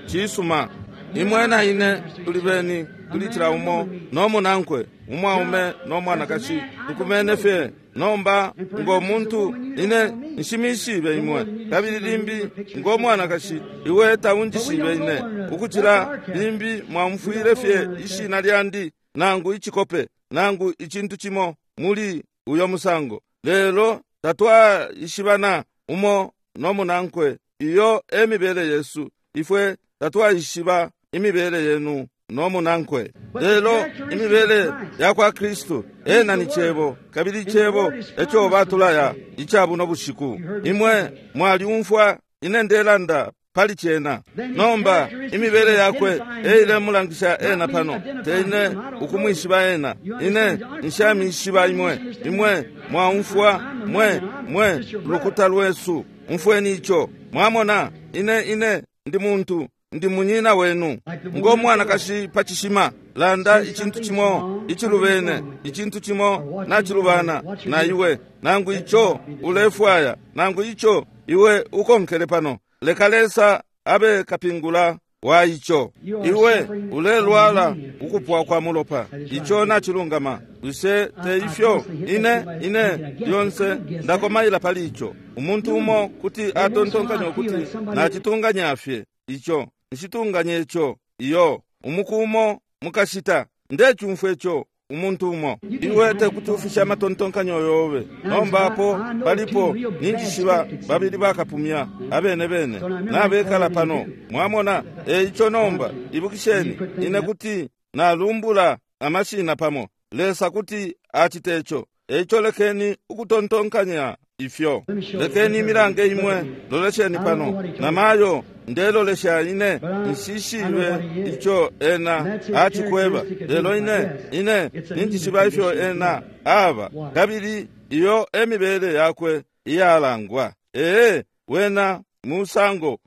Cisuma. Imwe na ine tuli beni kuli cila umo no munankwe, umwaume no mwanakashi, tukumene fye. Nomba ngo muntu ine nshimishibe imwe, kabili limbi ngo mwanakashi iwe taunjishibe ine, ukucila limbi mwamfwile fye ishina lyandi nangu icikope nangu icintu cimo muli uyo musango. Lelo tatwaishibana umo no munankwe. Iyo emibele yesu. Ifwe tatwaishiba imibele yenu no munankwe. Lelo imibele yakwa Kristu, ena ni cebo, kabili icebo eco batulaya icabuno bushiku. Imwe mwaliumfwa ine ndelanda pali cena. Nomba imibele yakwe eilemulangisha ena pano, teine ukumwishiba ena. Ine nshamishiba imwe. Imwe mwaumfwa mwe mwe lukuta lwesu. Umfweni ico. Mwamona, ine ine ndi muntu, ndi munyina wenu. Ngo mwanakashi pa cishima, landa icintu cimo icilubene, icintu cimo nacilubana na iwe, nangu ico ulefwaya, nangu ico iwe ukonkele pano. Leka Lesa abe kapingula wa ico. Iwe ulelwala ukupwa kwa mulopa, ico nacilungama. Bushe te ifyo? Ine ine lyonse ndakomaila pali ico. Umuntu umo kuti atontonkanya ukuti nacitunganya fye ico, nshitunganye ico. Iyo umuku umo mukashita ndecumfwa ico umuntu umo. Iwe tekuti ufishe amatontonkanyo yobe. Nomba apo palipo ninjishiba babili bakapumya abene bene nabekala pano, mwamona. Eico nomba ibukisheni, ine kuti nalumbula amashina pamo, Lesa kuti acite ico. Eico lekeni ukutontonkanya ifyo. Lekeni imilange imwe, lolesheni pano. Namayo ndelolesha ine nshishibe ico ena acikweba, lelo ine ine ninjishiba ifyo ena aba, kabili iyo emibele yakwe iyalangwa. Ee, wena musango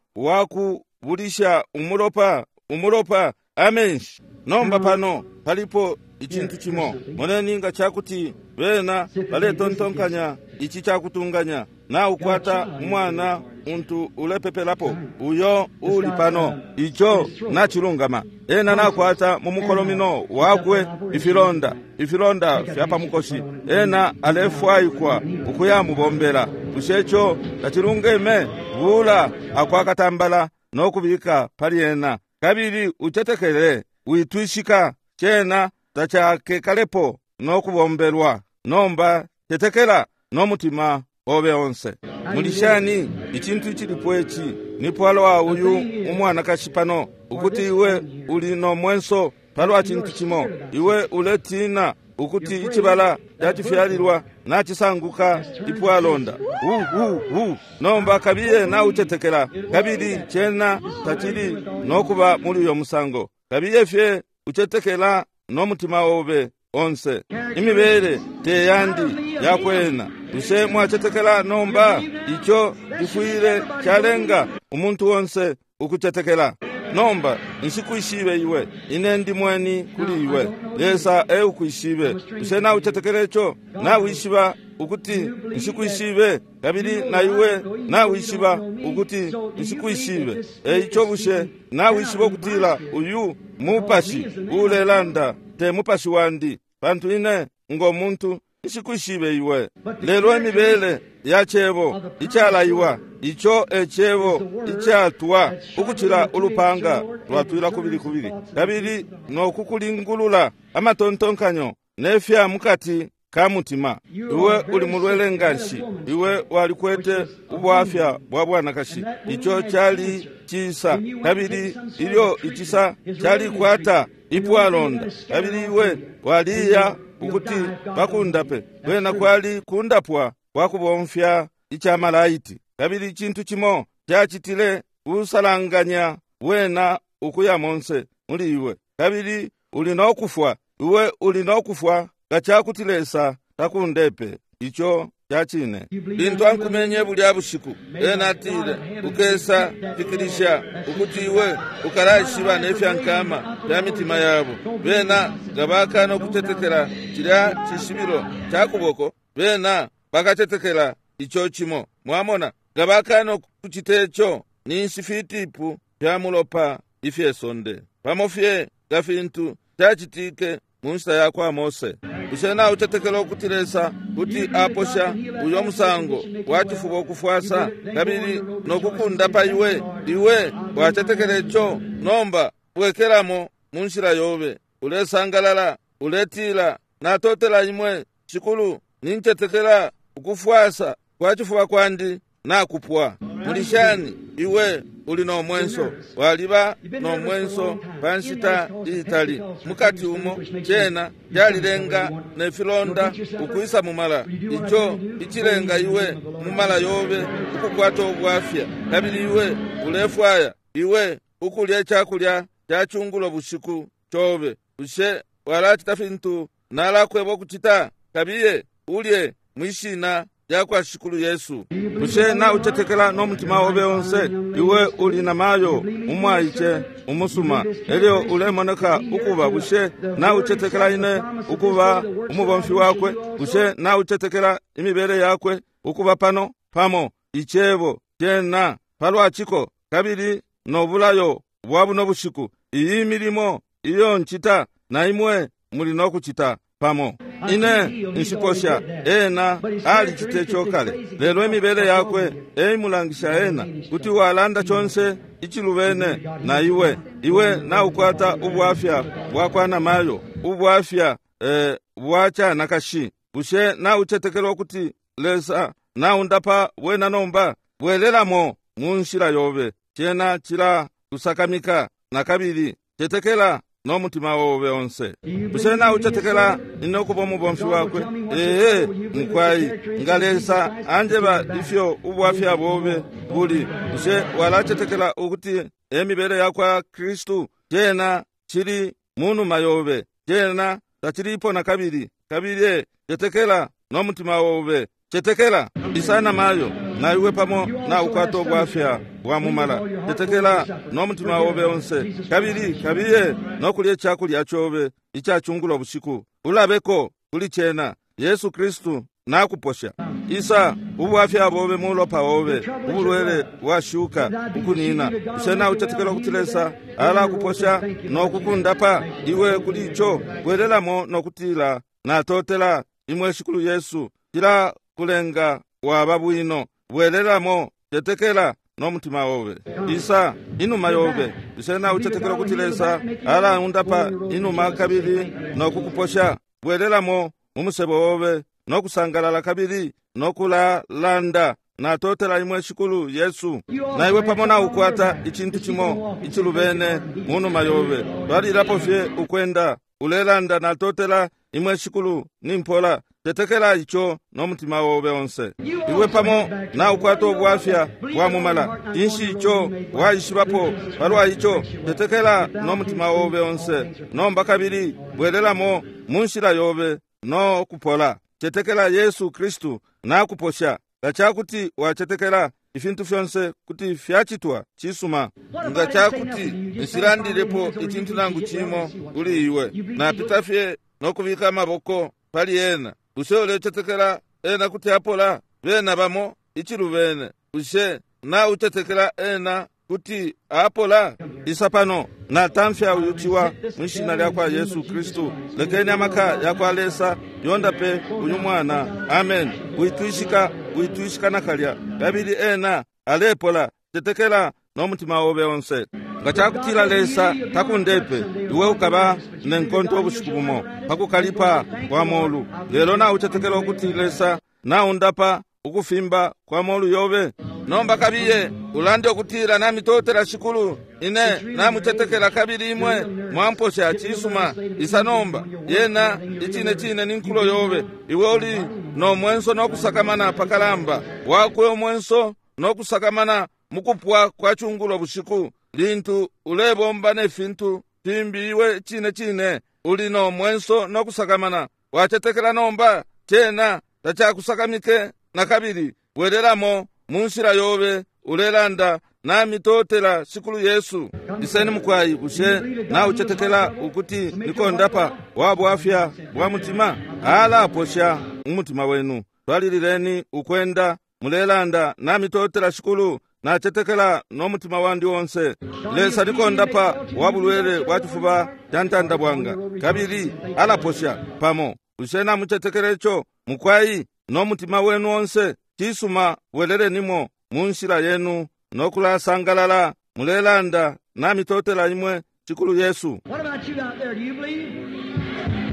wakubulisha umulopa, umulopa amenshi. Nomba pano palipo icintu cimo. Moneni nga cakuti bena baletontonkanya ici cakutunganya. Naukwata umwana untu ulepepelapo, uyo uli pano, ico nacilungama. Ena nakwata mu mukolomino wakwe ifilonda, ifilonda fya pamukoshi. Ena alefwaikwa ukuyamubombela. Bushe ico tacilungeme? Bula akwakatambala nokubika pali ena, kabili ucetekele, witwishika. Cena tacakekalepo nokubombelwa. Nomba tetekela nomutima obe onse. Mulishani icintu icilipo ici ni palwa uyu umwanakashi pano, ukuti iwe uli no mwenso palwa cintu cimo. Iwe uletina ukuti icibala cacifyalilwa nacisanguka ipwalonda. U, u, u. Nomba kabiye naucetekela, kabili cena tacili nokuba muli uyo musango. Kabiye fye ucetekela nomutima obe onse. Imibele te yandi yakwena. Bushe mwacetekela nomba? Ico cifwile calenga umuntu onse ukucetekela. Nomba nshikwishibe iwe, ine ndi mweni kuli iwe. Lesa eukwishibe. Bushe naucetekela ico? Nawishiba ukuti nshikwishibe, kabili na iwe nawishiba ukuti nshikwishibe. Eico bushe nawishiba ukutila uyu mupashi ulelanda te mupashi wandi, pantu ine ngo muntu nshikwishibe iwe. Lelo imibele ya cebo icalaiwa, ico e cebo icatwa ukucila ulupanga lwatwila kubili kubili, kabili nokukulingulula amatontonkanyo nefya mukati ka mutima. Iwe uli mulwele nganshi, iwe walikwete ubwafya bwa bwanakashi. Ico cali cisa, kabili ilyo icisa calikwata ipwalonda, kabili iwe waliya ukuti bakundape. Kwena kwali kundapwa kwa kubomfya icamalaiti, kabili icintu cimo cacitile kusalanganya wena ukuya monse muli iwe, kabili uli nokufwa. Iwe uli nokufwa nga cakuti Lesa takundepe. Ico cacine. Lintu ankumenye bulya bushiku, ena atile, ukesa fikilisha ukuti iwe ukalaishiba nefyankama fya mitima yabo. Bena nga bakana ukutetekela cilya cishibilo ca kuboko, bena bakatetekela ico cimo. Mwamona, nga bakana kucita ico, ninshi fitipu fya mulopa ifye sonde, pamo fye nga fintu cacitike mu nshita ya kwa Mose. Bushe naucetekela ukuti Lesa kuti aposha uyo musango wa cifuba ukufwasa kabili nokukundapa iwe? Iwe wacetekela ico? Nomba bwekelamo mu nshila yobe, ulesangalala, uletila, natotela imwe Shikulu, nincetekela ukufwasa kwa cifuba kwandi nakupwa. Mulishani iwe uli no mwenso, waliba no mwenso pa nshita iitali. Mukati umo cena calilenga ne filonda ukwisa mumala, ico icilenga iwe mumala yobe ukukwata ubwafya, kabili iwe ulefwaya iwe ukulya icakulya ca cungulo bushiku cobe. Bushe walacita fintu nalakweba ukucita? Kabiye ulye mwishina lyakwa Shikulu Yesu. Bushe naucetekela no mutima obe onse? Iwe uli na mayo umwaice umusuma, elyo ulemoneka ukuba. Bushe naucetekela ine ukuba umubomfi wakwe? Bushe naucetekela imibele yakwe ukuba pano pamo icebo cena palwa ciko kabili no bulayo bwa buno bushiku? Iyi milimo iyo ncita na imwe muli no kucita pamo. Ine nshiposha ena alicite ico kale, lelo imibele yakwe eimulangisha ena. Kuti walanda conse icilubene na iwe. Iwe naukwata ubwafya bwakwa namayo, ubwafya eh, bwa canakashi. Bushe naucetekela ukuti Lesa naundapa bwena nomba? Bwelelamo mu nshila yobe, cena cila kusakamika na kabili. Cetekela no mutima obe onse. Bushe naucetekela ine ukuba umubomfi wakwe? Ee, mukwai, nga Lesa anjeba ifyo ubwafya bobe buli, bushe walacetekela ukuti emibele yakwa Kristu? Cena cili munuma yobe, cena tacilipo na kabili. Kabili cetekela no mutima obe, cetekela. Isana mayo na iwe pamo na ukwata ubwafya bwa mumala. Cetekela no mutima obe onse, kabili kabiye no kulya icakulya cobe icacungulo bushiku. Ulabeko kuli cena. Yesu Kristu nakuposha. Isa ubwafya bobe mulopa obe, ubulwele bwashuka ukunina. Bushe naucetekela ukuti Lesa alakuposha no kukundapa iwe kuli ico? Bwelelamo no kutila, natotela imwe Shikulu Yesu, cila kulenga waba bwino. Bwelelamo, cetekela no mutima obe. Isa inuma yobe. Bushe naucetekela ukuti Lesa alaundapa inuma kabili no kukuposha? Bwelelamo mu musebo obe no kusangalala kabili no kulalanda, natotela imwe Shikulu Yesu. Na iwe pamo naukwata icintu cimo icilubene munuma yobe. Twalilapo fye ukwenda ulelanda, natotela imwe Shikulu, nimpola. Tetekela ico no mutima obe onse. Iwe pamo naukwata ubwafya bwa mumala. Inshi ico waishibapo palwa ico? Tetekela no mutima obe onse. Nomba kabili bwelelamo mu nshila yobe no kupola. Cetekela Yesu Kristu nakuposha. Nga cakuti wacetekela, ifintu fyonse kuti fyacitwa cisuma. Nga cakuti nshilandilepo icintu nangu cimo kuli iwe, napita fye no kubika amaboko pali ena, bushe ulecetekela ena kuti apola? Bena bamo icilubene. Bushe naucetekela ena kuti apola? Isa pano, natamfya uyu ciwa mwishina lyakwa Yesu Kristu. Lekeni amaka yakwa Lesa yondape uyu mwana. Amen. Witwishika, witwishika nakalya. Kabili ena alepola. Cetekela no mutima obe onse. Nga cakutila Lesa takundepe, iwe ukaba nenkonto ubushiku bumo pakukalipa kwa molu. Lelo naucetekela ukuti Lesa naundapa ukufimba kwa molu yobe? Nomba kabiye ulande ukutila, namitotela Shikulu, ine namucetekela kabili imwe mwamposha cisuma. Isa nomba, yena icine cine ni nkulo yobe. Iwe uli no mwenso no kusakamana pakalamba wakwe, umwenso no kusakamana mukupwa kwa chungulo bushiku, lintu ulebomba ne fintu fimbi. Iwe cine cine uli no mwenso no kusakamana. Wacetekela nomba, cena tacakusakamike na kabili. Bwelelamo mu nshila yobe ulelanda, namitotela Shikulu Yesu. Iseni mukwai, bushe naucetekela ukuti nikondapa wa bwafya bwa mutima? Alaposha umutima wenu. Twalilileni ukwenda mulelanda, namitotela Shikulu, nacetekela no mutima wandi onse. Lesa nikondapa wa bulwele bwa cifuba ca ntanda bwanga, kabili alaposha pamo. Bushe namucetekela ico mukwai no mutima wenu onse? Cisuma, bwelelenimo mu nshila yenu no kulasangalala mulelanda, namitotela imwe Shikulu Yesu. What about you out there? Do you believe?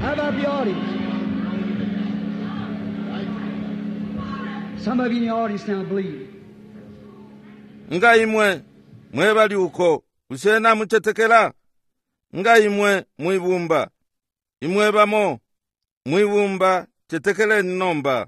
How about the audience? Some of you in the audience now believe. Nga imwe mwebali uko, bushe namucetekela? Nga imwe mwibumba, imwe bamo mwibumba, cetekeleni nomba.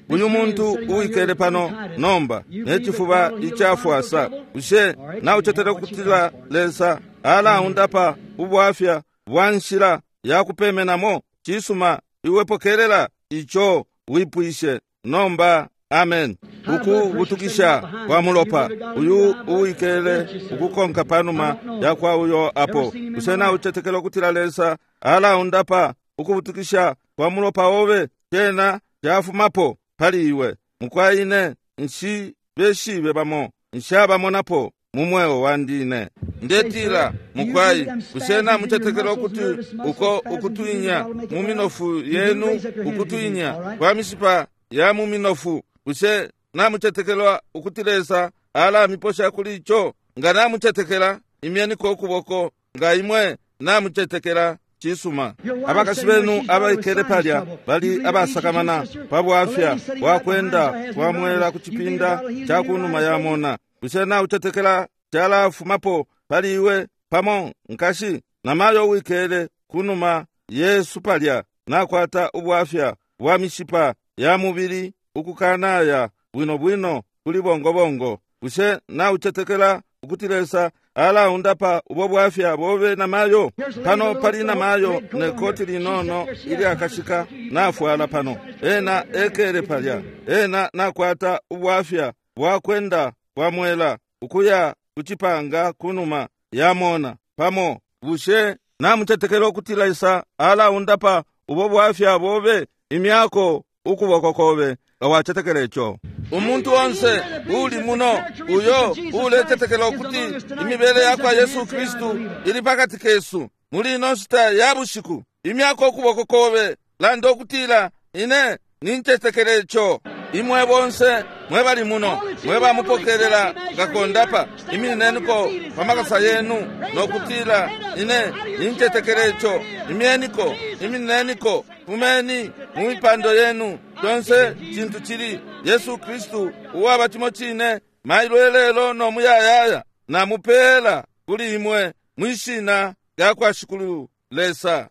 Uyu muntu uwikele pano nomba necifuba icafwasa, bushe naucetekela ukutila Lesa alaundapa ubwafya bwa nshila yakupemenamo? Cisuma, iwe pokelela ico wipwishe nomba. Amen. Uku butukisha kwa mulopa uyu uwikele ukukonka panuma yakwa uyo apo. Bushe naucetekela ukutila Lesa alaundapa ukubutukisha kwa mulopa obe? Cena cafumapo pali iwe. Mukwaine nshi beshibe bamo nshabamonapo mu mweo wandine. Ndetila mukwai, bushe namucetekela ukuti uko ukutwinya mu minofu yenu, ukutwinya kwa mishipa ya mu minofu, bushe namucetekela ukuti Lesa alamiposha kuli ico? Nga namucetekela, imyeniko ukuboko. Nga imwe namucetekela, cisuma. Abakashi benu abaikele palya bali abasakamana pa bwafya bwakwenda kwamwela ku cipinda ca kunuma ya mona. Bushe naucetekela calafumapo pali iwe pamo, nkashi? Namayo wikele kunuma Yesu palya nakwata ubwafya bwa mishipa ya mubili ukukanaya bwino bwino kuli bongobongo. Bushe naucetekela ukuti Lesa alaundapa ubo bwafya bobe namayo? Pano pali namayo ne koti linono ilyakashika nafwala pano. Ena ekele palya. Ena nakwata ubwafya bwakwenda kwa mwela ukuya kucipanga kunuma yamona pamo. Bushe namucetekela ukuti Lesa alaundapa ubo bwafya bobe? Imyako ukuboko kobe nga wacetekela ico. Umuntu onse uli muno uyo ulecetekela ukuti imibele yakwa Yesu Kristu ili pakati kesu muli ino nshita ya bushiku, imyako ukuboko kobe, landa ukutila ine nincetekela ico. Imwe bonse mwe bali muno mwe bamupokelela ngakondapa, iminineniko pa makasa yenu nokutila ine nincetekela ico. Imyeniko, iminineniko, fumeni mu mipando yenu. Conse cintu cili Yesu Kristu uwaba cimo cine mailo elelo no muyayaya, namupela kuli imwe mwishina lya kwa Shikulu Lesa.